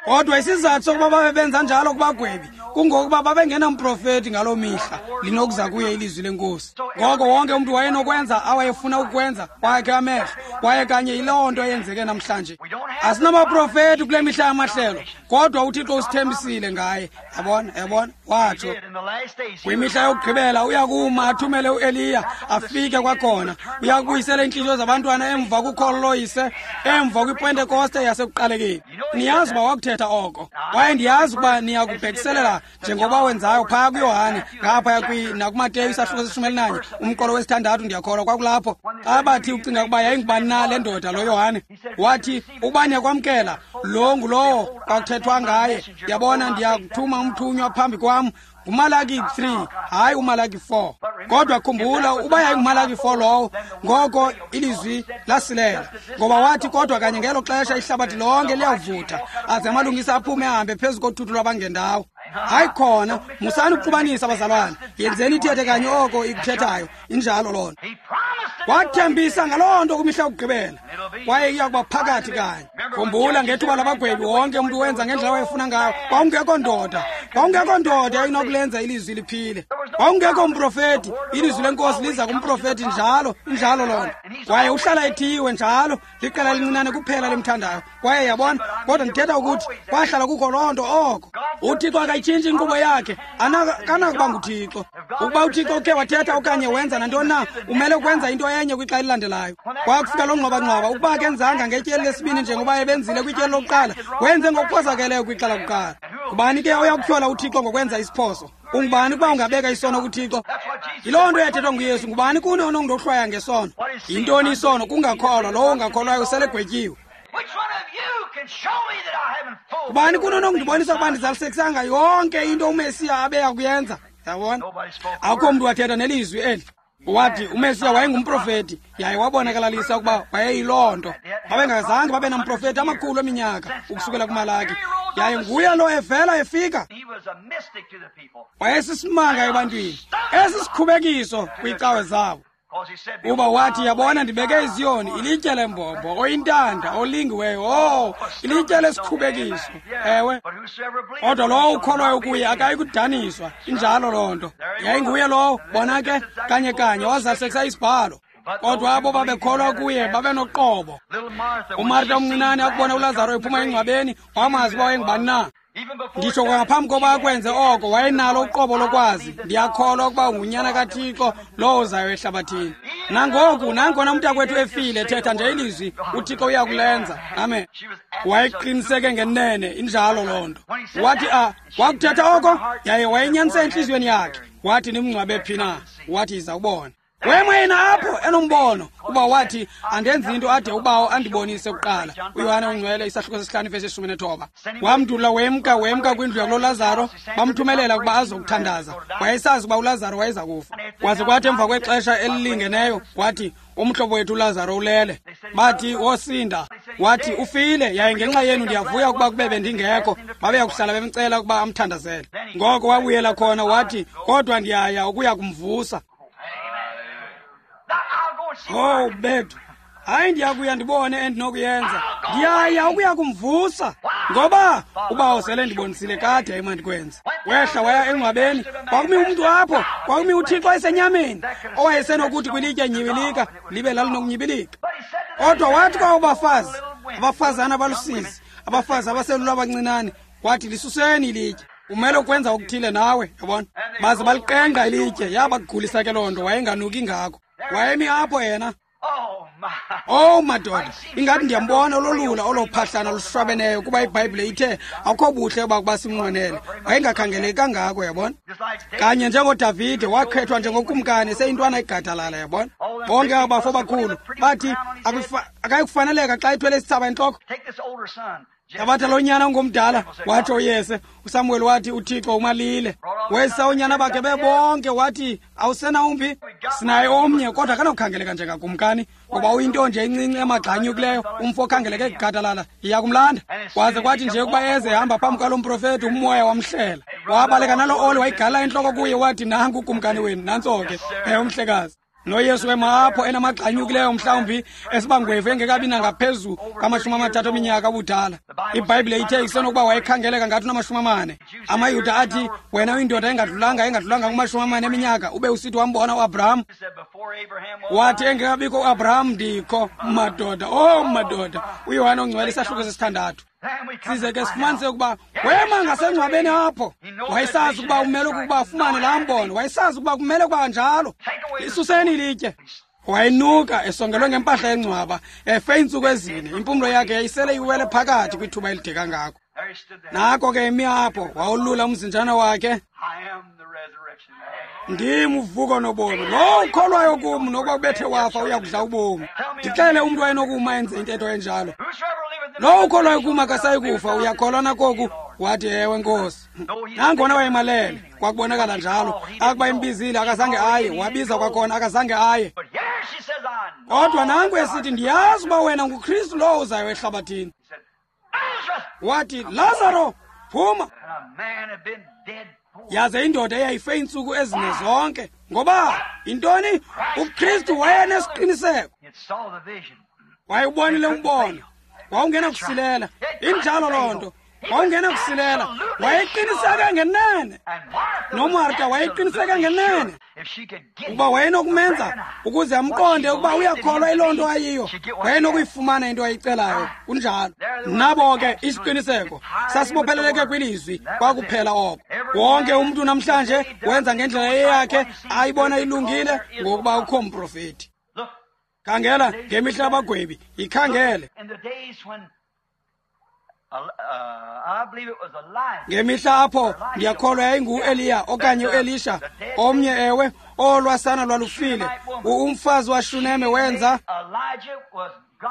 kodwa isizathu sokuba babe benza njalo kubagwebi kungokuba babengenamprofeti ngaloo mihla linokuza kuye ilizwi lenkosi. Ngoko wonke umntu wayenokwenza awayefuna ukwenza kwakhe amehlo, kwaye kanye yiloo nto eyenzeke namhlanje. Asinamaprofeti kule mihla yamahlelo, kodwa uThixo usithembisile ngaye. Yabona, yabona, watsho kwimihla yokugqibela uyakuma athumele uEliya afike kwakhona. Uyakubuyisela iintliziyo zabantwana emva kukholo loyise, emva kwiPentekoste yasekuqalekeni. Niyazi uba wakuthetha oko, kwaye ndiyazi ukuba niyakubhekiselela njengoba wenzayo phaya kuYohane, ngaphaya nakuMateyu isahluko seshumi elinanye, umqolo wesithandathu, ndiyakholwa kwakulapho. Xa bathi ucinga ukuba yayingubani na le ndoda lo Yohane, wathi ukuba niyakwamkela lo ngulowo kwakuthethwa ngaye. Yabona, ndiyakuthuma umthunywa phambi kwam. NguMalaki 3, hayi uMalaki 4. Kodwa khumbula, uba yayinguMalaki 4 lowo, ngoko ilizwi lasilela, ngoba wathi kodwa kanye ngelo xesha ihlabathi lonke liyawuvutha, aze amalungisa aphume ahambe phezu kothuthu lwabangendawo. Hayi khona, musani ukuxubanisa bazalwane, yenzeni ithethe kanye oko ikuthethayo. Injalo loo nto. Wathembisa ngaloo nto kwimihla yokugqibela, kwaye iya kuba phakathi kanye. Khumbula, ngethuba labagwebi wonke umntu wenza ngendlela wayefuna ngayo. Kwakungekho ndoda, kwakungekho ndoda inokulenza ilizwi liphile. Kwakungekho mprofeti. Ilizwi lenkosi liza kumprofeti njalo, injalo loo nto. Kwaye uhlala ethiwe njalo, liqela elincinane kuphela limthandayo. Kwaye yabona, kodwa ndithetha ukuthi kwahlala kukho loo nto oko. UThixo akayitshintshi inkqubo yakhe, akanakuba nguThixo. Ukuba uThixo ukhe wathetha okanye wenza nantoni na, umele ukwenza into enye kwixa elilandelayo. Kwakufika loo ngxwabangxwaba, ukuba akenzanga ngetyeli lesibini njengoba ebenzile kwityeli lokuqala, wenze ngokuphosakeleyo kwixa lakuqala. Ngubani ke oya kutyhola uThixo ngokwenza isiphoso? Ungubani ukuba ungabeka isono kuThixo? Yiloo nto yathethwa nguYesu. Ngubani kuni onondohlwaya ngesono? Yintoni isono? Kungakholwa. Lowo ungakholwayo selegwetyiwe. Ngubani kuni onokundibonisa ukuba ndizalisekisanga yonke into uMesiya abeya kuyenza? Yabona, akukho mntu wathetha nelizwi eli. Wathi uMesiya wayengumprofeti, yaye wabonakalalisa ukuba wayeyiloo nto. Babengazange babe namprofeti amakhulu eminyaka ukusukela kuMalaki, yaye nguye lo evela efika. Wayesisimanga ebantwini, esisikhubekiso kwiicawe zabo. Uba wathi, yabona, ndibeke iZiyoni, ilitye lembombo, oyintanda, olingiweyo, oh, ilitye lesikhubekiso. Ewe, kodwa lowo ukholwayo kuye akayi kudaniswa. Injalo loo nto. Yayinguye lowo, bona ke, kanye kanye wazalisekisa isibhalo. Kodwa abo babekholwa kuye babenoqobo. UMarta omncinane akubona uLazaro ephuma engcwabeni, wamazi uba wayengubani na. Nditsho kwangaphambi koba akwenze oko, wayenalo uqobo lokwazi, ndiyakholwa ukuba ungunyana kaThixo lowo uzayo ehlabathini. Nangoku, nangona umntakwethu efile, thetha nje ilizwi, uThixo uyakulenza. Amen. Wayeqiniseke ngenene, injalo loo nto. Wathi wakuthetha oko, yaye wayenyanise entliziyweni yakhe. Wathi nimngcwabe phi na? Wathi yiza ubone. Wema yena apho enombono, kuba wathi, andenzi into ade ubawo andibonise kuqala. UYohane oNgcwele isahluko sesihlanu ivesi 19. Wamndula wemka kwindlu yakuloLazaro, bamthumelela ukuba azokuthandaza. Wayesazi ukuba uLazaro wayeza kufa. Kwaze kwathi emva kwexesha elilingeneyo, wathi, umhlobo wethu uLazaro ulele. Bathi, wosinda. Wathi, ufile, yaye ngenxa yenu ndiyavuya ukuba kube bendingekho. Babeya kuhlala bemcela ukuba amthandazele. Ngoko wabuyela khona wathi, kodwa ndiyaya ukuya kumvusa. Oh bethu, hayi ndiyakuya ndibone endinokuyenza. Ndiyaya ukuya kumvusa. Ngoba ubawo sele ndibonisile kade emandikwenze. Wehla waya engcwabeni, kwakumi umntu apho, kwakumi uThixo esenyameni, owayesenokuthi kwilitye nyibilika, libe lalinokunyibilika. Kodwa wathi kwabo bafazi, abafazana abalusizi, abafazi abaselula abancinane, wathi lisuseni ilitye. Umele ukwenza okuthile nawe, yabona. Baze baliqengqa ilitye, yabagulisa ke loo nto, wayenganuki ngako. Wayemi apho yena. Oh madoda, ingathi ndiyambona ololula olophahlana olushwabeneyo, kuba iBhayibhile ithe akukho buhle bakuba simnqwenele. Wayengakhangeleki kangako, yabona. Kanye njengoDavide wakhethwa njengokumkani eseyintwana egadalala, yabona. Bonke abafo bakhulu bathi akayikufaneleka xa ethwele isithsaba entloko. Thabatha lo nyana ungomdala, watsho uYese. uSamuel wathi uThixo umalile. Wesa unyana bakhe bebonke, wathi awusena umbi, sinaye omnye, kodwa akanokukhangeleka njengakumkani, ngoba uyinto nje encinci emagxanyukileyo, umfo okhangeleke egadalala, iya kumlanda. Kwaze kwathi nje ukuba eze ehamba phambi kwalo mprofethi, umoya wamhlela. Wabaleka nalo oli, wayigala intloko kuye, wathi nanku ukumkani wenu, nantso ke, umhlekazi. NoYesu wema apho enamagxanyukileyo, mhlawumbi esibangwevu engekabi nangaphezu kwama-30 eminyaka ubudala. IBhayibhile ithe isenokuba wayekhangeleka ngathi unama-40. AmaYuda athi, wena uyindoda engadlulanga kuma-40 eminyaka, ube usithi wambona uAbraham. Wathi engekabikho uAbraham ndikho, madoda, oh madoda. UYohane oNgcwele isahluko sesithandathu. Size ke sifumanise ukuba wema ngasengcwabeni apho. Wayesazi ukuba umele ukuba afumane laa mbono. Wayesazi ukuba kumele ukuba njalo. Isuseni ilitye. Wayenuka esongelwe ngempahla yengcwaba, efe iintsuku ezine. Impumlo yakhe yayisele iwele phakathi kwithuba elide kangako. Nako ke emi apho, wawulula umzinjana wakhe. Ndim uvuko nobomi. Lowo ukholwayo kum, nokuba ubethe wafa, uya kudla ubomi. Ndixele umntu wayenokuma enze intetho enjalo. Lowo ukholwayo kum akasayi kufa, uyakholwa nakoku? Wathi ewe Nkosi. Nangona wayemalele, kwakubonakala njalo. Akuba imbizile akazange aye, wabiza kwakhona akazange aye. Kodwa nanku esithi, ndiyazi uba wena nguKristu lowo uzayo ehlabathini. Wathi, Lazaro, phuma. Yaze indoda eyayife iintsuku ezine zonke. Ngoba intoni? UKristu wayenesiqiniseko. Wayewubonile umbono. Wawungena kusilela. Injalo loo nto. Wawungena kusilela. Wayeqiniseke ngenene. NoMarta wayeqiniseke ngenene. Ukuba wayenokumenza ukuze amqonde ukuba uyakholwa iloo nto ayiyo, wayenokuyifumana into ayicelayo. Kunjalo. Nabo ke isiqiniseko sasibopheleleke kwilizwi, kwakuphela oko. Wonke umntu namhlanje wenza ngendlela eyakhe ayibona ilungile, ngokuba ukho mprofeti. Khangela ngemihla abagwebi, yikhangele. Ngemihla apho ndiyakholwa yayingu-Eliya okanye uElisha, omnye ewe, olwasana lwalufile. Umfazi waShuneme wenza.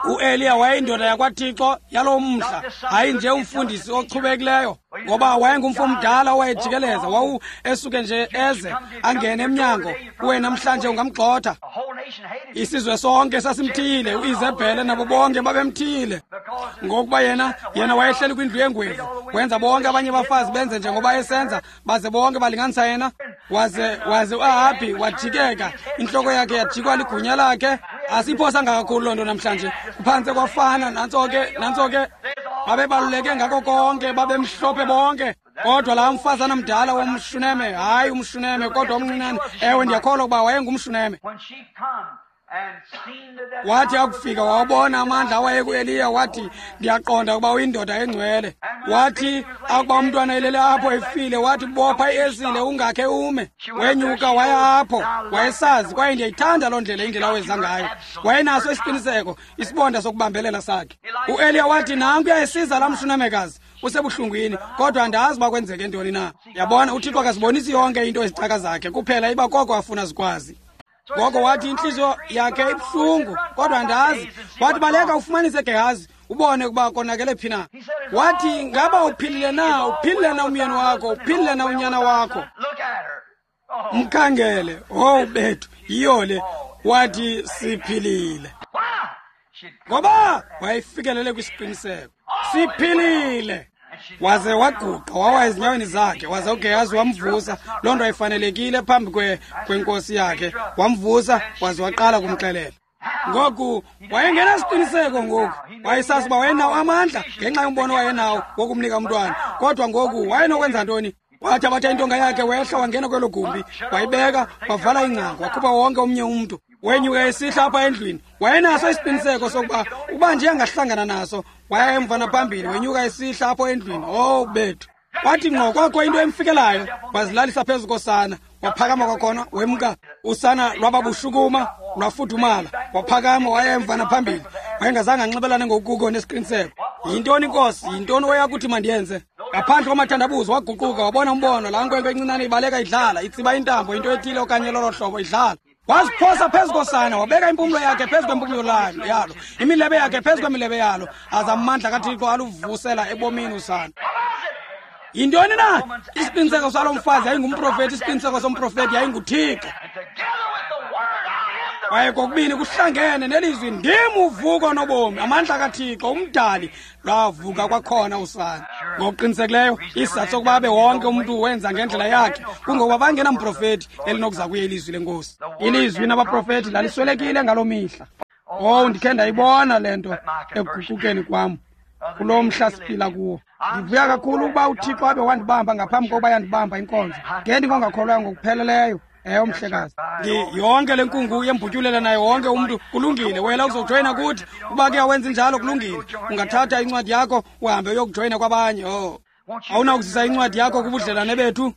UEliya wayeyindoda yakwaThixo yaloo mhla, hayi nje umfundisi ochubekileyo, ngoba wayengumfo omdala owayejikeleza, wawu esuke nje eze angene emnyango. Kuwe namhlanje ungamgxotha. Isizwe sonke sasimthiyile, uIzebhele nabo bonke babemthiyile, ngokuba yena wayehleli kwindlu yengwevu, wenza bonke abanye abafazi benze njengoba esenza, baze bonke balinganisa yena. Waze uAhabhi wajikeka, intloko yakhe yajikwa ligunya lakhe. Asiphosanga kakhulu loo nto namhlanje, kuphantse kwafana. Nantso ke babebaluleke ngako konke, babemhlophe bonke. Kodwa laa mfazana mdala womShuneme, hayi umShuneme kodwa omncinane, ewe ndiyakholwa ukuba wayengumShuneme. Wathi akufika wawabona amandla awaye kuEliya, wathi ndiyaqonda ukuba uyindoda engcwele. Wathi akuba umntwana elele apho efile, wathi bopha iesile ungakhe ume. Wenyuka waya apho, wayesazi, kwaye ndiyayithanda loo ndlela indlela aweza ngayo. Wayenaso isiqiniseko, isibonda sokubambelela sakhe. UEliya wathi nanku uyayisiza laa mShunamekazi, usebuhlungwini, kodwa andazi uba kwenzeke ntoni na. Yabona, uThixo akazibonisi yonke into ezicaka zakhe, kuphela iba koko afuna zikwazi. Ngoko wathi intliziyo yakhe ibuhlungu, kodwa andazi. Wathi baleka ufumanise Gehazi, ubone ukuba konakele phi na. Wathi ngaba uphilile na, uphilile na umyeni wakho, uphilile na unyana wakho? Mkhangele, oh bethu, yiyo le. Wathi siphilile. Ngoba wayefikelele kwisiqiniseko, siphilile. Waze waguqa wawa ezinyaweni zakhe, waze uGehazi wamvusa. Loo nto ayifanelekile phambi kwenkosi yakhe. Wamvusa waze waqala kumxelela. Ngoku wayengenasiqiniseko ngoku, wayesazi uba wayenawo amandla ngenxa yombono wayenawo wokumnika umntwana. Kodwa ngoku wayenokwenza ntoni? Wathabatha intonga yakhe, wehla wangena kwelo gumbi, wayibeka, wavala ingcango, wakhupha wonke omnye umntu. Wenyuka esihla apha endlwini. Wayenaso isiqiniseko sokuba uba nje angahlangana naso, waya emva naphambili, wenyuka esihla apho endlwini. Oh bethu. Wathi ngqo kwakho into emfikelayo, wazilalisa phezu kosana, waphakama kwakhona, wemka. Usana lwababushukuma, lwafudumala, waphakama waya emva naphambili. Wayengazange anxibelane ngokuko nesiqiniseko. Yintoni inkosi? Yintoni oyakuthi mandiyenze? Ngaphandle kwamathandabuzo waguquka, wabona umbono, laa nkwenkwe encinane ibaleka idlala, itsiba intambo, into ethile okanye lolo hlobo idlala. Waziphosa phezu kosana, wabeka impumlo yakhe phezu kwempumlo yalo, imilebe yakhe phezu kwemilebe yalo, aza amandla kaThixo aluvusela ebomini usana. Yintoni na? Isiqiniseko salo mfazi yayingumprofeti, isiqiniseko somprofeti yayinguThixo. Kwaye kokubini kuhlangene nelizwi, ndim uvuko nobomi, amandla kaThixo umdali, lwavuka kwakhona usana. Ngokuqinisekileyo isizathu sokuba abe wonke umntu wenza ngendlela yakhe kungokuba bangenamprofeti elinokuza kuye ilizwi lenkosi. Ilizwi nabaprofeti laliswelekile ngaloo mihla. Oh, ndikhe ndayibona le nto ekuguqukeni kwam kulo mhla siphila kuwo. Ndivuya kakhulu ukuba uThixo abe wandibamba ngaphambi kokuba yandibamba inkonzo. Ngendingongakholwayo ngokupheleleyo. Ewe mhlekazi, yonke le nkungu yembutyulela naye wonke umntu, kulungile. Wena uzojoyina kuthi, uba ke awenzi njalo kulungile. Ungathatha incwadi yakho uhambe uyokujoyina kwabanye. Oh, awunakuzisa incwadi yakho kubudlelane bethu?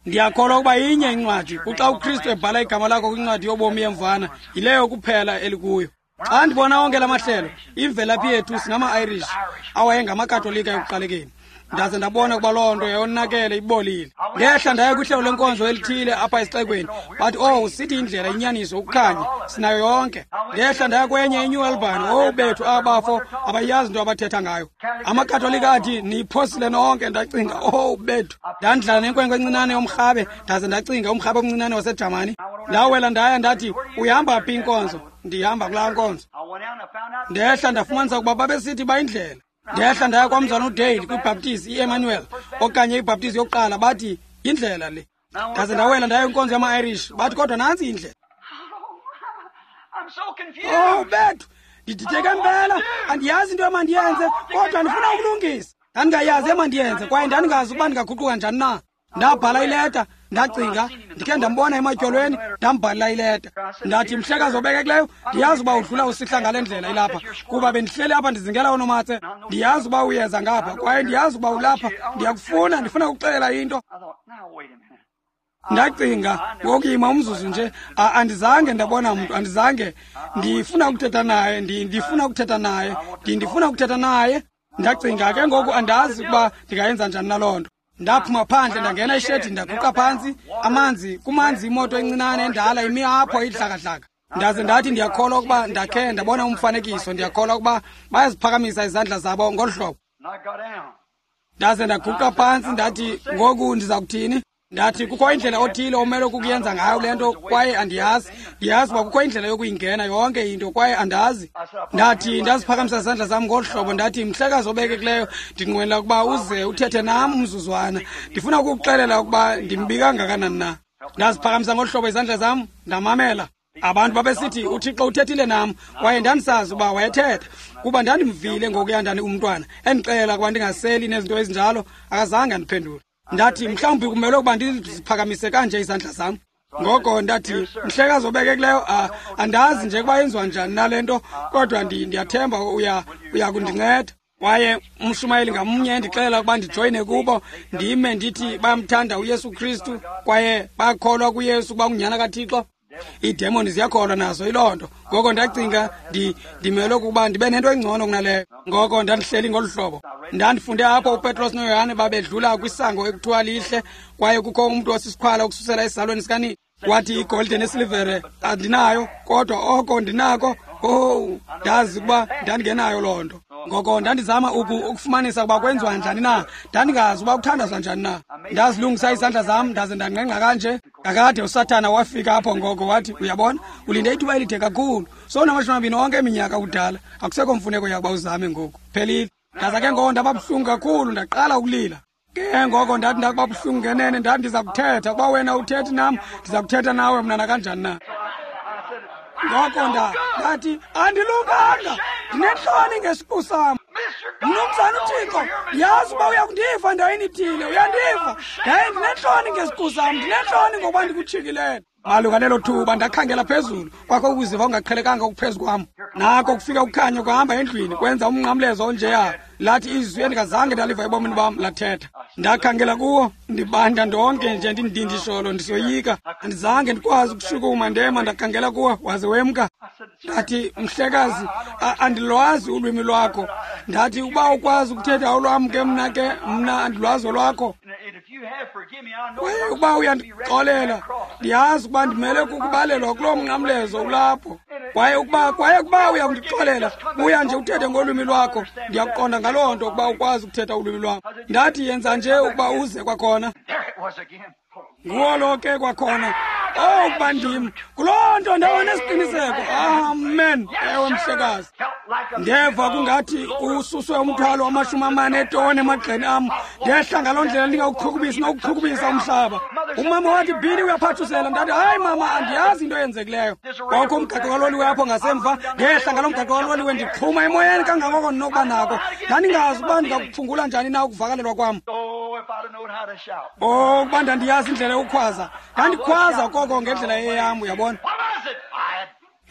Ndiyakholwa ukuba inye incwadi, kuxa uKristu ebhala igama lakho kwincwadi yobomi yemvana, yileyo kuphela elikuyo. Xa ndibona onke la mahlelo, imvelaphi yethu singama-Irish awayengamakatolika ekuqalekeni. Ndaze ndabona ukuba loo nto yayonakele, ibolile. Ndehla ndaya kwihlelo lenkonzo elithile apha esixekweni. Bathi, oh, sithi indlela, inyaniso, ukukhanya, sinayo yonke. Ndehla ndaya kwenye iNew Albany. Oh bethu, abafo abayazi into abathetha ngayo. AmaKatolika athi niyiphosile nonke. Ndacinga, oh bethu. Ndandidlala nenkwenkwe encinane yomrhabe, ndaze ndacinga umrhabe omncinane waseJamani. Ndawela ndaya ndathi, uyihamba phi inkonzo? Ndihamba kulaa nkonzo. Ndehla ndafumanisa ukuba babesithi bayindlela. Ndehla ndaya kwamzana uDale kwibhaptizi iEmmanuel okanye ibhaptizi yokuqala, bathi yindlela le. Ndaze ndawela ndaya kwinkonzo yama-Irish, bathi kodwa nantsi indlela. Oh bethu, ndidideke mpela, andiyazi into emandiyenze, kodwa ndifuna ukulungisa. Ndandingayazi emandiyenze kwaye ndandingazi ukuba ndingaguquka njani na. Ndabhala ileta, ndacinga, ndikhe ndambona ematyolweni, ndambhalela ileta. Ndathi, mhlekazi obekekileyo, ndiyazi uba udlula usihla ngale ndlela ilapha, kuba bendihleli apha ndizingela oonomatse. Ndiyazi uba uyeza ngapha, kwaye ndiyazi uba ulapha. Ndiyakufuna, ndifuna ukuxelela into. Ndacinga, ngokuyima umzuzu nje, andizange ndabona mntu, andizange. Ndifuna ukuthetha naye, ndifuna ukuthetha naye, ndifuna ukuthetha naye. Ndacinga ke ngoku andazi ukuba ndingayenza njani naloo nto. Ndaphuma phandle, ndangena ishedi, ndaguqa phantsi. Amanzi, kumanzi imoto encinane endala imi apho idlakadlaka. Ndaze ndathi ndiyakholwa ukuba ndakhe ndabona umfanekiso, ndiyakholwa ukuba bayaziphakamisa izandla zabo ngolu hlobo. Ndaze ndaguqa phantsi, ndathi ngoku ndiza kuthini? Ndathi kukho indlela othile omele ukuyenza ngayo le nto, kwaye andiyazi. Ndiyazi uba kukho indlela yokuyingena yonke into, kwaye andazi. Ndathi ndaziphakamisa izandla zam ngolu hlobo, ndathi mhlekazi obekekileyo, ndinqwenela ukuba uze uthethe nam umzuzwana. Ndifuna ukukuxelela ukuba ndimbi kangakanani na. Ndaziphakamisa ngolu hlobo izandla zam, ndamamela. Abantu babesithi uThixo uthethile nam, kwaye ndandisazi uba wayethetha, kuba ndandimvile ngokuya ndani umntwana endixelela ukuba ndingaseli nezinto ezinjalo. Akazange andiphendule. Ndathi mhlawumbi kumele ukuba ndiziphakamise kanje izandla zam. Ngoko ndathi, mhlekazi obekekileyo, andazi nje ukuba yenziwa njani nale nto, kodwa ndiyathemba uya kundinceda. Kwaye umshumayeli ngamnye endixelela ukuba ndijoyine kubo, ndime ndithi bayamthanda uYesu Kristu kwaye bayakholwa kuYesu ukuba ngunyana kaThixo. Iidemoni ziyakholwa nazo yiloo nto. Ngoko ndacinga ndimele ukuba ndibe nento engcono kunaleyo. Ngoko ndandihleli ngolu hlobo. Ndandifunde apho uPetros noYohane babedlula kwisango ekuthiwa lihle, kwaye kukho umntu osisiqhwala ukususela esizalweni sikanina. Wathi igolide nesilivere andinayo, kodwa oko ndinako. Owu, ndazi ukuba ndandingenayo loo nto. Ngoko ndandizama ukufumanisa ukuba kwenziwa njani na. Ndandingazi uba kuthandazwa njani na. Ndazilungisa izandla zam ndaze ndangqengqa kanje. Kakade uSathana wafika apho ngoko wathi, uyabona, ulinde ithuba elide kakhulu. Sowunamashumi amabini onke eminyaka kudala. Akusekho mfuneko yakuba uzame ngoku. Phelile. Ndaza ke ngoko ndaba buhlungu kakhulu, ndaqala ukulila. Ke ngoko ndathi ndakuba buhlungu ngenene, ndathi ndiza kuthetha. Ukuba wena uthethi nam, ndiza kuthetha nawe mna nakanjani na. Ngoko ndathi andilunganga, ndinentloni ngesiqu sam. Mnumzana uThixo, ndiyazi uba uyakundiva ndaweni ithile, uyandiva. Ndaye ndinentloni ngesiqu sam, ndinentloni ngokuba ndikutshikilele. Malunga nelo thuba ndakhangela phezulu, kwakho ukuziva ongaqhelekanga okuphezu kwam. Nako kufika ukukhanya kuhamba endlwini, kwenza umnqamlezo onjeya. Lathi izwi endingazange ndaliva ebomini bam lathetha. Ndakhangela kuwo, ndibanda ndonke nje ndindindisholo, ndisoyika. Andizange ndikwazi ukushukuma, ndema ndakhangela kuwo, waze wemka. Ndathi, mhlekazi, andilwazi ulwimi lwakho. Ndathi, uba ukwazi ukuthetha olwam ke mna ke, mna andilwazi olwakho. Kwaye ukuba uyandixolela, ndiyazi ukuba ndimele kukubalelwa kuloo mnqamlezo ulapho. Kwaye ukuba uyakundixolela, buya nje uthethe ngolwimi lwakho. Ndiyakuqonda ngaloo nto ukuba ukwazi ukuthetha ulwimi lwakho. Ndathi, yenza nje ukuba uze kwakhona. Nguwo lo ke kwakhona. Oh, ukuba ndim. Kuloo nto ndawona esiqiniseko. Amen. Ewe, mhlekazi. Ndeva kungathi ususwe umthwalo wamashumi amane etoni emagxeni am. Ndehla ngaloo ndlela ndingawuqhukubisi nokuqhukubisa umhlaba. Umama wathi, Billy, uyaphathusela. Ndathi, hayi mama, andiyazi into eyenzekileyo. Kwakho umgaqo kaloliwe apho ngasemva. Ndehla ngaloo mgaqo kaloliwe ndixhuma emoyeni kangangoko ndinokuba nako. Ndandingazi ukuba ndingakuphungula njani na ukuvakalelwa kwam. Oh, ukuba ndandiyazi indlela yokukhwaza. Ndandikhwaza koko ngendlela eyam, uyabona.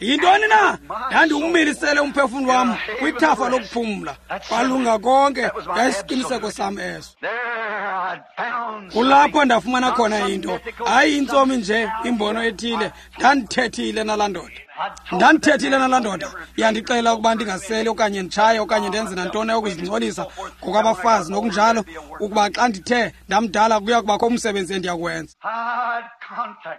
Yintoni na? Ndandiwumilisele umphefumlo wam kwithafa lokuphumla. Kwalunga konke, yayisiqiniseko sam eso. Kulapho ndafumana khona into. Hayi intsomi nje, imbono ethile. Ndandithethile nalaa ndoda. Ndandithethile nalaa ndoda. Yandixelela ukuba ndingaseli okanye nditshaye okanye ndenze nantoni yokuzingcolisa ngokwabafazi nokunjalo, ukuba xa ndithe ndamdala kuya kubakho umsebenzi endiyakuwenza.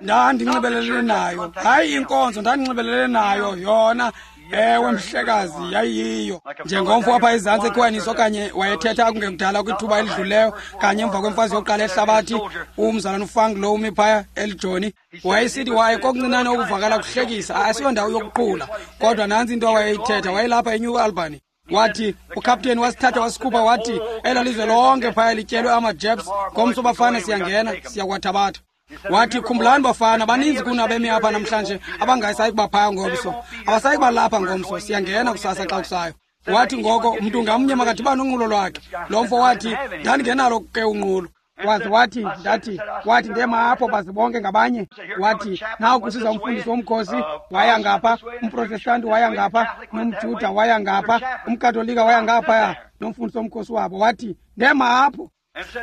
Ndandinxibelelene nayo. Hayi inkonzo, ndandinxibelelene nayo yona. Ewe, mhlekazi, yayiyiyo. Njengomfo apha ezantsi eKhwaniso okanye wayethetha kungekudala kwithuba elidluleyo, kanye emva kwemfazwe yokuqala ehlabathi, umzalwana uFank lo umi phaya elijoni, wayesithi waye kokuncinane okuvakala kuhlekisa, asiyondawo yokuqhula. Kodwa nantsi into awayeyithetha, wayelapha eNew Albany. Wathi ukhapteni wasithatha wasikhupha, wathi ela lizwe lonke phaya lityelwe amaJeps, ngomso bafana siyangena, siyakwathabatha. Wathi, khumbulani bafana, baninzi kunabemi apha namhlanje abangasayi kuba phaya ngomso, abasayi kuba lapha ngomso, siyangena kusasa xa kusayo. Wathi ngoko mntu ngamnye makadibane unqulo lwakhe. Lo mfo wathi, ndandingenalo ke unqulo. Waze wathi, ndathi, wathi ndema apho baze bonke ngabanye. Wathi, naku kusiza umfundisi womkhosi, waya ngapha, umprotestanti waya ngapha, nomjuda waya ngapha, umkatolika waya ngaphaya, nomfundisi womkhosi wabo. Wathi, ndema apho.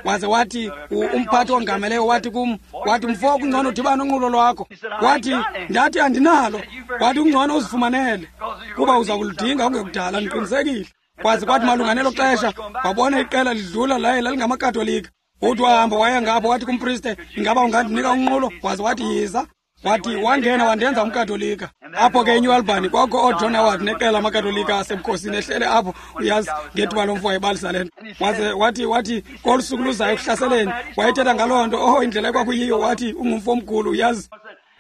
Waze wathi umphathi ongameleyo wathi kum, wathi mfo kungcono udibane unqulo lwakho. Wathi, ndathi andinalo. Wathi kungcono uzifumanele kuba uza kuludinga ungekudala, ndiqinisekile. Kwaze kwathi malunga nelo xesha wabona iqela lidlula laye lalingamakatolika. Uthi wahamba waya ngapho wathi kumpriste, ingaba ungandinika unqulo? Waze wathi yiza. Wathi wangena wandenza umkatolika. Apho ke eNew Albany kwakho ooJohn Howard neqela amakatolika asebukhosini ehlele apho, uyazi, ngethuba lomfo wayebalisa le nto. Waze wathi kolu suku luzayo ekuhlaseleni, wayethetha ngaloo nto, oh indlela ekwakuyiyo, wathi ungumfo omkhulu, uyazi.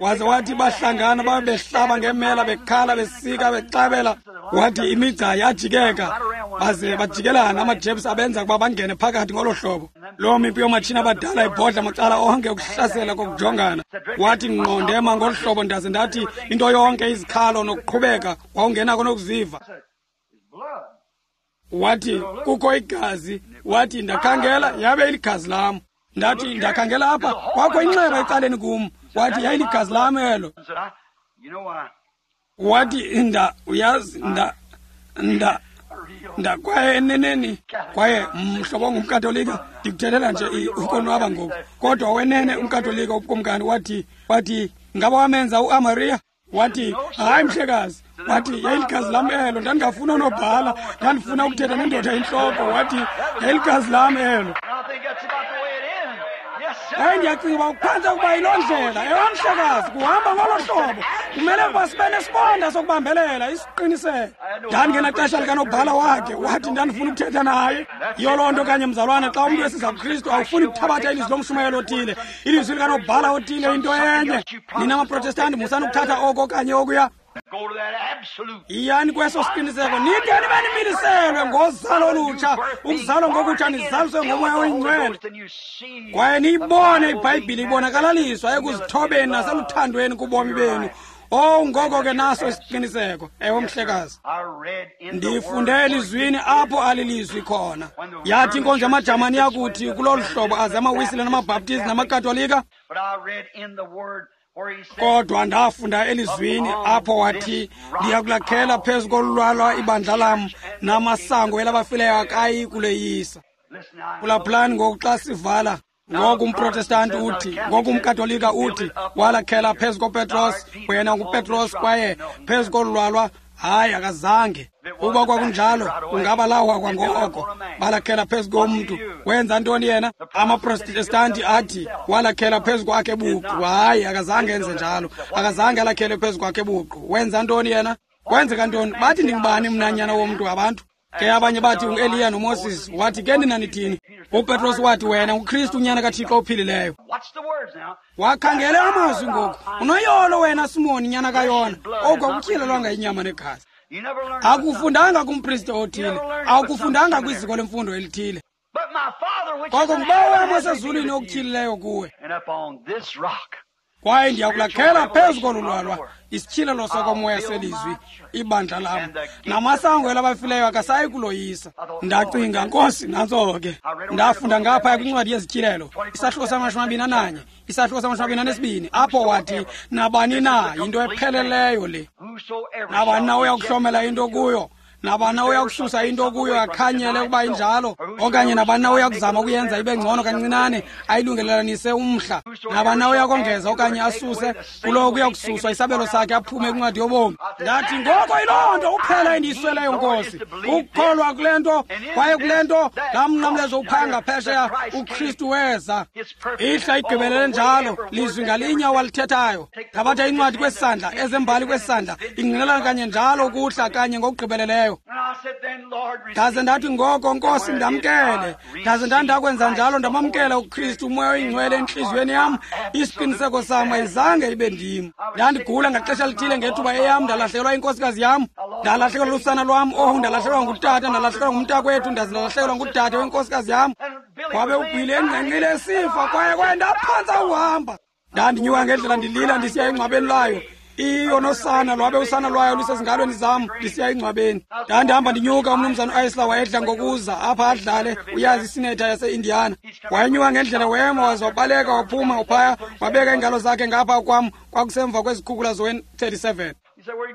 Waze wathi bahlangana babehlaba ngemela, bekhala, besika, bexabela. Wathi imigca yajikeka, baze bajikelana amaJeps abenza ukuba bangene phakathi ngolo hlobo. Loo mipu yoomatshini abadala ibhodla macala onke ukuhlasela kokujongana. Wathi ngqo ndema ngolu hlobo, ndaze ndathi into yonke izikhalo nokuqhubeka wawungenako nokuziva. Wathi kukho igazi. Wathi ndakhangela yabe iligazi lam. Ndathi ndakhangela apha kwakho inxeba ecaleni kum. Wathi yayiligazi lam elo. Wathi uyazi nda kwaye eneneni, kwaye mhlobo ongumkatolika, ndikuthethela nje ukonwaba ngoku, kodwa wenene umkatolika ubukumkani wathi ngaba wamenza uAmaria? Wathi hayi mhlekazi. Wathi yayiligazi lam elo, ndandingafuna unobhala, ndandifuna ukuthetha nendoda intloko. Wathi yayiligazi lam elo. Kwaye ndiyacinga uba kuphantse ukuba yiloo ndlela. Ewe, mhlekazi, kuhamba ngolo hlobo. Kumele ukuba sibe nesibonda sokubambelela, isiqiniseko. Ndandingenaxesha likanobhala wakhe, wathi ndandifuna ukuthetha naye. Yiyo loo nto kanye, mzalwana, xa umntu esiza kuKristu awufuni kuthabatha ilizwi lomshumayelo othile, ilizwi likanobhala othile, into enye. Nina maProtestanti musani ukuthatha oko okanye okuya. Yiyani kweso siqiniseko, nide nibe nimiliselwe ngozalo olutsha, ukuzalwa ngokutsha, nizaliswe ngoMoya oyiNgcwele, kwaye niyibone iBhayibhile ibonakalaliswa ekuzithobeni naseluthandweni kubomi benu. Oh, ngoko ke naso isiqiniseko. Ewe, mhlekazi, ndifunde elizwini apho alilizwi khona. Yathi inkonzo yamaJamani yakuthi kulolu hlobo aze amaWisile namaBhaptizi namaKatolika, kodwa ndafunda elizwini apho wathi ndiyakulakhela phezu kolulwalwa ibandla lam, namasango elabafileyo akayi kuleyisa. Phulaphulani ngoku xa sivala. Ngoku umProtestanti uthi, ngoku umKatolika uthi, walakhela phezu koPetros, wena nguPetros, kwaye phezu kolulwalwa. Hayi, akazange. Ukuba kwakunjalo, kungaba lawa kwangoko. Balakhela phezu komntu. Wenza ntoni yena? AmaProtestanti athi walakhela phezu kwakhe buqu. Hayi, akazange enze njalo. Akazange alakhele phezu kwakhe buqu. Wenza ntoni yena? Kwenzeka ntoni? Bathi ndingubani mna, nyana womntu, abantu? Ke abanye bathi ungu-Eliya noMoses. Wathi ke nina nithini? UPetros wathi wena nguKristu, unyana kaThixo ophilileyo. Wakhangele amazwi ngoku. Unoyolo wena, Simoni, nyana kaYona, oku akutyhilelwanga inyama negazi. Akufundanga kumpriste othile, awukufundanga kwiziko lemfundo elithile, koko nguBawo wam osezulwini okutyhilileyo kuwe. Kwaye ndiyakulakhela phezu kolu lwalwa, isityhilelo sokomoya selizwi, ibandla lam, namasango elabafileyo akasayi kuloyisa. Ndacinga, Nkosi, nantso ke. Ndafunda ngapha kwincwadi yezityhilelo, isahluko sama-21, isahluko sama-22, apho wathi nabani na, yinto epheleleyo le, nabani na uyakuhlomela into kuyo, nabani na uyakususa into kuyo akhanyele ukuba injalo, okanye nabani na uyakuzama ukuyenza ibe ngcono kancinane, ayilungelelanise umhla, nabani na uyakongeza okanye asuse kulowo, kuyakususwa isabelo sakhe aphume kwincwadi yobomi. Ndathi, ngoko yiloo nto uphela endiyisweleyo, Nkosi, ukukholwa kule nto. Kwaye kule nto, laa mnqamlezo uphaya ngaphesheya, uKristu weza, ihla igqibelele njalo lizwi ngalinye awalithethayo. Thabatha incwadi kwesandla, ezembali kwesandla, ingqinelana kanye njalo ukuhla kanye ngokugqibeleleyo. Ndaze ndathi, ngoko Nkosi, ndamkele. Ndaze ndandakwenza njalo, ndamamkela uKristu, uMoya oyiNgcwele entliziyweni yam. Isiqiniseko sam ayizange ibe ndim. Ndandigula ngaxesha lithile ngethuba eyam, ndalahlekelwa inkosikazi yam, ndalahlekelwa lusana lwam, oh, ndalahlekelwa ngutata, ndalahlekelwa ngumntakwethu, ndaze ndalahlekelwa ngudade wenkosikazi yam. Wabe uBhili engqengqile esifa, kwaye ndaphantsa uhamba. Ndandinyuka ngendlela ndilila ndisiya engcwabeni layo, iyo nosana lwabe usana lwayo lusezingalweni zam, ndisiya engcwabeni. Ndandihamba ndinyuka. Umnumzana uIsla wayedla ngokuza apha adlale, uyazi, isinetha yaseIndiana. Wayenyuka ngendlela, wema, waze wabaleka waphuma uphaya, wabeka iingalo zakhe ngapha kwam. Kwakusemva kwezikhukula zowe-37.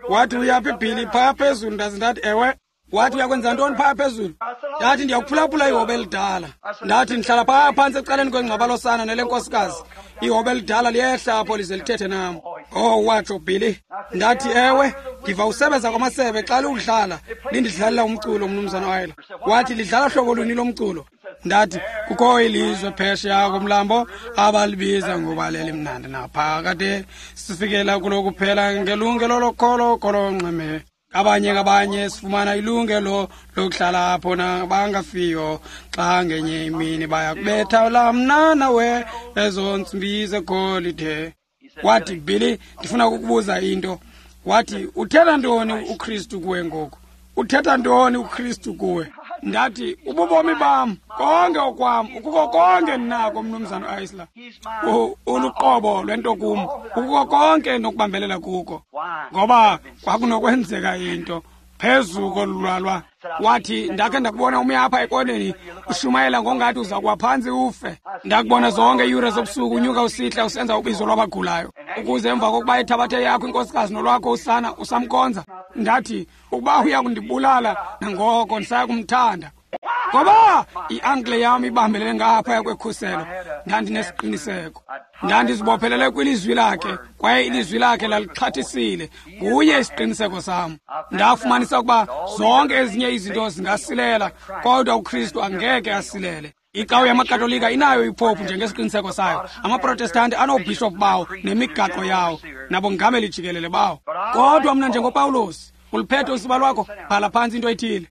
Wathi, uyaphi, Bhili? Phaya phezulu. Ndaze ndathi, ewe. Wathi, uyakwenza ntoni phaya phezulu? Ndathi, ndiyakuphulaphula ihobe elidala. Ndathi, ndihlala phaya phantsi ecaleni kwengcwaba losana nelenkosikazi. Ihobe elidala liyehla apho lize lithethe nam. Oh, watsho, Billy. Ndathi, ewe, ndiva usebenza kwamasebe xa liwudlala, lindidlalela umculo, mnumzana Wayela. Wathi, lidlala hlobo luni lomculo? Ndathi, kukho ilizwe phesheya komlambo abalibiza ngoba lelimnandi naphakade, sifikela kulo kuphela ngelungelo lokholo kolonxeme. Abanye ngabanye sifumana ilungelo lokuhlala apho nabangafiyo, xa ngenye imini baya kubetha lamnana we ezo ntsimbi zegolide. Wathi, Billy, ndifuna ukukubuza into. Wathi, uthetha ntoni uKristu kuwe ngoku? Uthetha ntoni uKristu kuwe? Ndathi, ububomi bam, konke okwam, ukuko konke ndinako, mnumzana Isla. Uluqobo lwento kum, ukuko konke nokubambelela kuko. Ngoba kwakunokwenzeka into phezu kolulwalwa. Wathi, ndakhe ndakubona ume apha ekoneni ushumayela ngongathi uza kuwa phantsi ufe. Ndakubona zonke iiyure zobusuku unyuka usihla usenza ubizo lwabagulayo, ukuze emva kokuba ethabathe yakho inkosikazi nolwakho usana, usamkonza. Ndathi, ukuba uya kundibulala nangoko, ndisaya kumthanda, ngoba i-ankle yam ibambelele ngaphaya kwekhuselo. Ndandinesiqiniseko, ndandizibophelele kwilizwi lakhe, kwaye ilizwi lakhe lalixhathisile. Nguye isiqiniseko sam. Ndafumanisa ukuba zonke ezinye izinto zingasilela, kodwa uKristu angeke asilele. Icawe yamaKatolika inayo ipopu njengesiqiniseko sayo. AmaProtestanti anoobhishophu bawo nemigaqo yawo nabongameli jikelele bawo. Kodwa mna njengoPawulos, uliphethe usiba lwakho, bhala phantsi into ethile.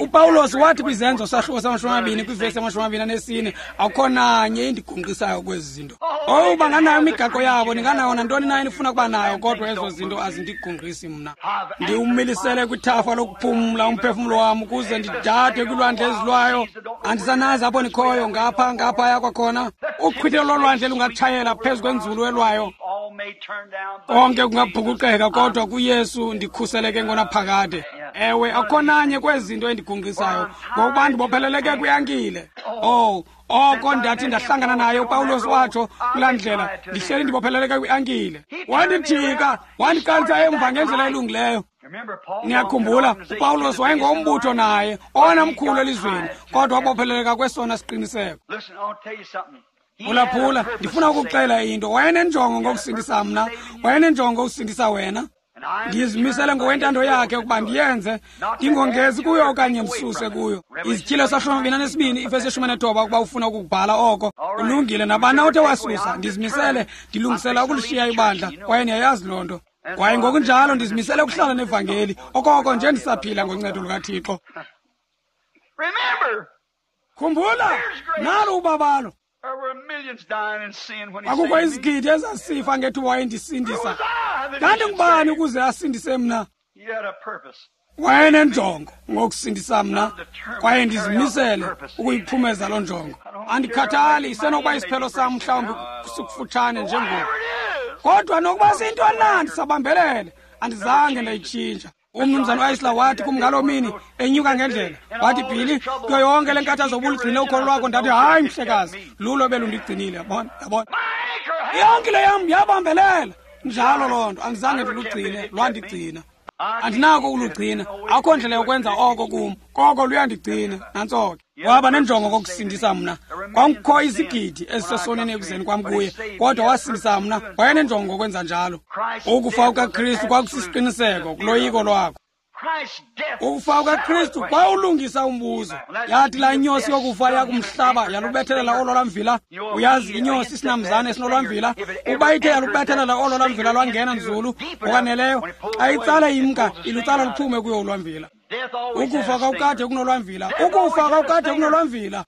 UPawulos wathi kwiZenzo sahluko sama-20 kwivesi yama-24, akukho nanye indigungqisayo kwezi zinto. Owu, banganayo imigaqo yabo, ninganayo nantoni na enifuna ukuba nayo, kodwa ezo zinto azindigungqisi mna. Ndiwumilisele kwithafa lokuphumla umphefumlo wam ukuze ndidade kwilwandle ezilwayo. Andisanazi apho ndikhoyo, ngapha ngaphaya kwakhona. Uqhwithelo lolwandle lungatshayela phezu kwenzulu elwayo. Konke kungabhukuqeka, kodwa kuYesu ndikhuseleke ngonaphakade. Ewe, akukho nanye kwezi zinto endigungqisayo, ngokuba ndibopheleleke kwiankile. Oh, oko ndathi ndahlangana naye uPawulos watsho kulaa ndlela, ndihleli ndibopheleleke kwiankile. Wandijika, wandiqalisa emva ngendlela elungileyo. Niyakhumbula, uPawulos wayengombutho naye, owona mkhulu elizweni, kodwa wabopheleleka kwesona siqiniseko. Phulaphula, ndifuna ukuxela into. Wayenenjongo ngokusindisa mna, wayenenjongo ngokusindisa wena. Ndizimisele ngokwentando yakhe ukuba ndiyenze, ndingongezi kuyo okanye ndisuse kuyo. Izityhilo sahluka 22 ivesi 19 ukuba ufuna ukubhala oko. Kulungile, nabani othe wasusa, ndizimisele, ndilungisela ukulishiya ibandla, kwaye niyayazi loo nto. Kwaye ngokunjalo ndizimisele ukuhlala nevangeli, okoko nje ndisaphila ngoncedo lukaThixo. Khumbula, nalo ubabalo. Akukho izigidi ezasifa ngethuba wayendisindisa. Ndandingubani ukuze asindise mna? Wayenenjongo ngokusindisa mna, kwaye ndizimisele ukuyiphumeza loo njongo. Andikhathali, isenokuba isiphelo sam mhlawumbi sikufutshane njengoku, kodwa nokuba siyintoni na, ndisabambelele. Andizange ndayitshintsha. Umnumzana uAisla wathi kum ngaloo mini enyuka ngendlela, wathi, Billy, kuyo yonke le nkathazo ubuligcine ukholo lwakho. Ndathi, hayi mhlekazi, lulo belundigcinile. Yabona, yabona, yonke le yam yabambelela njalo loo nto. Andizange ndilugcine, lwandigcina. Andinako ukulugcina, akukho ndlela yokwenza oko kum, koko luyandigcina. Nantso ke. Waba nenjongo kokusindisa mna. Kwakukho izigidi ezisesoneni ekuzeni kwam kuye, kodwa wasindisa mna. Wayenenjongo ngokwenza njalo. Ukufa kukaKristu kwakusisiqiniseko kuloyiko lwakho. Ukufa kukaKristu kwawulungisa umbuzo. Yathi laa inyosi yokufa yakumhlaba yalubethelela olo lwamvila. Uyazi inyosi isinamzane esinolwamvila, ukuba ithe yalubethelela olo lwamvila lwangena nzulu ngokwaneleyo, xa itsala imka ilutsala luphume kuyo ulwamvila. Ukufa kwawukade kunolwamvila, ukufa kwawukade kunolwamvila.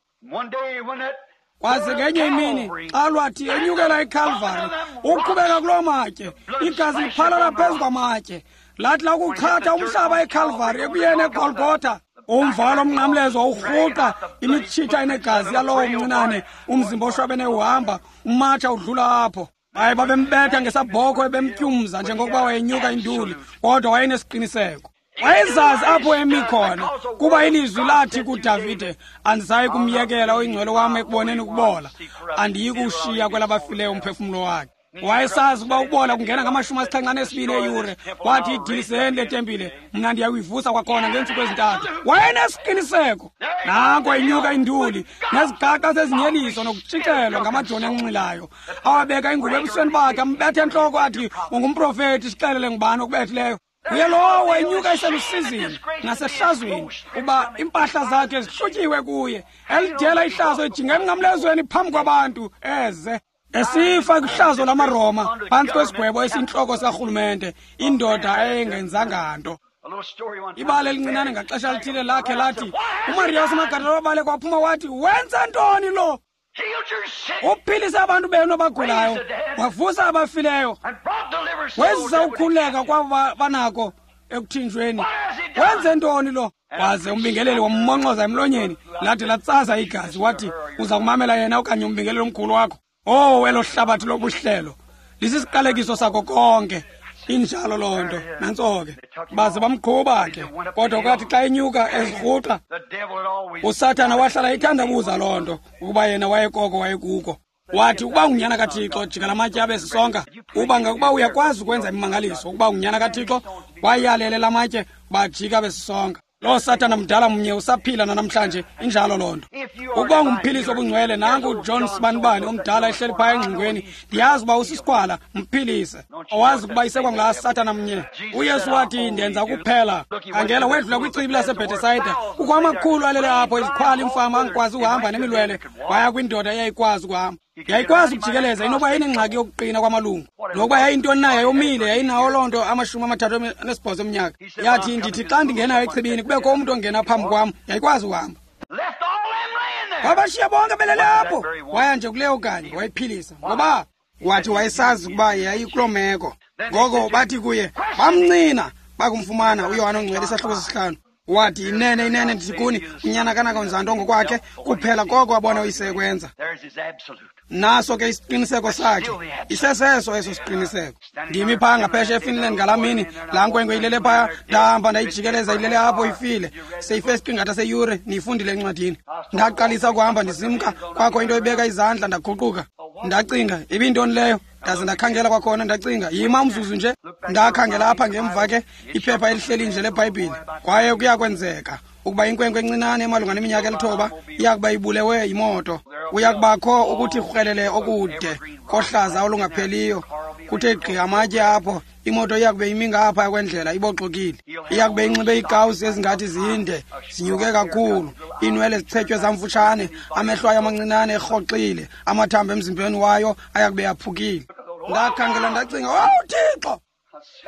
Kwaze ngenye imini xa lwathi enyukela eKalvari, uqhubeka kuloo matye, igazi liphalala phezu kwamatye. Lathi lakuchatha umhlaba eKalvari ekuyeni eGolgotha, umvalo omnqamlezo wawurhuqa imitshitha enegazi yalowo mncinane, umzimba oshwabene uhamba, umatsha udlula apho. Baye babembetha ngesabhokhwe bemtyumza njengokuba wayenyuka induli, kodwa wayenesiqiniseko. Wayezazi apho emi khona, kuba ilizwi lathi kuDavide, andisayi kumyekela oyingcwele wam ekuboneni ukubola, andiyi kuwushiya kwelabafileyo umphefumlo wakhe. Wayesazi ukuba ukubola kungena ngama-72 eyure. Wathi, idiliseni le tempile, mna ndiyakuyivusa kwakhona ngeentsuku ezintathu. Wayenesiqiniseko. Nanko inyuka induli nezigaqa zezinyeliso nokutshicelwa ngamajoni anxilayo, awabeka ingubo ebusweni bakhe, ambethe entloko, athi, ungumprofethi, sixelele ngubani okubethileyo. Uye lowo enyuka eselusizini nasehlazweni, uba impahla zakhe zihlutyiwe kuye, elidela ihlazo ejinga emnqamlezweni phambi kwabantu, eze esifa kwihlazo lamaRoma phantsi kwesigwebo esiyintloko sikarhulumente, indoda eyayingenzanga nto. Ibali elincinane ngaxesha lithile lakhe lathi, uMariya waseMagadala wabaleka waphuma wathi, wenza ntoni lo? Uphilise abantu benu abagulayo, wavusa abafileyo, wezisa ukukhululeka kwabo banako ekuthinjweni. Wenze ntoni lo? Waze umbingeleli wammonxoza emlonyeni, lathi latsaza igazi, wathi, uza kumamela yena okanye umbingeleli omkhulu wakho? Oh, elo hlabathi lobuhlelo lisisiqalekiso sako konke. Injalo loo nto. Nantso ke. Baze bamqhuba ke, kodwa kwathi xa enyuka ezirhuqa, uSathana wahlala ethandabuza loo nto, ukuba yena wayekoko wayekuko. Wathi, ukuba ungunyana kaThixo, jika lamatye abe sisonka. Uba ngakuba uyakwazi ukwenza imimangaliso, ukuba ungunyana kaThixo, wayalele lamatye bajika besisonka. Loo Sathana mdala mnye usaphila nanamhlanje, injalo loo nto. Ukuba ngumphilisi obungcwele, nanku uJohn Sibanibani omdala ehleli phaya engxingweni, ndiyazi uba usisikhwala, mphilise. Awazi ukuba isekwangulaa Sathana mnye. UYesu wathi, ndenza kuphela. Khangela, wedlula kwichibi laseBhetesayida, kukho amakhulu alele apho, izikhwala, imfama angikwazi ukuhamba nemilwele. Waya kwindoda eyayikwazi ukuhamba, yayikwazi ukujikeleza, inoba yayinengxaki yokuqina kwamalungu, nokuba yayintoni na, yayomile, yayinawo loo nto 38 eminyaka. Yathi, ndithi xa ndingenayo echibini kubekho umntu ongena phambi kwam. Yayikwazi ukuhamba. Wabashiya bonke belele apho, waya nje kuleyo kanye wayiphilisa. Ngoba wathi wayesazi ukuba yayikuloo meko. Ngoko bathi kuye, bamncina bakumfumana. uYohane oNgcwele isahluko sesihlanu. Wathi, inene, inene, ndithi kuni, unyana kanakwenza nto ngokwakhe kuphela koko abona uyise ekwenza. Naso ke isiqiniseko sakhe, iseseso eso siqiniseko. Ndimi phaa ngaphesha eFinland ngalaa mini, laa nkwenkwe ilele phaya, ndahamba ndayijikeleza, ilele apho ifile, seyife isiqingatha seyure. Niyifundile encwadini. Ndaqalisa ukuhamba ndisimka, kwakho into ibeka izandla, ndaguquka, ndacinga, ibintoni leyo? Ndaze ndakhangela kwakhona, ndacinga, yima umzuzu nje. Ndakhangela apha ngemva ke, iphepha elihleli nje leBhayibhile. Kwaye kuyakwenzeka ukuba inkwenkwe encinane emalunga neminyaka 9 iyakuba ibulewe yimoto. Uyakubakho ukuthi rhwelele okude kohlaza olungapheliyo, kuthe gqi amatye apho. Imoto iyakube imi ngapha kwendlela iboxokile. Iyakube inxibe iikawusi ezingathi zinde, zinyuke kakhulu, iinwele zichetywe zamfutshane, amehlo ayo amancinane erhoxile, amathambo emzimbeni wayo ayakube yaphukile. Ndakhangela ndacinga, owu Thixo!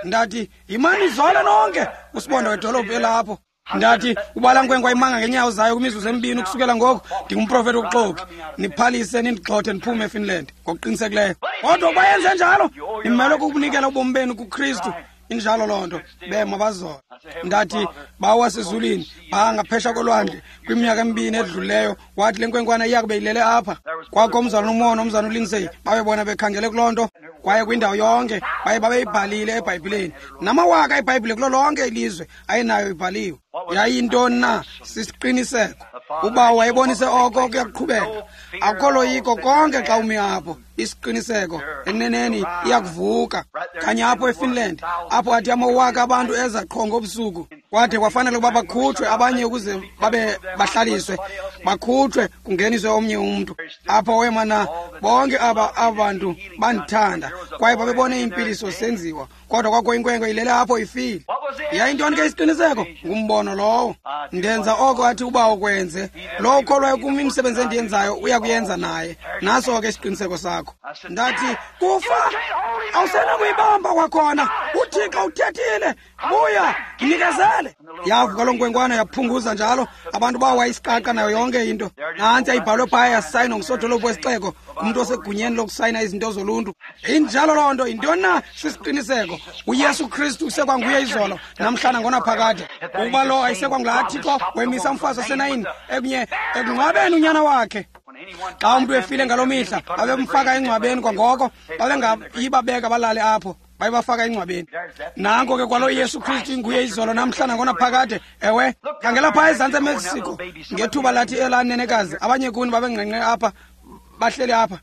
Ndathi, yimani izole nonke, usibonda wedolophu elapho. Ndathi, ubala nkwenkwe ayimanga ngeenyawo zayo kwimizuzu emibini ukusukela ngoku, ndingumprofethi wobuxoki. Niphalise nindigxothe ndiphume eFinland ngokuqinisekileyo. Kodwa ukuba yenze njalo, nimelwe kukunikela ubomi benu kuKristu. Injalo loo nto. Bema bazola. Ndathi, Bawo wasezulwini, phaa ngaphesha kolwandle, kwiminyaka emibini edlulileyo, wathi le nkwenkwana iyakube ilele apha. Kwakho umzalwana uMono, umzalwana uLindsay, babebona bekhangele kuloo nto, kwaye kwindawo yonke, baye babeyibhalile eBhayibhileni. Namawaka eBhayibhile kulo lonke ilizwe ayenayo ibhaliwe. Yayintoni na? Sisiqiniseko. Ubawo wayebonise oko kuyakuqhubeka. Akukho loyiko konke xa umi apho. Isiqiniseko eneneni iyakuvuka. Kanye apho eFinland, apho athi amawaka abantu eza qho ngobusuku, kwade kwafanele ukuba bakhutshwe abanye ukuze babe bahlaliswe, bakhutshwe kungeniswe omnye umntu. Apho wema na bonke aba bantu bandithanda, kwaye babebone iimpiliso senziwa, kodwa kwakho inkwenkwe ilele apho ifile. Yayintoni ke isiqiniseko? Ngumbono lowo. Ndenza oko athi ubawo kwenze. Lowo ukholwayo kum, imisebenzi endiyenzayo uyakuyenza naye. Naso ke isiqiniseko sakho. Ndathi, kufa awusenakuyibamba kwakhona, uThixo uthethile, buya nikezele. Yavuka loo nkwenkwana yaphunguza njalo, abantu bawa isiqaqa nayo yonke into. Nantsi ayibhalwe phaya, yasayinwa ngusodolophu wesixeko, umntu osegunyeni lokusayina izinto zoluntu. Injalo loo nto. Yintoni na? Sisiqiniseko. uYesu Kristu usekwanguye izolo namhlana ngonaphakade. Ukuba lo ayisekwangulaa Thixo wemisa umfazi oseNayini ekunye ekungcwabeni unyana wakhe. Xa umntu efile ngaloo mihla, babemfaka engcwabeni kwangoko, babengayibabeka balale apho, bayebafaka engcwabeni. Nanko ke kwalo Yesu Kristu inguye izolo namhlana ngonaphakade. Ewe, khangela phaa ezantsi eMexico ngethuba lathi elaa nenekazi, abanye kuni babengqengqe apha, bahleli apha.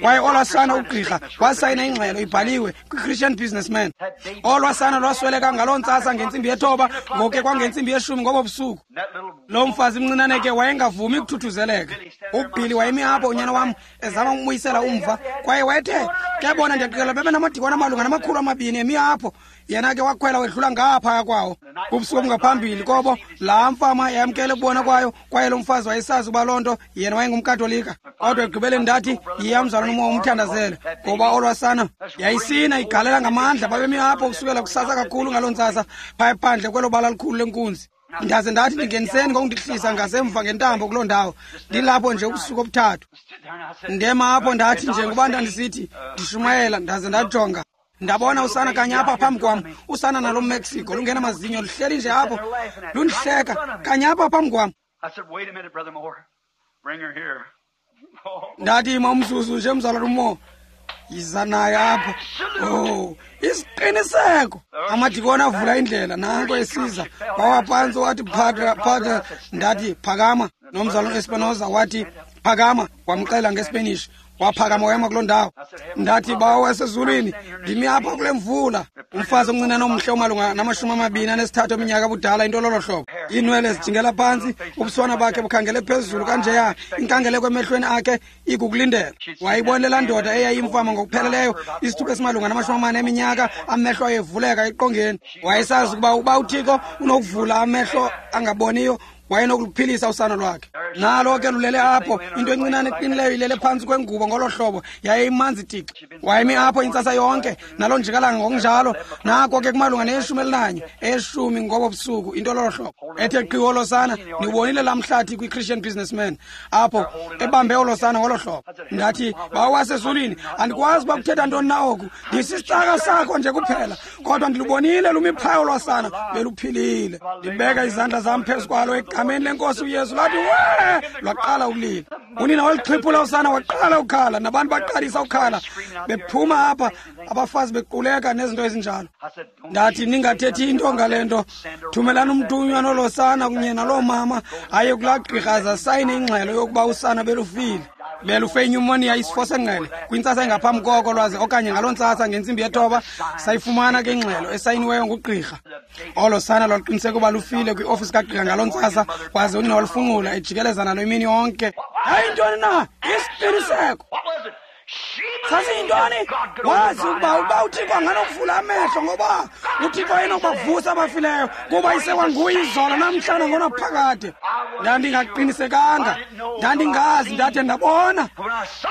Kwaye olwaa sana, ugqirha wasayina ingxelo ibhaliwe kwi-Christian Businessman. Olwaa sana lwasweleka ngaloo ntsasa ngentsimbi 9, ngoke kwangentsimbi 10 ngobo busuku. Lo mfazi mncinane ke wayengavumi ukuthuthuzeleka. UBilly wayemi apho, unyana wam, ezama umbuyisela umva, kwaye wayethe ke bona ndiyaqikela bebenamadikwana amalunga nama-200 emi apho. Yena ke wakhwela wedlula ngaphaya kwawo. Kubusuku obungaphambili kobo, laa mfama yamkele ukubona kwayo, kwaye lo mfazi wayesazi uba loo nto yena wayengumKatolika. Kodwa ekugqibeleni ndathi, yiya mzalwana uMoore umthandazele, ngoba olwasana yayisina igalela ngamandla. Babemi apho ukusukela kusasa kakhulu ngaloo ntsasa, phaya phandle kwelo bala likhulu lenkunzi. Ndaze ndathi, ndingeniseni ngokundihlisa ngasemva ngentambo kuloo ndawo. Ndilapho nje ubusuku obuthathu. Ndema apho ndathi, njengoba ndandisithi ndishumayela, ndaze ndajonga, ndabona usana kanye apha phambi kwam, usana nalo Mexico lungenamazinyo luhleli nje apho lundihleka kanye apha phambi kwam. Ndathi, ima umzuzu nje mzalwana uMoore, yiza naye apha. Oh, isiqiniseko. Amadikoni avula indlela, nanko esiza, wawa phantsi wathi, Padre, Padre. Ndathi, phakama. Nomzalwana Espinoza wathi, phakama, wamxela ngeSpanish. Waphakama wema kuloo ndawo. Ndathi, Bawo wasezulwini, ndimi apha kule mvula. Umfazi omncinane omhle omalunga nama-23 eminyaka budala, into lolo hlobo. Iinwele zijingela phantsi, ubuswana bakhe bukhangele phezulu kanjeya, inkangeleko emehlweni akhe ikukulindela. Wayibonile laa ndoda eyayimfama ngokupheleleyo, isithuba esimalunga nama-40 eminyaka, amehlo ayevuleka eqongeni. Wayesazi ukuba uThixo unokuvula amehlo angaboniyo, wayenokuphilisa usana lwakhe. Nalo ke lulele apho, into encinane eqinileyo ilele phantsi kwengubo ngolo hlobo, yaye imanzi tixi. Wayemi apho intsasa yonke, naloo njikalanga ngokunjalo. Nako ke kumalunga ne-11, 10 ngobo busuku, into lolo hlobo. Ethe qhi olo sana, niwubonile laa mhlathi kwi-Christian Businessman, apho ebambe olo sana ngolo hlobo. Ndathi, Bawo wasezulwini, andikwazi uba kuthetha ntoni na oku, ndisisicaka sakho nje kuphela, kodwa ndilubonile lumiphayo lwasana beluphilile. Ndibeka izandla zam phezu kwalo egameni lenkosi uYesu. Lathi we, lwaqala ukulila. Unina walixhiphula usana, waqala ukukhala, nabantu baqalisa ukukhala, bephuma apha, abafazi bequleka nezinto ezinjalo. Ndathi, ningathethi into ngale nto, thumelani umthunywa nolo sana kunye naloo mama aye kulaa gqirha aze asayine ingxelo yokuba usana belufile. Belufe inyumoniya, isifo sengqele, kwintsasa engaphambi koko lwaze, okanye ngaloo ntsasa ngentsimbi ye-9 sayifumana ke ingxelo esayiniweyo ngugqirha. Olo sana lwaluqiniseka uba lufile kwiofisi kagqirha ngaloo ntsasa, waze unina walufunqula ejikeleza nalo imini yonke. Yayintoni na? Isiqiniseko. Sasiyintoni? Wazi ukuba uThixo anganokuvula amehlo, ngoba uThixo ayenokubavusa abafileyo, kuba isekwanguye izolo namhla nangonaphakade. Ndandingaqinisekanga, ndandingazi, ndade ndabona.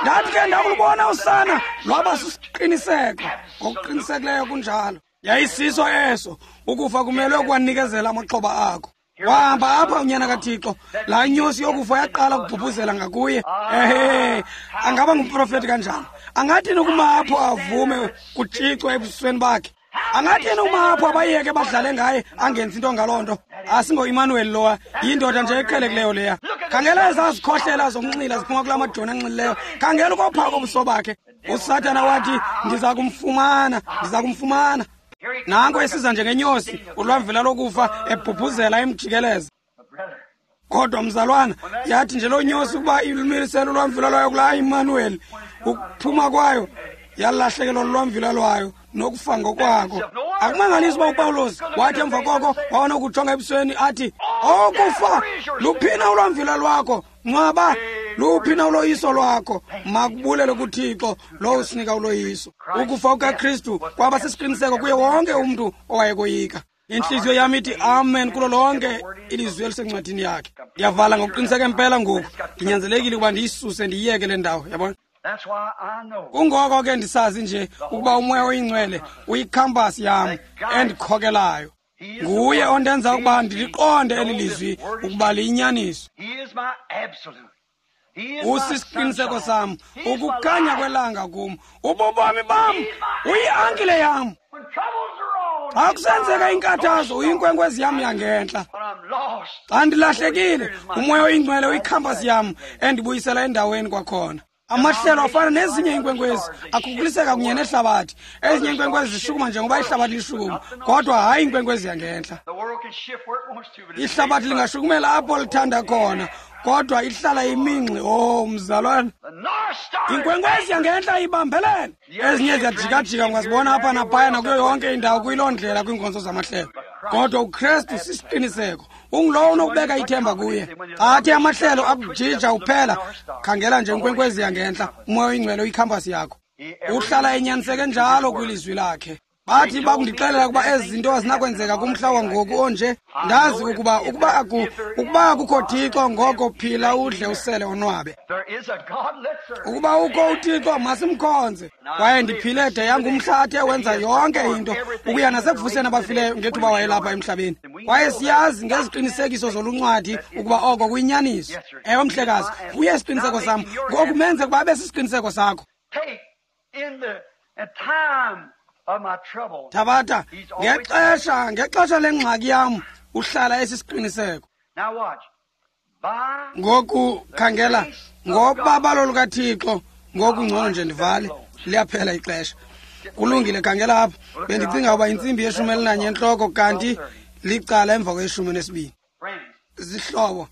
Ndathi ke ndakulubona usana, lwaba sisiqiniseko. Ngokuqinisekileyo kunjalo. Yayisiso eso, ukufa kumelwe ukwanikezela amaxhoba akho. Wahamba apha unyana kaThixo, laa nyosi yokufa yaqala ukubhubhuzela ngakuye. Ehe, angaba ngumprofeti kanjani? Angathini ukuma apho avume kutshicwa ebusweni bakhe? Angathini ukuma apho abayeke badlale ngaye, angenzi into ngaloo nto? AsingoImmanuel lowa, yindoda nje eqhelekileyo leya. Khangela ezazikhohlela zokunxila ziphuma kulaa majoni anxilileyo. Khangela ukopha kobuso bakhe. USathana wathi, ndiza kumfumana, ndiza kumfumana. Nanko esiza njengenyosi, ulwamvila lokufa ebhubhuzela emjikeleza. Kodwa mzalwana, yathi nje loo nyosi ukuba ilumilisele ulwamvila lwayo kulaa Immanuel, ukuphuma kwayo yalahlekelwa lulwamvila lwayo nokufa ngokwako. Akumangalisi uba uPawulos wathi emva koko wawanokujonga ebusweni athi, okufa, luphina ulwamvila lwakho? Ngcwaba, luphina uloyiso lwakho? Makubulele kuThixo lowo usinika uloyiso. Ukufa kukaKristu kwaba sisiqiniseko kuye wonke umntu owayekoyika. Intliziyo yam ithi amen kulo lonke ilizwi elisencwadini yakhe. Ndiyavala ngokuqiniseka impela ngoku, ndinyanzelekile ukuba ndiyisuse ndiyiyeke le ndawo, yabona. Kungoko ke ndisazi nje ukuba uMoya oyiNgcwele uyikhampasi yam endikhokelayo. Nguye ondenza ukuba ndiliqonde eli lizwi ukuba liyinyaniso. Usisiqiniseko sam, ukukhanya kwelanga kum, ububomi bam, uyiankile yam. Xa kusenzeka inkathazo, uyinkwenkwezi yam yangentla. Xa ndilahlekile, uMoya oyiNgcwele uyikhampasi yam endibuyisela endaweni kwakhona. Amahlelo afana nezinye iinkwenkwezi akhukuliseka kunye nehlabathi. Ezinye iinkwenkwezi zishukuma njengoba ihlabathi lishukuma, kodwa hayi inkwenkwezi yangentla. Ihlabathi lingashukumela apho lithanda khona, kodwa ihlala imingxi. Oh, mzalwana, inkwenkwezi yangentla ibambelele. Ezinye ziyajikajika, ungazibona apha naphaya nakuyo yonke indawo kuyiloo ndlela kwiinkonzo zamahlelo. Kodwa uKristu sisiqiniseko, ungulowo unokubeka ithemba kuye. Athi amahlelo akujija uphela, khangela nje inkwenkwezi yangentla, uMoya oyiNgcwele uyikhampasi yakho. Uhlala enyaniseke njalo kwilizwi lakhe. Bathi bakundixelela ukuba ezi zinto azinakwenzeka kumhla wangoku onje. Ndazi ukuba ukuba akukho Thixo, ngoko phila udle usele onwabe. Ukuba ukho uThixo, masimkhonze. Kwaye ndiphile de yangumhla athe wenza yonke into, ukuya nasekuvuseni abafileyo ngethuba wayelapha emhlabeni. Kwaye siyazi ngeziqinisekiso zoluncwadi ukuba oko kuyinyaniso. Ewe mhlekazi, kuye isiqiniseko sam. Ngoku menze ukuba abe sisiqiniseko sakho. Thabatha ngexesha lengxaki yam uhlala esisiqiniseko. Ngoku khangela, ngobabalo lukaThixo, ngoku ngcono nje ndivale, liyaphela ixesha. Kulungile, khangela apha. Bendicinga uba intsimbi ye-11 entloko, kanti licala emva kwe-12. Zihlobo,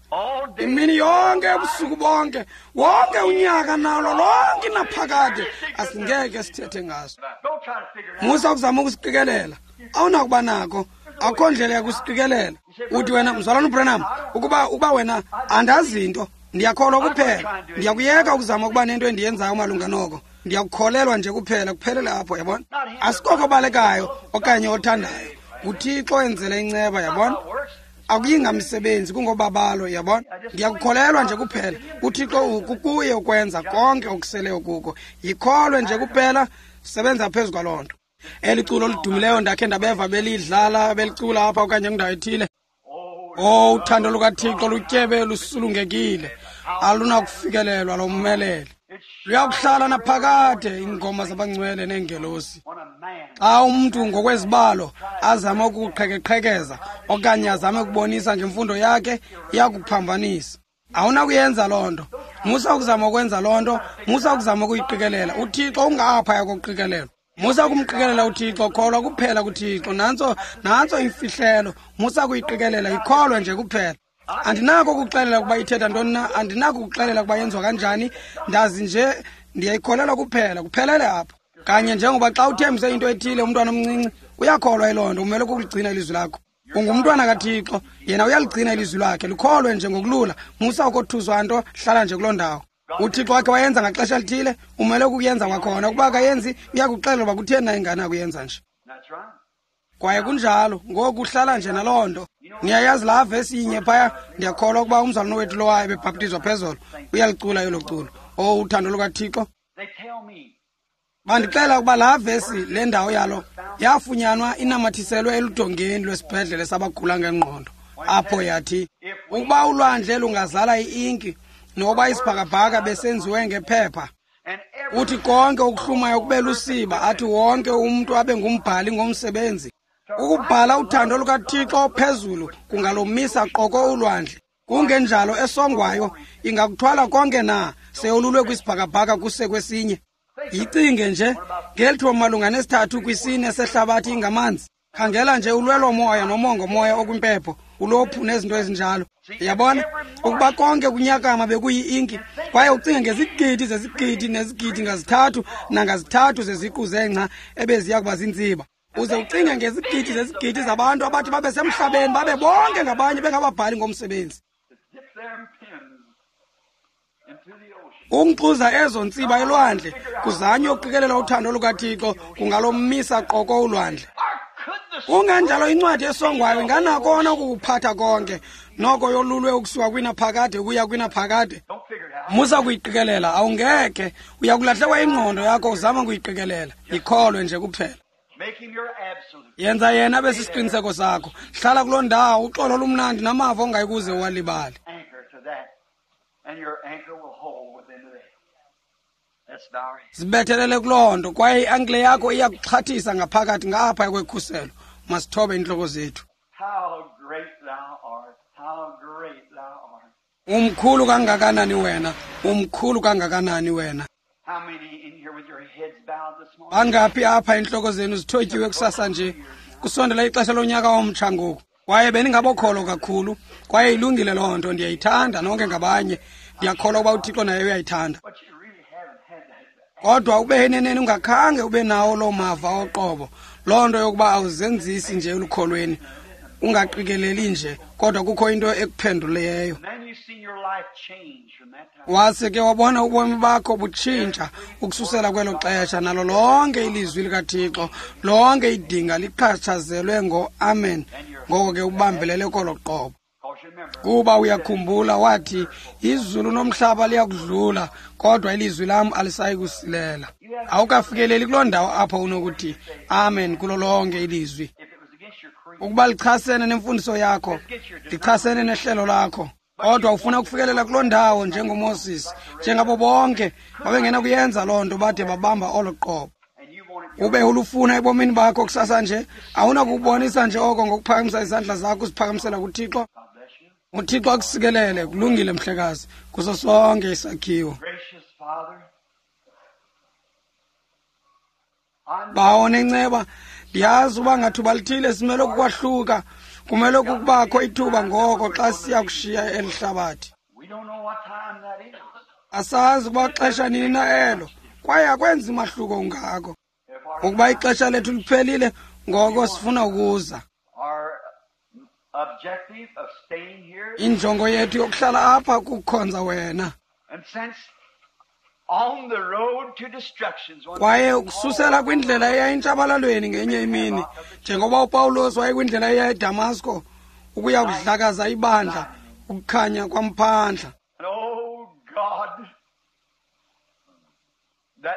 Imini yonke, ubusuku bonke, wonke unyaka nalo lonke naphakade, asingeke sithethe ngaso. Musa ukuzama ukusiqikelela, awunakuba nako, akho ndlela yakusiqikelela. Uthi wena, mzalwana uBranham, ukuba wena andazi nto, ndiyakholwa kuphela, ndiyakuyeka ukuzama ukuba nento endiyenzayo malunga noko. Ndiyakukholelwa nje kuphela, kuphelele apho, yabona. Asikoko obalekayo okanye othandayo, nguThixo enzele inceba, yabona. Akuyingamsebenzi, kungobabalo, yabona. Ndiyakukholelwa nje kuphela. UThixo kukuye ukwenza konke okuseleyo kuko. Yikholwe nje kuphela, sebenza phezu kwaloo nto. Eli culo lidumileyo ndakhe ndabeva belidlala, belicula apha okanye kwindawo ethile. Oh, uthando lukaThixo lutyebe lusulungekile, alunakufikelelwa lomelele. Luyakuhlala naphakade iingoma zabangcwele neengelosi. Xa umntu ngokwezibalo azame ukuqhekeqhekeza okanye azame ukubonisa ngemfundo yakhe, iyakuphambanisa. Awunakuyenza loo nto. Musa ukuzama ukwenza loo nto, musa ukuzama ukuyiqikelela. UThixo ungaphaya kokuqikelelwa. Musa ukumqikelela uThixo, kholwa kuphela kuThixo. Nantso imfihlelo. Musa ukuyiqikelela, ikholwe nje kuphela. Andinako ukuxelela ukuba ithetha ntoni na, andinako ukuxelela ukuba yenziwa kanjani, ndazi nje ndiyayikholelwa kuphela, kuphelele apho. Kanye njengoba xa uthembise into ethile umntwana omncinci, uyakholwa yiloo nto, umele ukuligcina ilizwi lakho. Ungumntwana kaThixo, yena uyaligcina ilizwi lakhe, likholwe nje ngokulula. Musa ukothuswa nto, hlala nje kuloo ndawo. UThixo wakhe wayenza ngaxesha lithile, umele ukuyenza kwakhona. Ukuba akayenzi, uyakuxelela uba kutheni na ingane akuyenza nje. Kwaye kunjalo, ngoku uhlala nje naloo nto. Niyayazi laa vesi inye phaya, ndiyakholwa ukuba umzalwane wethu lowayo ebebhaptizwa phezolo, uyalicula elo culo. Oh, uthando lukaThixo. Bandixela ukuba laa vesi, le ndawo yalo, yafunyanwa inamathiselwe eludongeni lwesibhedlele sabagula ngengqondo. Apho yathi, ukuba ulwandle lungazala i-inki, noba isibhakabhaka besenziwe ngephepha, uthi konke okuhlumayo kube lusiba, athi wonke umntu abe ngumbhali ngomsebenzi. Ukubhala uthando lukaThixo phezulu kungalomisa qoko ulwandle. Kungenjalo esongwayo ingakuthwala konke na seyolulwe kwisibhakabhaka kuse kwesinye. Yicinge nje ngelithuba malunga nesithathu kwisine sehlabathi ingamanzi. Khangela nje ulwelomoya nomongomoya okwimpepho, ulophu nezinto ezinjalo. Yabona ukuba konke kunyakama bekuyi-inki, kwaye ucinge ngezigidi zezigidi nezigidi ngazithathu nangazithathu zeziqu zengca ebeziya kuba ziintsiba. Uze ucinge ngezigidi zezigidi zabantu abathi babe semhlabeni, babe bonke ngabanye bengababhali ngomsebenzi. Ukunkxuza ezo ntsiba elwandle kuzanywe ukuqikelela uthando lukaThixo kungalomisa qoko ulwandle. Kungenjalo incwadi esongwayo inganakona ukukuphatha konke, noko yolulwe ukusuka kwinaphakade ukuya kwinaphakade. Musa kuyiqikelela, awungekhe, uyakulahlekwa ingqondo yakho uzama ukuyiqikelela. Yikholwe nje kuphela. Yenza yena abe sisiqiniseko sakho. Hlala kuloo ndawo, uxolo olumnandi namava ongayikuze uwalibale. Zibethelele kuloo nto, kwaye i-ankle yakho iyakuxhathisa ngaphakathi ngapha kwekhuselo. Masithobe iintloko zethu. Umkhulu kangakanani wena, umkhulu kangakanani wena. Bangaphi apha iintloko zenu zithotyiwe kusasa nje? Kusondela ixesha lonyaka omtsha ngoku. Kwaye beningabokholwa kakhulu, kwaye ilungile loo nto, ndiyayithanda nonke ngabanye. Ndiyakholwa ukuba uThixo naye uyayithanda. Kodwa ube eneneni ungakhange ube nawo loo mava oqobo, loo nto yokuba awuzenzisi nje elukholweni, ungaqikeleli nje, kodwa kukho into ekuphenduleyo. Wase ke wabona ubomi bakho butshintsha ukususela kwelo xesha, nalo lonke ilizwi likaThixo, lonke idinga liqhatshazelwe ngo-amen. Ngoko ke ubambelele kolo qobo. Kuba uyakhumbula wathi, izulu nomhlaba liyakudlula, kodwa ilizwi lam alisayi kusilela. Awukafikeleli kuloo ndawo apho unokuthi amen kulo lonke ilizwi. Ukuba lichasene nemfundiso yakho, lichasene nehlelo lakho, kodwa ufuna ukufikelela kuloo ndawo njengoMoses, njengabo bonke babengena kuyenza loo nto bade babamba olo qobo. Ube ulufuna ebomini bakho kusasa nje, awunakubonisa nje oko ngokuphakamisa izandla zakho uziphakamisela kuThixo. UThixo akusikelele. Kulungile mhlekazi, kuso sonke isakhiwo. Bawo nenceba, ndiyazi uba ngathuba lithile simele ukukwahluka, kumele ukubakho ithuba ngoko xa siya kushiya eli hlabathi. Asazi ukuba xesha nini na elo, kwaye akwenzi mahluko ungako. Ukuba ixesha lethu liphelile, ngoko sifuna ukuza. Injongo yethu yokuhlala apha kukukhonza wena. Kwaye ukususela kwindlela eya entshabalalweni ngenye imini, njengoba uPawulos wayekwindlela eya eDamasko ukuya kudlakaza ibandla, ukukhanya kwamphandla.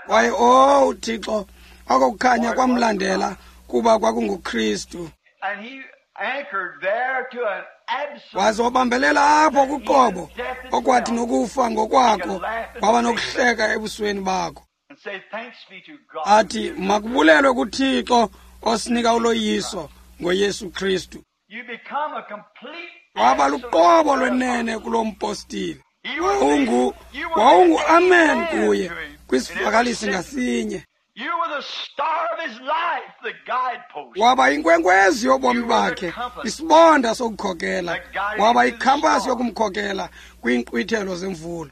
Kwaye oh Thixo, oko kukhanya kwamlandela kuba kwakunguKristu. Waze wabambelela apho kuqobo, okwathi nokufa ngokwakho waba nokuhleka ebusweni bakho. Athi makubulelwe kuThixo osinika uloyiso ngoYesu Kristu. Waba luqobo lwenene kulo mpostile. Wawungu amen kuye kwisivakalisi ngasinye. Waba inkwenkwezi yobomi bakhe, isibonda sokukhokela. Waba ikhampasi yokumkhokela kwiinkqwithelo zemvula.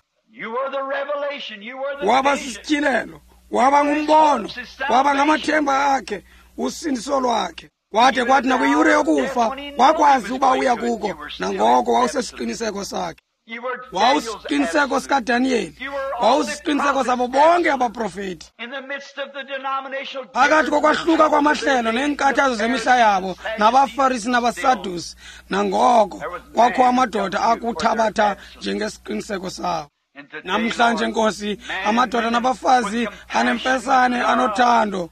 Waba sisityhilelo, waba ngumbono, waba ngamathemba akhe, usindiso lwakhe. Kwade kwathi nakwiyure yokufa wakwazi uba uya kuko, nangoko wawusesiqiniseko sakhe. Wawusiqiniseko sikaDaniyeli, wawusiqiniseko sabo bonke abaprofeti. Phakathi kokwahluka kwamahlelo neenkathazo zemihla yabo nabaFarisi nabaSadusi, nangoko kwakho amadoda akuthabatha njengesiqiniseko sawo. Namhlanje Nkosi, amadoda nabafazi anemfesane, anothando,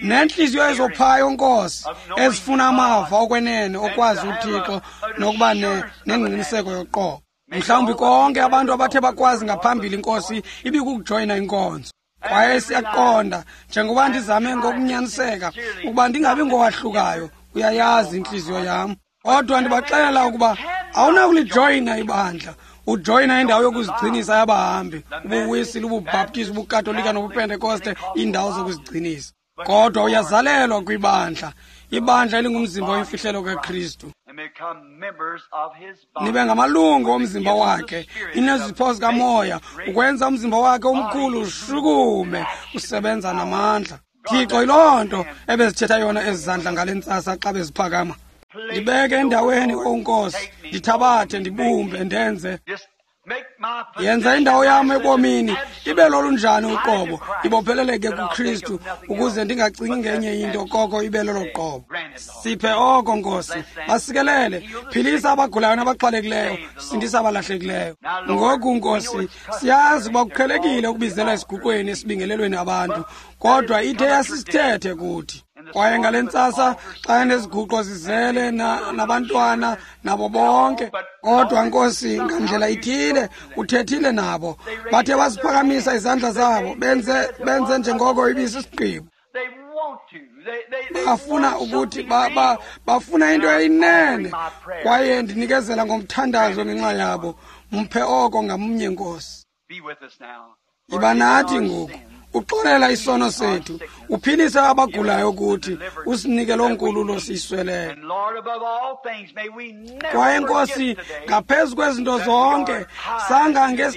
nentliziyo ezophayo Nkosi, ezifuna amava okwenene okwazi uThixo nokuba nengqiniseko yoqobo. Mhlawumbi konke abantu abathe bakwazi ngaphambili Nkosi ibikukujoyina inkonzo. Kwaye siyaqonda, njengoba ndizame ngokunyaniseka ukuba ndingabi ngowahlukayo, uyayazi intliziyo yam. Kodwa ndibaxelela ukuba awunakulijoyina ibandla, ujoyina indawo yokuzigcinisa yabahambi, ubuWisile, ubuBhaptizi, ubuKatolika nobuPentekoste, iindawo zokuzigcinisa. Kodwa uyazalelwa kwibandla, ibandla elingumzimba oyimfihlelo kaKristu. Nibe ngamalungu omzimba wakhe, inezipho zikamoya, ukwenza umzimba wakhe omkhulu ushukume, usebenza namandla. Thixo, yiloo nto ebezithetha yona ezi zandla ngale ntsasa xa beziphakama. Ndibeke endaweni, O Nkosi, ndithabathe, ndibumbe, ndenze. Yenza indawo yam ebomini ibe lolunjani uqobo, ibopheleleke kuKristu, ukuze ndingacingi ngenye into koko ibe lolo qobo. Siphe oko, Nkosi. Basikelele, philisa abagulayo nabaxhwalekileyo, sindisa abalahlekileyo. Ngoku, Nkosi, siyazi uba kuqhelekile ukubizela esiguqweni esibingelelweni abantu, kodwa ithe yasisithethe kuthi. Kwaye ngale ntsasa xa neziguqo zizele nabantwana nabo bonke, kodwa Nkosi, ngandlela ithile uthethile nabo, bathe basiphakamisa izandla zabo, benze njengoko ibisisigqibo. Bafuna ukuthi bafuna into eyinene, kwaye ndinikezela ngomthandazo ngenxa yabo. Mphe oko ngamnye, Nkosi. Yiba nathi ngoku, uxolela isono sethu, uphilise abagulayo kuthi, usinike loo nkululo siyisweleyo. Kwaye Nkosi, ngaphezu kwezinto zonke,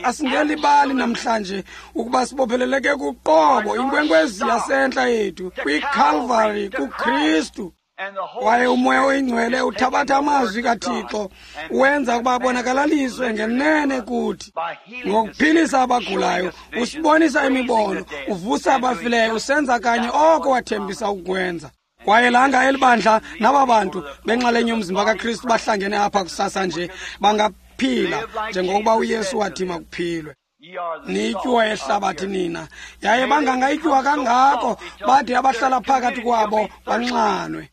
asingelibali namhlanje ukuba sibopheleleke kuqobo, inkwenkwezi yasentla yethu, kwiKalvari, kuKristu. Kwaye uMoya oyiNgcwele uthabatha amazwi kaThixo, wenza ukuba abonakalaliswe ngenene kuthi. Ngokuphilisa abagulayo, usibonisa imibono, uvusa abafileyo, usenza kanye oko wathembisa ukwenza. Kwaye langa elibandla naba bantu benxalenye yomzimba kaKristu bahlangene apha kusasa nje, bangaphila njengokuba uYesu wathi makuphilwe. Niyityuwa yehlabathi nina, yaye bangangayityuwa kangako bade abahlala phakathi kwabo banxanwe.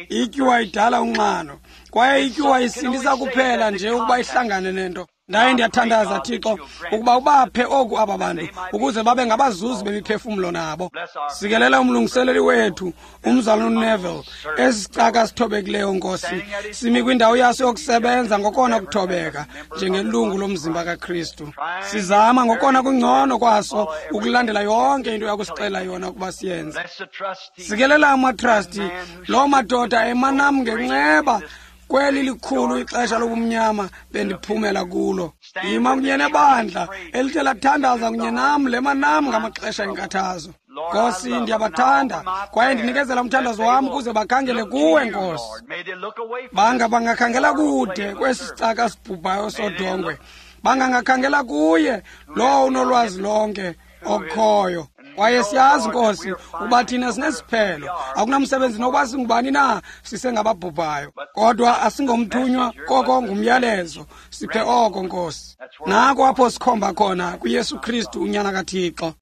Ityuwa idala unxano, kwaye ityuwa isindisa kuphela nje ukuba ihlangane nento. Ndaye ndiyathandaza, Thixo, ukuba ubaphe oku aba bantu ukuze babe ngabazuzi bemiphefumlo nabo. Sikelela umlungiseleli wethu, umzalwana uNeville, esi sicaka sithobekileyo, Nkosi, simi kwindawo yaso yokusebenza ngokona kuthobeka njengelungu lomzimba kaKristu. Sizama ngokona kungcono kwaso ukulandela yonke into yakusixelela yona ukuba siyenze. Sikelela amatrasti, loo madoda emanam ngenceba, Kweli likhulu ixesha lobumnyama bendiphumela kulo. Yima kunye nebandla elithe lathandaza kunye nam, lema nam ngamaxesha enkathazo. Nkosi, ndiyabathanda kwaye ndinikezela umthandazo wam ukuze bakhangele kuwe, Nkosi. Banga bangakhangela kude kwesi sicaka sibhubhayo sodongwe. Bangangakhangela kuye lowo unolwazi lonke okhoyo. Kwaye siyazi, Nkosi, ukuba thina sinesiphelo. Akunamsebenzi nokuba singubani na, sisengababhubhayo. Kodwa asingomthunywa, koko ngumyalezo. Siphe oko, Nkosi. Nako apho sikhomba khona kuYesu Kristu, uNyana kaThixo.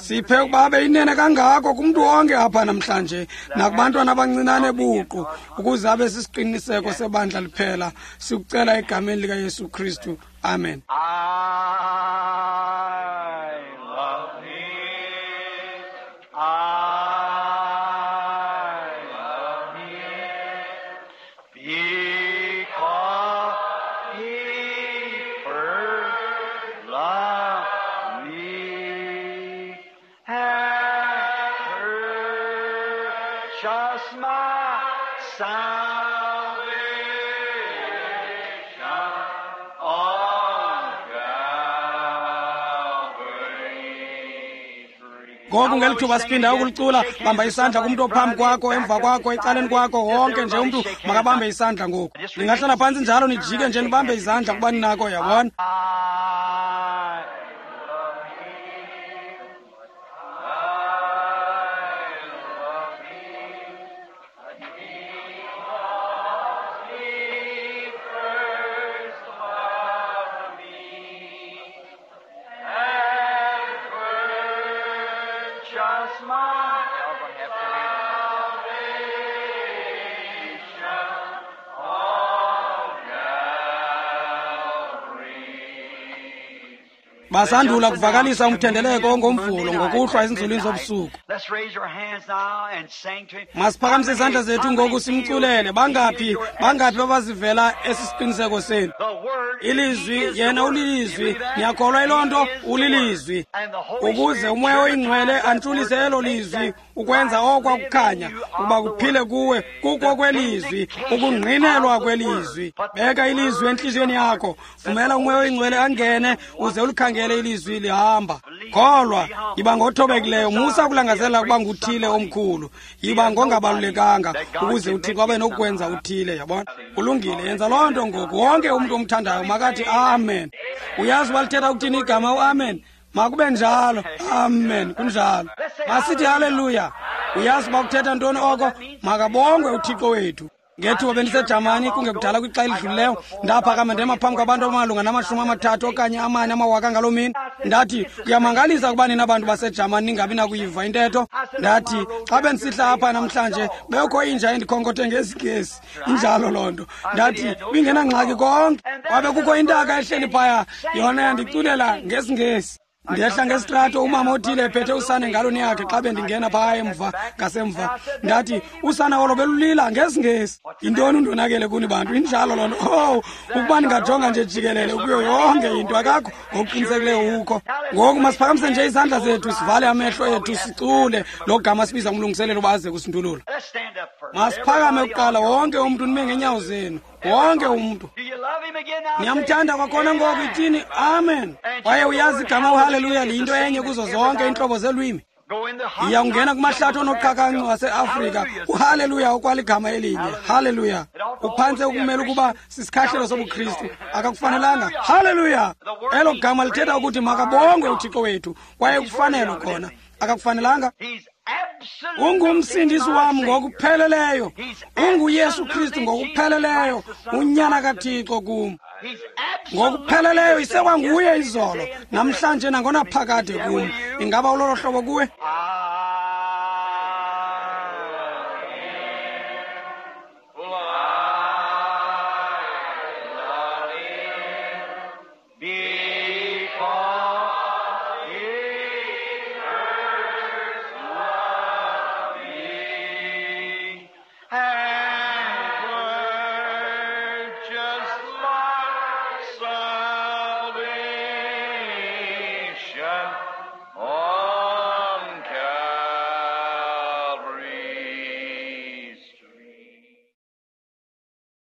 Siphe ukuba abe inene kangako kumntu wonke apha namhlanje, nakubantwana abancinane buqu, ukuze abe sisiqiniseko sebandla liphela. Sikucela egameni likaYesu Kristu. Amen. I love him. I love him. Because he first loved me and purchased my salvation on Calvary's tree. Ngoku ngeli thuba siphinda ukulicula, bamba isandla kumntu ophambi kwakho, emva kwakho, ecaleni kwakho, wonke nje umntu makabambe isandla ngoku. Ningahlala phantsi njalo nijike nje nibambe izandla kuba ninako, yabona. I love him. I love him. Because he first loved me and purchased my salvation on Calvary's. Basandula kuvakalisa umthendeleko ongoMvulo ngokuhlwa ezinzulwini zobusuku. Let's raise your hands now and sing to him. Masiphakamise izandla zethu ngoku simculele. Bangaphi, bangaphi abazivela esi siqiniseko senu? The word, Ilizwi, he is the yena word. ulilizwi. You believe that? Niyakholwa yiloo nto? He is the Ulilizwi. word. And the Holy Ukuze Spirit uMoya oyiNgcwele purifies that antshulise word elo and makes lizwi, that ukwenza life okwa live in kukhanya, you ukuba of the kuphile word. kuwe kuko kwelizwi, ukungqinelwa kwelizwi. Beka ilizwi entliziyweni yakho, vumela uMoya oyiNgcwele angene, uze ulikhangele ilizwi lihamba. Kholwa, yiba ngothobekileyo, musa ukulangazelela ukuba nguthile omkhulu. Yiba ngongabalulekanga, ukuze uThixo abe nokukwenza uthile, yabona. Kulungile, yenza loo nto ngoku. Wonke umntu omthandayo makathi amen. Uyazi uba lithetha ukuthini igama uamen? Makube njalo. Amen, kunjalo. Masithi haleluya. Uyazi uba kuthetha ntoni oko? Makabongwe uThixo wethu. Ngethuba bendiseJamani kungekudala kwixa elidlulileyo, ndaphakama ndema phambi kwabantu abamalunga nama-30 okanye 4 amawaka ngaloo mini. Ndathi, kuyamangalisa ukuba nina bantu baseJamani ningabi nakuyiva intetho. Ndathi, xa bendisihla apha namhlanje bekho inja endikhonkothe ngesiNgesi. Injalo loo nto. Ndathi, ibingenangxaki konke. Kwabe kukho intaka ehleli phaya, yona yandiculela ngesiNgesi. Ndehla ngesitrato, umama othile ephethe usana engalweni yakhe xa bendingena phaya emva ngasemva. Ndathi, usana olo belulila ngesiNgesi. Yintoni undonakele kuni bantu? Injalo loo nto. Oh, ukuba ningajonga nje jikelele kuyo yonke into, akakho ngokuqinisekileyo ukho. Ngoku masiphakamise nje izandla zethu, sivale amehlo ethu, sicule lo gama sibiza umlungiselelo uba aze kusindulula. Let's stand up first. Masiphakame Everybody kuqala, on your wonke umntu nime ngeenyawo zenu, wonke umntu. Do you love him again now? Niyamthanda kwakhona ngoku, ithini amen. Kwaye uyazi igama uhaleluya liyinto enye kuzo zonke iintlobo zeelwimi. Go in the hot Yiya ungena kumahlathi onoqhakancu waseAfrika, uhaleluya okwaligama elinye. Haleluya. Uphantse ukumela ukuba sisikhahlelo sobuKristu. Akakufanelanga. Haleluya. Elo gama lithetha ukuthi makabongwe uThixo wethu, kwaye kufanele khona. Akakufanelanga. He's absolutely Ungumsindisi wam my Savior. ngokupheleleyo. UnguYesu Kristu ngokupheleleyo, uNyana kaThixo kum. He's absolutely Ngokupheleleyo isekwanguye yesterday, izolo, today, and namhlanje nangonaphakade kum. Ingaba ulolo hlobo kuwe? forever.